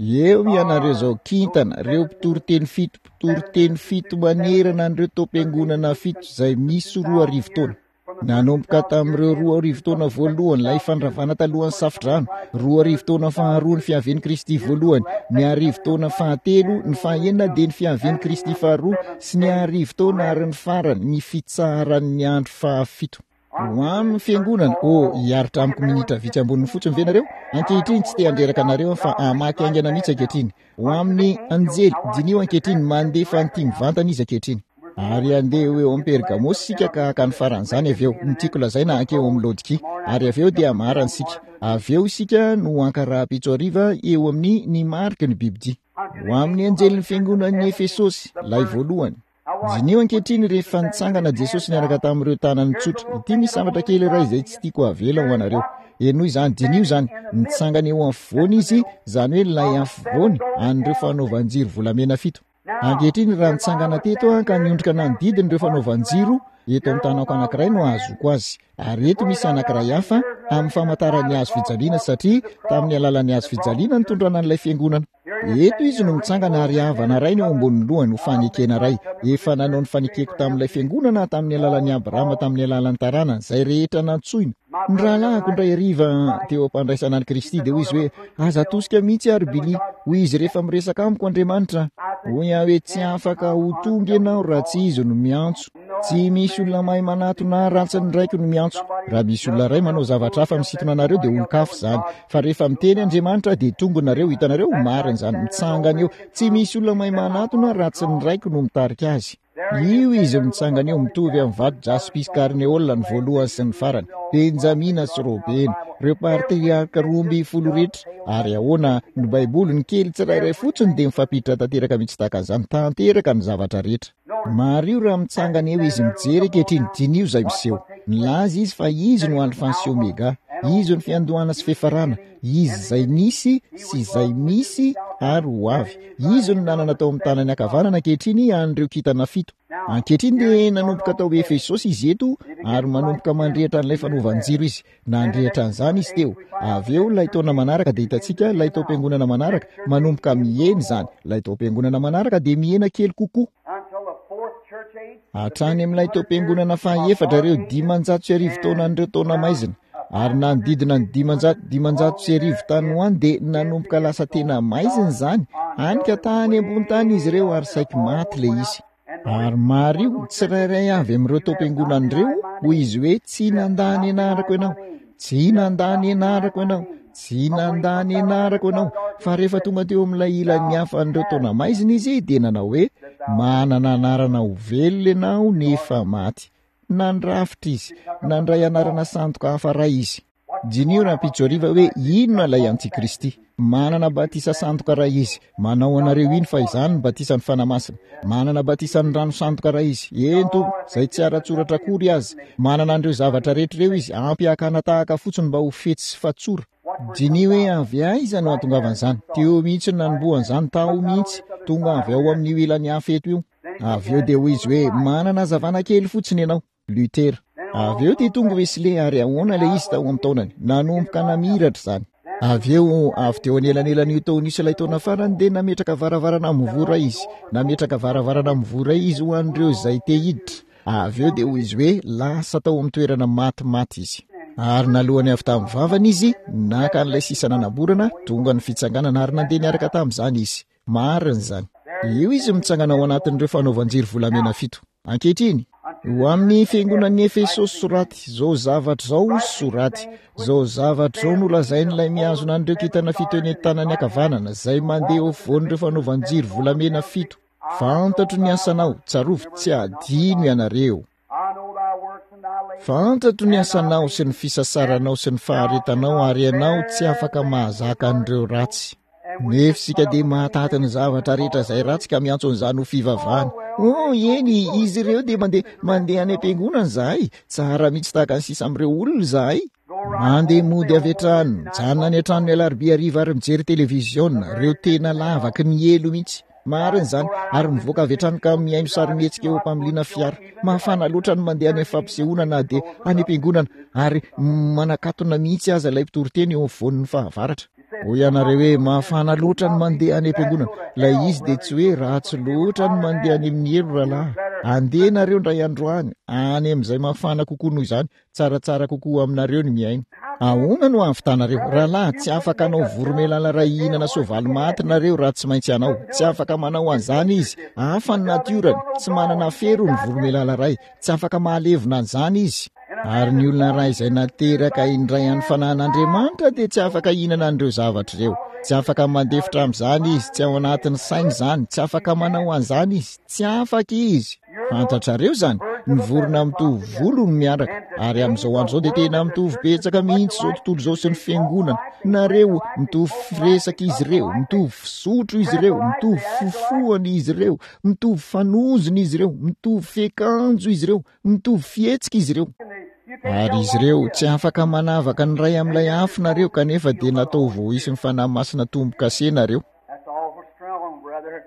Speaker 1: Eo ianareo izao kintana, ireo mpitoriteny fito, mpitoriteny fito manerana an'ireo taom-piangonana fito izay misy 2000 taona. Nanomboka tamin'ireo 2000 taona voalohany, ilay fandravana talohan'ny safodrano, 2000 taona faharoa ny fiavian'i Kristy voalohany, ny arivo taona fahatelo, ny fahaenina dia ny fiavian'i Kristy faharoa, sy ny arivo taona ary ny farany, ny fitsaharan'ny andro fahafito. Ho amin'ny fiangonana, oh, hiaritra amiko minitra vitsy amboniny fotsiny ve nareo? Ankehitriny, tsy te handreraka anareo aho fa hamaky haingana mihitsy ankehitriny. Ho amin'ny anjely, diniho ankehitriny, mandefa an'ity mivantana izy ankehitriny. Ary handeha ho eo amin'ny Pergamosy isika ka haka ny faran'izany avy eo, ny tiako lazaina hankeo amin'ny Laodikia. Ary avy eo dia hamarana isika. Avy eo isika no haka rahampitso hariva eo amin'ny ny mariky ny bibidia. Ho amin'ny anjelin'ny fiangonan'ny Efesosy, ilay voalohany. Diniho ankehitriny rehefa nitsangana Jesosy niaraka tamin'ireo tanany tsotra. Ity misy zavatra kely iray izay tsy tiako havela ho anareo. Henoy izany, diniho izany. Nitsangana eo afovoany izy, izany hoe ilay afovoany an'ireo fanaovan-jiro volamena fito. Ankehitriny raha nitsangana teto aho ka niondrika nanodidina ireo fanaovan-jiro, eto amin'ny tanako anankiray no ahazoako azy. Ary eto misy anankiray hafa amin'ny famantaran'ny hazo fijaliana satria tamin'ny alalan'ny hazo fijaliana nitondrana an'ilay fiangonana. Eto izy no mitsangana ary havana iray no eo ambonin'ny lohany ho fanekena iray. Efa nanao ny fanekeko tamin'ilay fiangonana aho tamin'ny alalan'i Abrahama tamin'ny alalan'ny taranany, izay rehetra nantsoina. Ny rahalahiko indray hariva teo am-pandraisana an'i Kristy dia hoy izy hoe, Aza atosika mihitsy aho ry Billy, hoy izy rehefa miresaka amiko Andriamanitra. Hoy aho hoe, Tsy afaka ho tonga ianao raha tsy Izy no miantso. Tsy misy olona mahay manatona ahy raha tsy ny Raiko no miantso. Raha misy olona iray manao zavatra hafa misintona anareo dia olon-kafa izany. Fa rehefa miteny Andriamanitra dia tonga nareo, hitanareo, marina izany, mitsangana eo. Tsy misy olona mahay manatona raha tsy ny Raiko no mitarika azy. Io izy mitsangana eo, mitovy amin'ny vato jaspis karneola ny voalohany sy ny farany, Benjamina sy Robena, ireo patriarka 12 rehetra. Ary ahoana, ny Baiboly, ny kely tsirairay fotsiny dia mifampiditra tanteraka mihitsy tahaka an'izany, tanteraka ny zavatra rehetra. Mariho raha mitsangana eo izy mijery ankehitriny, diniho izay miseho. Nilaza izy fa izy no Alfa sy Omega, izy no fiandohana sy fiafarana, izy izay nisy sy izay misy ary ho avy. Izy no nanana tao amin'ny tanany ankavanana ankehitriny an'ireo kintana fito. Ankehitriny dia nanomboka tao Efesosy izy eto ary manomboka mandrehitra an'ilay fanaovan-jiro izy. Nandrehitra an'izany izy teo. Avy eo ilay taona manaraka dia hitantsika ilay taom-piangonana manaraka, manomboka mihena izany. Ilay taom-piangonana manaraka dia mihena kely kokoa. Hatrany amin'ilay taom-piangonana fahaefatra ireo 1500 taonan'ireo taona maizina. Ary nanodidina ny 500, 1500 tany ho any dia nanomboka lasa tena maizina izany, hany ka tany ambony tany izy ireo ary saiky maty ilay izy. Ary mariho, tsirairay avy amin'ireo taom-piangonana ireo, hoy izy hoe, Tsy nandà ny anarako ianao, tsy nandà ny anarako ianao, tsy nandà ny anarako ianao. Fa rehefa tonga teo amin'ilay ilan'ny hafa an'ireo taona maizina izy, dia nanao hoe, Manana anarana ho velona ianao nefa maty. Nandrafitra izy, nandray anarana sandoka hafa iray izy. Diniho rahampitso hariva hoe inona ilay antikristy. Manana batisa sandoka iray izy. Manao anareo hino fa izany ny batisan'ny Fanahy Masina. Manana batisan'ny rano sandoka iray izy. Eny tompoko, izay tsy ara-tsoratra akory aza. Manana an'ireo zavatra rehetra ireo izy, ampy hakana tahaka fotsiny mba ho fetsy sy fatsora. Diniho hoe avy aiza no hahatongavan'izany. Teo mihitsy no nanombohan'izany, tao mihitsy. Tonga avy ao amin'io ilany hafa eto io. Avy eo dia hoy izy hoe, Manana hazavana kely fotsiny ianao. Luther. Avy eo dia tonga Wesley ary ahoana ilay izy tao amin'ny taonany? Nanomboka namiratra izany. Avy eo, avy teo anelanelan'io taona io sy ilay taona farany dia nametraka varavarana mivoha iray izy. Nametraka varavarana mivoha iray izy ho an'ireo izay te hiditra. Avy eo dia hoy izy hoe lasa tao amin'ny toerana matimaty izy. Ary nalohany avy tamin'ny vavany izy, naka an'ilay sisa nanamborana, tonga ny fitsanganana ary nandeha niaraka tamin'izany izy. Marina izany. Eo izy mitsangana ao anatin'ireo fanaovan-jiro volamena fito. Ankehitriny. Ho amin'ny fiangonan'i Efesosy soraty, izao zavatra izao soraty. Izao zavatra izao no lazain'ilay mihazona an'ireo kintana fito eny an-tanany ankavanana, izay mandeha eo afovoan'ireo fanaovan-jiro volamena fito. Fantatro ny asanao, tsarovy, tsy hadino ianareo. Fantatro ny asanao sy ny fisasaranao sy ny faharetanao ary ianao tsy afaka mahazaka an'ireo ratsy. Nefa isika dia mahataty ny zavatra rehetra izay ratsy ka miantso an'izany ho fivavahana. Oh, eny, izy ireo dia mandeha, mandeha any am-piangonana izahay. Tsara mihitsy tahaka ny sisa amin'ireo olona izahay. Mandeha mody avy hatrany, mijanona any an-trano ny alarobia hariva ary mijery televiziona, ireo tena lavaky ny helo mihitsy. Marina izany, ary mivoaka avy hatrany ka mihaino sarimihetsika eo am-pamiliana fiara. Mafana loatra ny mandeha any amin'ny fampisehoana na dia any am-piangonana, ary manakatona mihitsy aza ilay mpitoriteny eo afovoan'ny fahavaratra. Hoy ianareo hoe, Mafana loatra ny mandeha any am-piangonana. Ilay izy dia tsy hoe ratsy loatra ny mandeha any amin'ny helo, rahalahy. Andeha nareo indray andro any, any amin'izay mafana kokoa noho izany. Tsaratsara kokoa aminareo ny mihaino. Ahoana no hahavitanareo? Rahalahy, tsy afaka hanao voromailala iray hihinana soavaly maty nareo raha tsy maintsy hanao. Tsy afaka manao an'izany izy. Hafa ny natiorany. Tsy manana afero ny voromailala iray. Tsy afaka mahalevona an'izany izy. Ary ny olona iray izay nateraka indray an'ny Fanahin'Andriamanitra dia tsy afaka hihinana an'ireo zavatra ireo. Tsy afaka mandefitra amin'izany izy. Tsy ao anatin'ny sainy izany. Tsy afaka manao an'izany izy. Tsy afaka izy. Fantatrareo izany? Ny vorona mitovy volo no miaraka. Ary amin'izao andro izao dia tena mitovy betsaka mihitsy izao tontolo izao sy ny fiangonana. Nareo, mitovy firesaka izy ireo, mitovy fisotro izy ireo, mitovy fifohana izy ireo, mitovy fanozona izy ireo, mitovy fiakanjo izy ireo, mitovy fihetsika izy ireo. Ary izy ireo, tsy afaka manavaka ny iray amin'ilay hafa nareo, kanefa dia natao voaisy ny Fanahy Masina tombo-kase nareo.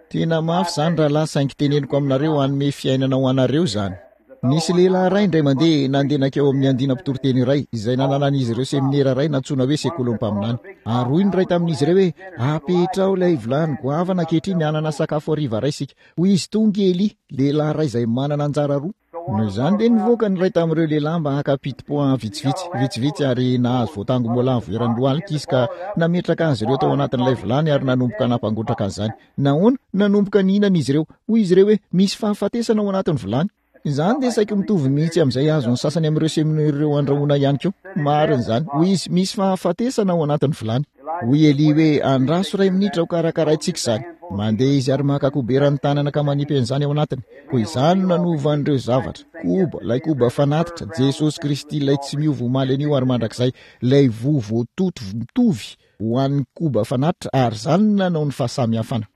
Speaker 1: Tena mafy izany rahalahy saingy teneniko aminareo hanome fiainana ho anareo izany. Nisy lehilahy iray indray mandeha nandeha nankeo amin'ny andiana mpitoriteny iray izay nananan'izy ireo seminera iray nantsoina hoe sekolin'ny mpaminany. Ary hoy ny iray tamin'izy ireo hoe, Apetraho ilay vilany goavana ankehitriny hanana sakafo hariva iray isika. Hoy izy, Tonga i Elia, lehilahy iray izay manana anjara roa. Noho izany dia nivoaka ny iray tamin'ireo lehilahy mba haka pitipoa vitsivitsy, vitsivitsy, ary nahazo voatango moalavo eran'ny lohalika izy ka nametraka azy ireo tao anatin'ilay vilany ary nanomboka nampangotraka an'izany. Nahoana? Nanomboka nihinana izy ireo. Hoy izy ireo hoe, Misy fahafatesana ao anatin'ny vilany. Izany dia saiky mitovy mihitsy amin'izay azon'ny sasany amin'ireo seminera ireo andrahoina ihany koa. Marina izany. Hoy izy, Misy fahafatesana ao anatin'ny vilany. Hoy Elia hoe, Andraso iray minitra hokarakaraintsika izany. Mandeha izy ary maka kobera ny tanana ka manipy an'izany ao anatiny. Koa izany no nanova an'ireo zavatra. Koba, ilay koba fanatitra, Jesosy Kristy ilay tsy miova omaly anio ary mandrakizay, ilay voa voatoto mitovy ho an'ny koba fanatitra ary izany no nanao ny fahasamihafana.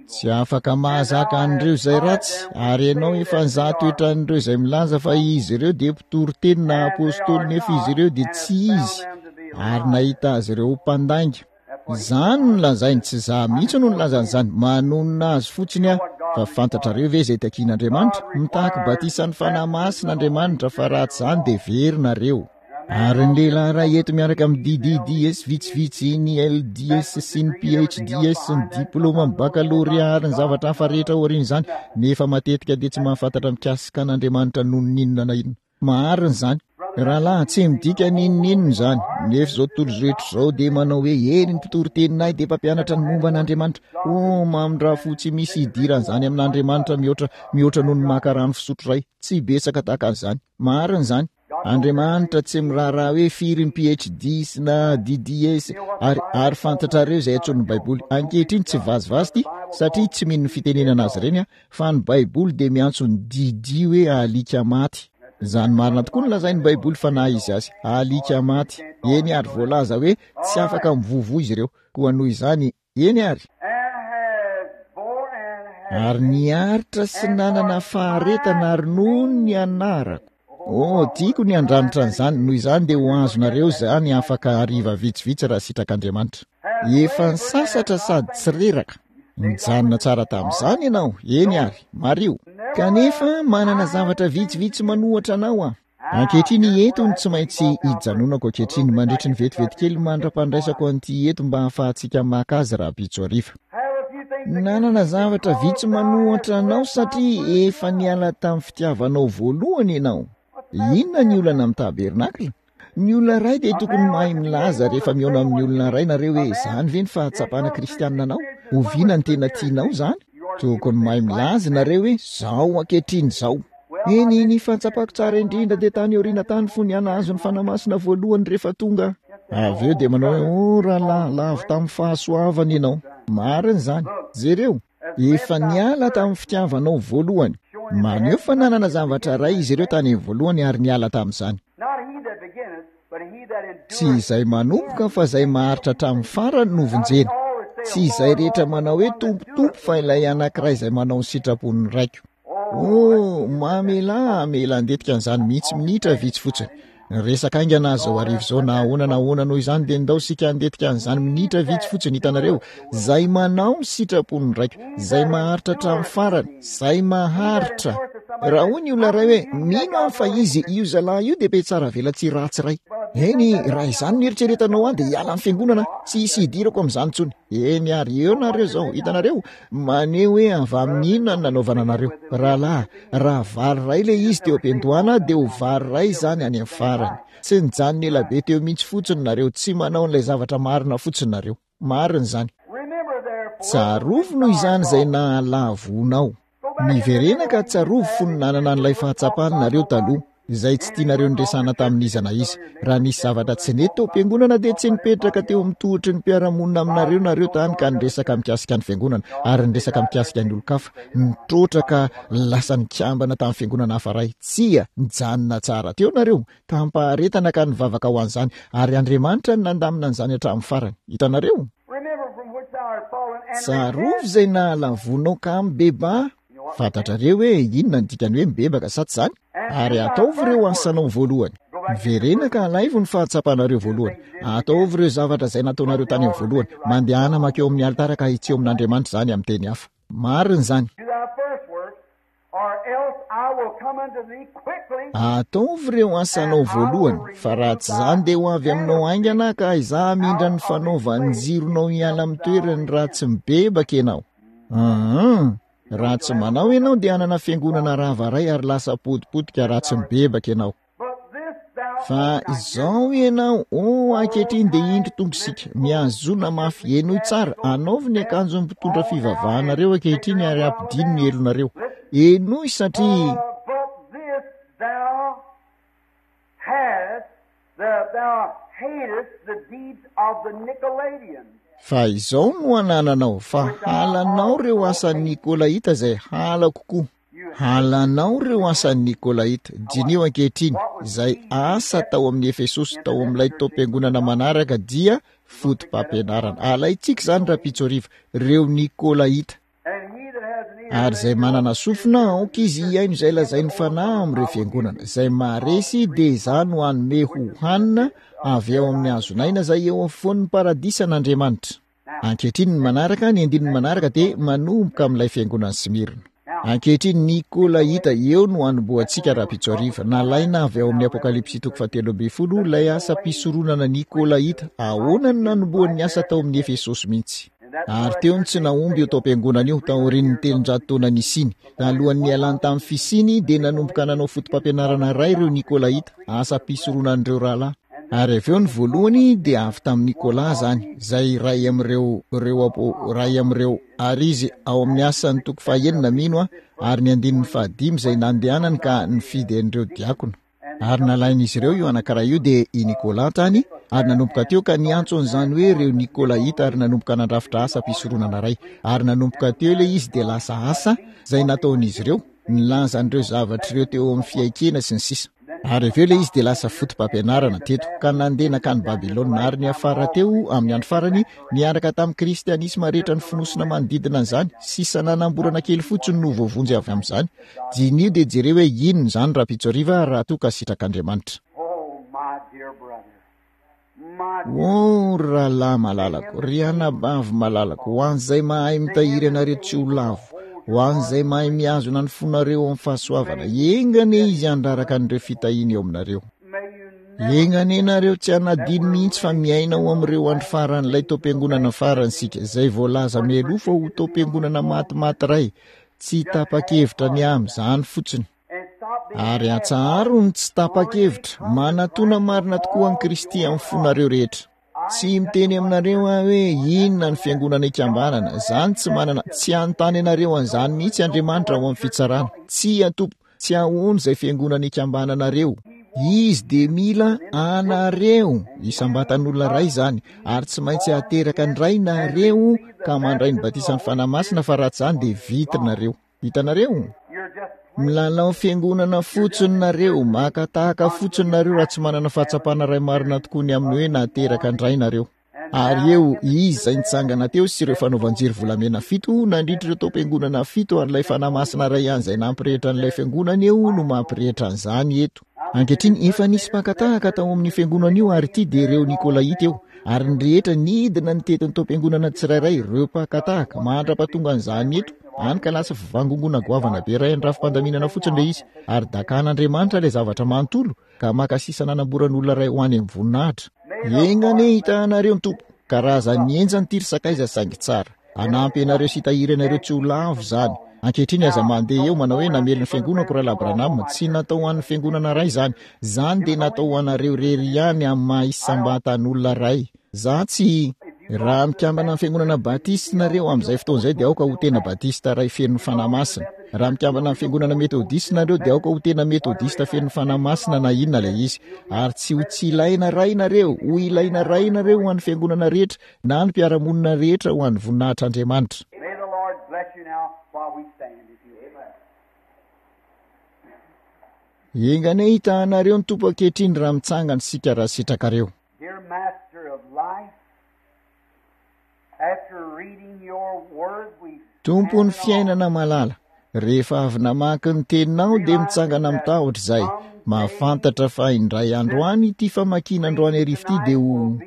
Speaker 1: Tsy afaka mahazaka an'ireo izay ratsy, ary ianao efa nizaha toetra an'ireo izay milaza fa izy ireo dia mpitory teny na apostoly nefa izy ireo dia tsy izy, ary nahita azy ireo ho mpandainga. Izany no lazainy, tsy izaho mihitsy no nilaza an'izany, manonona azy fotsiny aho. Fa fantatrareo ve izay takian'Andriamanitra? Mitaky batisan'ny Fanahy Masina Andriamanitra, fa raha tsy izany dia very nareo. Ary ny lehilahy iray eto miaraka amin'ny DDDS vitsivitsy, ny LDS sy ny PHDS, ny diplaoma, ny bakalorea ary ny zavatra hafa rehetra aorian'izany, nefa matetika dia tsy mahafantatra mikasika an'Andriamanitra noho ny inona na inona. Marina izany. Rahalahy, tsy midika n'inon'inona izany. Nefa izao tontolo rehetra izao dia manao hoe, Eny, ny mpitory teninay dia mpampianatra ny momba an'Andriamanitra. Oh, mamindrà fo tsy misy idiran'izany amin'Andriamanitra mihoatra, mihoatra noho ny maka rano fisotro iray. Tsy betsaka tahaka an'izany. Marina izany. Andriamanitra tsy miraharaha hoe firy ny PhD sy na DDS ary, ary fantatrareo izay antsoin'ny Baiboly. Ankehitriny tsy vazivazy ity satria tsy mino ny fitenenana azy ireny aho, fa ny Baiboly dia miantso ny DD hoe alika maty. Izany marina tokoa no lazain'ny Baiboly fa na izy azy, alika maty. Eny ary voalaza hoe tsy afaka mivovo izy ireo. Koa noho izany, Eny ary. Ary niaritra sy nanana faharetana ary noho ny anarako. Oh, tiako ny handranitra an'izany, noho izany dia ho azonareo izany afaka hariva vitsivitsy raha sitrak'Andriamanitra. Efa nisasatra sady tsy reraka. Nijanona tsara tamin'izany ianao, eny ary, mariho. Kanefa manana zavatra vitsivitsy manohatra anao aho. Ankehitriny eto no tsy maintsy hijanonako ankehitriny mandritry ny vetivety kely mandra-pandraisako an'ity eto mba hahafahantsika maka azy rahampitso hariva. Nanana zavatra vitsy manohatra anao satria efa niala tamin'ny fitiavanao voalohany ianao. Inona ny olana amin'ny tabernakla? Ny olona iray dia tokony mahay milaza rehefa mihaona amin'ny olona iray nareo hoe izany ve ny fahatsapana kristianina anao? Oviana ny tena tianao izany? Tokony mahay milaza ianareo hoe, Izao ankehitriny izao. Eny, ny fahatsapako tsara indrindra dia tany aoriana tany fony aho nahazo ny Fanahy Masina voalohany rehefa tonga aho. Avy eo dia manao hoe, Oh, rahalahy, lavo tamin'ny fahasoavana ianao. Marina izany. Jereo, efa niala tamin'ny fitiavanao voalohany. Maneho fa nanana zavatra iray izy ireo tany amin'ny voalohany ary niala tamin'izany. Tsy izay manomboka fa izay maharitra hatramin'ny farany no vonjena. Tsy izay rehetra manao hoe Tompo, Tompo fa ilay anankiray izay manao ny sitrapon'ny Raiko. Oh, mamelà hamela handetika an'izany mihitsy minitra vitsy fotsiny. Resaka haingana aho izao hariva izao na ahoana na ahoana noho izany dia ndao isika handetika an'izany minitra vitsy fotsiny hitanareo. Izay manao ny sitrapon'ny Raiko, izay maharitra hatramin'ny farany, izay maharitra. Raha hoy ny olona iray hoe, mino aho fa izy, io zalahy io dia mpihatsara velatsihy ratsy iray. Eny, raha izany no eritreretanao ahy dia hiala ny fiangonana, tsy hisy hidirako amin'izany intsony. Eny ary, eo nareo izao, hitanareo, maneho hoe avy amin'ny inona no nanaovana anareo. Rahalahy, raha vary iray ilay izy teo am-piandohana dia ho vary iray izany any amin'ny farany. Tsy nijanona ela be teo mihitsy fotsiny nareo, tsy manao an'ilay zavatra marina fotsiny nareo. Marina izany. Tsarovy noho izany izay nahalavoanao. Miverena ka tsarovy fony nanana an'ilay fahatsapana nareo taloha, izay tsy tianareo niresahana tamin'iza na iza. Raha nisy zavatra tsy nety tao am-piangonana dia tsy nipetraka teo amin'ny tohitry ny mpiara-monina aminareo nareo tany ka niresaka mikasika ny fiangonana ary niresaka mikasika ny olon-kafa, nitroatra ka lasa nikambana tamin'ny fiangonana hafa iray. Tsia, nijanona tsara teo nareo. Tamim-paharetana ka nivavaka ho an'izany, ary Andriamanitra no nandamina an'izany hatramin'ny farany. Hitanareo? Tsarovy izay nahalavoanao ka mibebaha. Fantatrareo hoe inona ny dikan'ny hoe mibebaka, sa tsy izany? Ary ataovy ireo asanao voalohany. Miverena ka alaivo ny fahatsapanareo voalohany. Ataovy ireo zavatra izay nataonareo tany amin'ny voalohany. Mandehana mankeo amin'ny alitara ka hitsio amin'Andriamanitra izany amin'ny teny hafa. Marina izany. Ataovy ireo asanao voalohany, fa raha tsy izany dia ho avy aminao haingana aho ka izaho hamindra ny fanaovan-jironao hiala amin'ny toerany raha tsy mibebaka ianao. Aa, raha tsy manao ianao dia hanana fiangonana rava iray ary lasa potipotika raha tsy mibebaka ianao. Fa izao ianao, oh, ankehitriny dia indro tonga isika. Mihazona mafy, henoy tsara, anaovy ny akanjon'ny mpitondra fivavahanareo ankehitriny ary ampidino ny elonareo. Henoy satria. Fa izao no anananao, fa halanao ireo asan'ny Nikolaita izay halako koa. Halanao ireo asan'ny Nikolaita. Diniho ankehitriny, izay asa tao amin'ny Efesosy, tao amin'ilay taom-piangonana manaraka dia foto-pampianarana. Alaintsika izany rahampitso hariva, ireo Nikolaita. Ary izay manana sofina, aoka izy hihaino izay lazain'ny Fanahy amin'ireo fiangonana. Izay maharesy dia izaho no hanome ho hanina avy ao amin'ny hazon'aina izay eo afovoan'ny paradisan'Andriamanitra. Ankehitriny ny manaraka, ny andininy manaraka dia manomboka amin'ilay fiangonan'i Smyrna. Ankehitriny, Nikolaita, eo no hanombohantsika rahampitso hariva. Nalaina avy ao amin'ny Apokalypsy toko fahatelo ambin'ny folo ilay asam-pisoronana Nikolaita. Ahoana no nanombohan'ny asa tao amin'ny Efesosy mihitsy? Ary teo no tsy nahomby io taom-piangonana io, taorian'ny 300 taona nisiany. Talohan'ny nialany tamin'ny fisiany, dia nanomboka nanao foto-pampianarana iray ireo Nikolaita, asam-pisoronan'ireo rahalahy. Ary avy eo ny voalohany dia avy tamin'i Nicolas izany, izay iray amin'ireo, ireo apo, iray amin'ireo, ary izy ao amin'ny Asan'ny toko fahenina mino aho, ary ny andininy fahadimy izay nandehanany ka nifidy an'ireo diakona. Ary nalain'izy ireo io anankiray io dia i Nicolas tany, ary nanomboka teo ka niantso an'izany hoe ireo Nikolaita ary nanomboka nandrafitra asa fisoronana iray. Ary nanomboka teo ilay izy dia lasa asa izay nataon'izy ireo, nilaza an'ireo zavatra ireo teo amin'ny fiaikena sy ny sisa. Ary avy eo ilay izy dia lasa foto-pampianarana teto, ka nandeha nankany Babylona, ary niafara teo, amin'ny andro farany, niaraka tamin'ny Kristianisma rehetra nifonosina manodidina an'izany, sisa nanamborana kely fotsiny no voavonjy avy amin'izany. Diniho dia jereo hoe inona izany rahampitso hariva, raha toa ka sitrak'Andriamanitra. Oh, ry rahalahy malalako, ry anabavy malalako, ho an'izay mahay mitahiry anareo tsy ho lavo, ho an'izay mahay mihazona ny fonareo amin'ny fahasoavana, enga anie izy handraraka an'ireo fitahiany eo aminareo. Enga anie nareo tsy hanadino mihitsy fa miaina ao amin'ireo andro faran'ilay taom-piangonana farany isika, izay voalaza mialoha fa ho taom-piangonana matimaty iray, tsy tapa-kevitra ny amin'izany fotsiny. Ary atsaharo ny tsy tapa-kevitra, manatona marina tokoa an'i Kristy amin'ny fonareo rehetra. Tsy miteny aminareo aho hoe inona ny fiangonana ikambanana. Izany tsy manana, tsy hanontany anareo an'izany mihitsy Andriamanitra ao amin'ny fitsarana. Tsia, tompoko. Tsy ahoana izay fiangonana ikambananareo. Izy dia mila anareo, isam-batan'olona iray izany, ary tsy maintsy hateraka indray nareo ka mandray ny batisan'ny Fanahy Masina fa raha tsy izany dia vita nareo. Hitanareo? Milalao fiangonana fotsiny nareo, maka tahaka fotsiny nareo raha tsy manana fahatsapana iray marina tokoa ny amin'ny hoe nateraka indray nareo. Ary eo Izy izay nitsangana teo sy ireo fanaovan-jiro volamena fito nandritra ireo taom-piangonana fito ary ilay Fanahy Masina iray ihany izay nampirehitra an'ilay fiangonana eo no mampirehitra an'izany eto. Ankehitriny, efa nisy mpaka tahaka tao amin'io fiangonana io ary ity dia ireo Nikolaita eo. Ary ny rehetra nidina nitety ny taom-piangonana tsirairay, ireo mpaka tahaka, mandra-pahatonga an'izany eto, hany ka lasa fivangongoana goavana be iray an'ny rafi-pandaminana fotsiny ilay izy. Ary dakan'Andriamanitra ilay zavatra manontolo, ka maka sisa nanamboran'olona iray ho any amin'ny voninahitra. Enga anie hitahanareo ny Tompo. Karazan'ny henjana ity ry sakaiza saingy tsara. Hanampy anareo sy hitahiry anareo tsy ho lavo izany. Ankehitriny aza mandeha eo manao hoe namely ny fiangonako Rahalahy Branham. Tsy natao ho an'ny fiangonana iray izany. Izany dia natao ho anareo irery ihany amin'ny maha isam-batan'olona iray. Za tsy. Raha mikambana amin'ny fiangonana batista nareo amin'izay fotoana izay dia aoka ho tena batista iray feno ny Fanahy Masina. Raha mikambana amin'ny fiangonana metodista nareo dia aoka ho tena metodista feno ny Fanahy Masina na inona ilay izy. Ary tsy ho tsy ilaina iray nareo, ho ilaina iray nareo ho an'ny fiangonana rehetra na ny mpiara-monina rehetra ho an'ny voninahitr'Andriamanitra.
Speaker 2: May the Lord bless you now while we stand, if you will.
Speaker 1: Enga anie hitahanareo ny Tompo ankehitriny raha mitsangana isika raha sitrakareo.
Speaker 2: Dear Master of life, after reading your word we
Speaker 1: Tompon'ny fiainana malala, rehefa avy namaky ny teninao dia mitsangana amin'ny tahotra izay, mahafantatra fa indray andro any ity famakiana androany hariva ity dia ho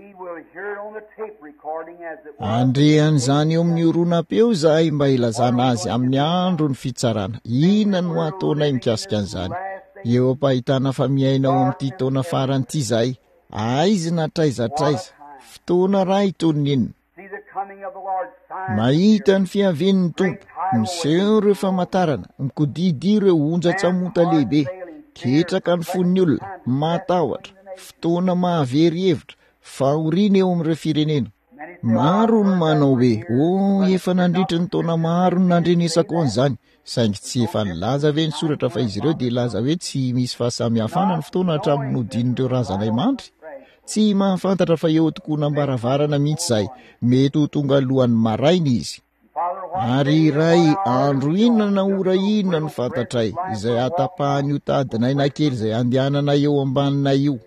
Speaker 1: Handre an'izany eo amin'ny horonam-peo izahay mba hilazana azy amin'ny andron'ny fitsarana. Inona no hataonay mikasika an'izany? Eo am-pahitana fa miaina ao amin'ity taona farany ity izahay, Aizina hatraiza hatraiza, fotoana raha itony ny inona. Mahita ny fiavian'ny Tompo, miseho ireo famantarana, mikodidia ireo onjan-tsamonta lehibe, ketraka ny fon'ny olona, matahotra, fotoana mahavery hevitra, fahoriana eo amin'ireo firenena. Maro ny manao hoe, Oh, efa nandritry ny taona maro no nandrenesako an'izany. Saingy tsy efa nilaza ve ny soratra fa izy ireo dia hilaza hoe tsy misy fahasamihafana ny fotoana hatramin'ny nodian'ireo razanay mandry? Tsy mahafantatra fa eo tokonam-baravarana mihitsy izahay. Mety ho tonga alohan'ny maraina izy. Ary iray andro inona na ora inona no fantatray, izay hahatapahan'io tadin'aina kely izay andehananay eo ambaninay io.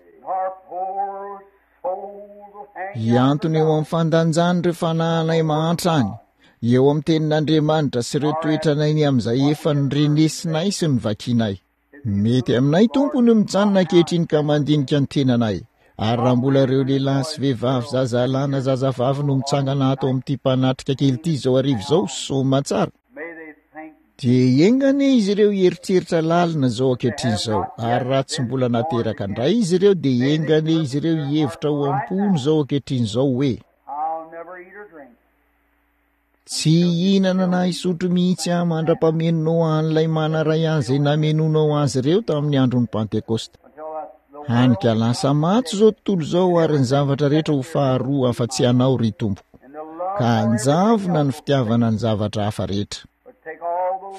Speaker 1: Hiantona eo amin'ny fandanjan'ireo fanahinay mahantra any, eo amin'ny Tenin'Andriamanitra sy ireo toetranay ny amin'izay efa norenesinay sy novakinay. Mety aminay, Tompo, ny mijanona ankehitriny ka mandinika ny tenanay. Ary raha mbola ireo lehilahy sy vehivavy, zazalahy na zazavavy no mitsangana ato amin'ity mpanatrika kely ity izao hariva izao, soamantsara, Dia enga anie izy ireo hieritreritra lalina izao ankehitriny izao, ary raha tsy mbola nateraka indray izy ireo, dia enga anie izy ireo hihevitra ao am-pony izao ankehitriny izao hoe, Tsy hihinana na hisotro mihitsy aho mandra-pamenonao an'ilay mana iray ahy izay namenoanao azy ireo tamin'ny andron'ny Pantekosta. Hany ka lasa maty izao tontolo izao ary ny zavatra rehetra ho faharoa afa-tsy Ianao, ry Tompoko. Ka hanjavona ny fitiavana ny zavatra hafa rehetra.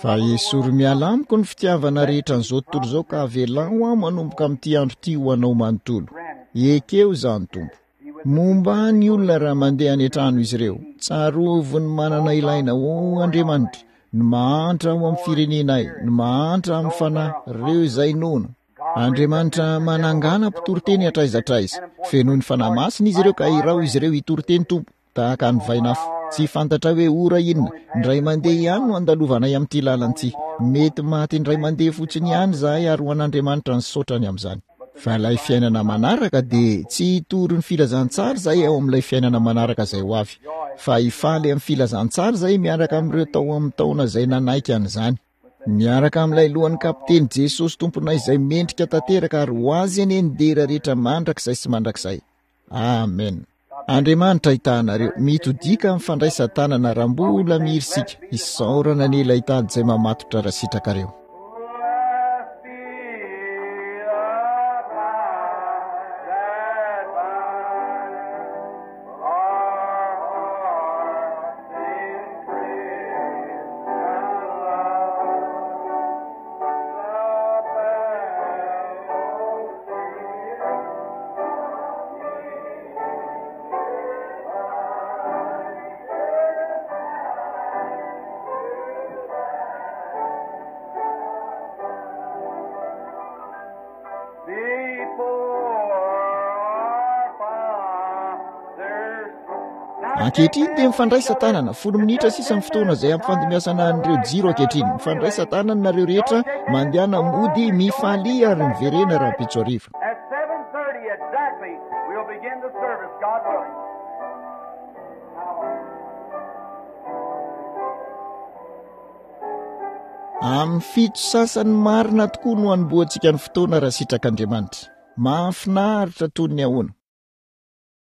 Speaker 1: Fa esory miala amiko ny fitiavana rehetra an'izao tontolo izao ka avelao aho manomboka amin'ity andro ity ho Anao manontolo. Ekeo izany, Tompo. Momba ny olona raha mandeha any an-trano izy ireo. Tsarovy ny manana ilaina, O Andriamanitra, ny mahantra ao amin'ny firenenay, ny mahantra amin'ny fanahy, ireo izay noana. Andriamanitra manangàna mpitoriteny hatraiza hatraiza. Fenoy ny Fanahy Masina izy ireo ka iraho izy ireo hitory teny Tompo, tahaka ny vainafo. Tsy fantatray hoe ora inona, indray mandeha ihany no andalovanay amin'ity lalana ity. Mety maty indray mandeha fotsiny ihany izahay ary ho an'Andriamanitra ny saotrany amin'izany. Fa ilay fiainana manaraka dia tsy hitory ny filazantsara izahay ao amin'ilay fiainana manaraka izay ho avy, fa hifaly amin'ny filazantsara izahay miaraka amin'ireo tao amin'ny taona izay nanaiky an'izany. Miaraka amin'ilay lohan'ny kapiteny Jesosy Tomponay izay mendrika tanteraka ary ho Azy anie ny dera rehetra mandrakizay sy mandrakizay. Amen. Andriamanitra hitaha anareo. Mitodiaka amin'ny fandraisan-tanana raha mbola mihiry isika. Isaorana anie ilay tady izay mamatotra raha sitrakareo.
Speaker 2: Before our Father's throne.
Speaker 1: Ankehitriny dia mifandraisa tanana, folo minitra sisa ny fotoana izay hampifandimbiasana an'ireo jiro ankehitriny. Mifandraisa tanana nareo rehetra, mandehana mody, mifalia ary miverena rahampitso hariva.
Speaker 2: At 7:30 exactly, we'll begin the service, God willing.
Speaker 1: Amin'ny fito sasany marina tokoa no hanombohantsika ny fotoana raha sitrak'Andriamanitra. Mahafinaritra toy ny ahoana!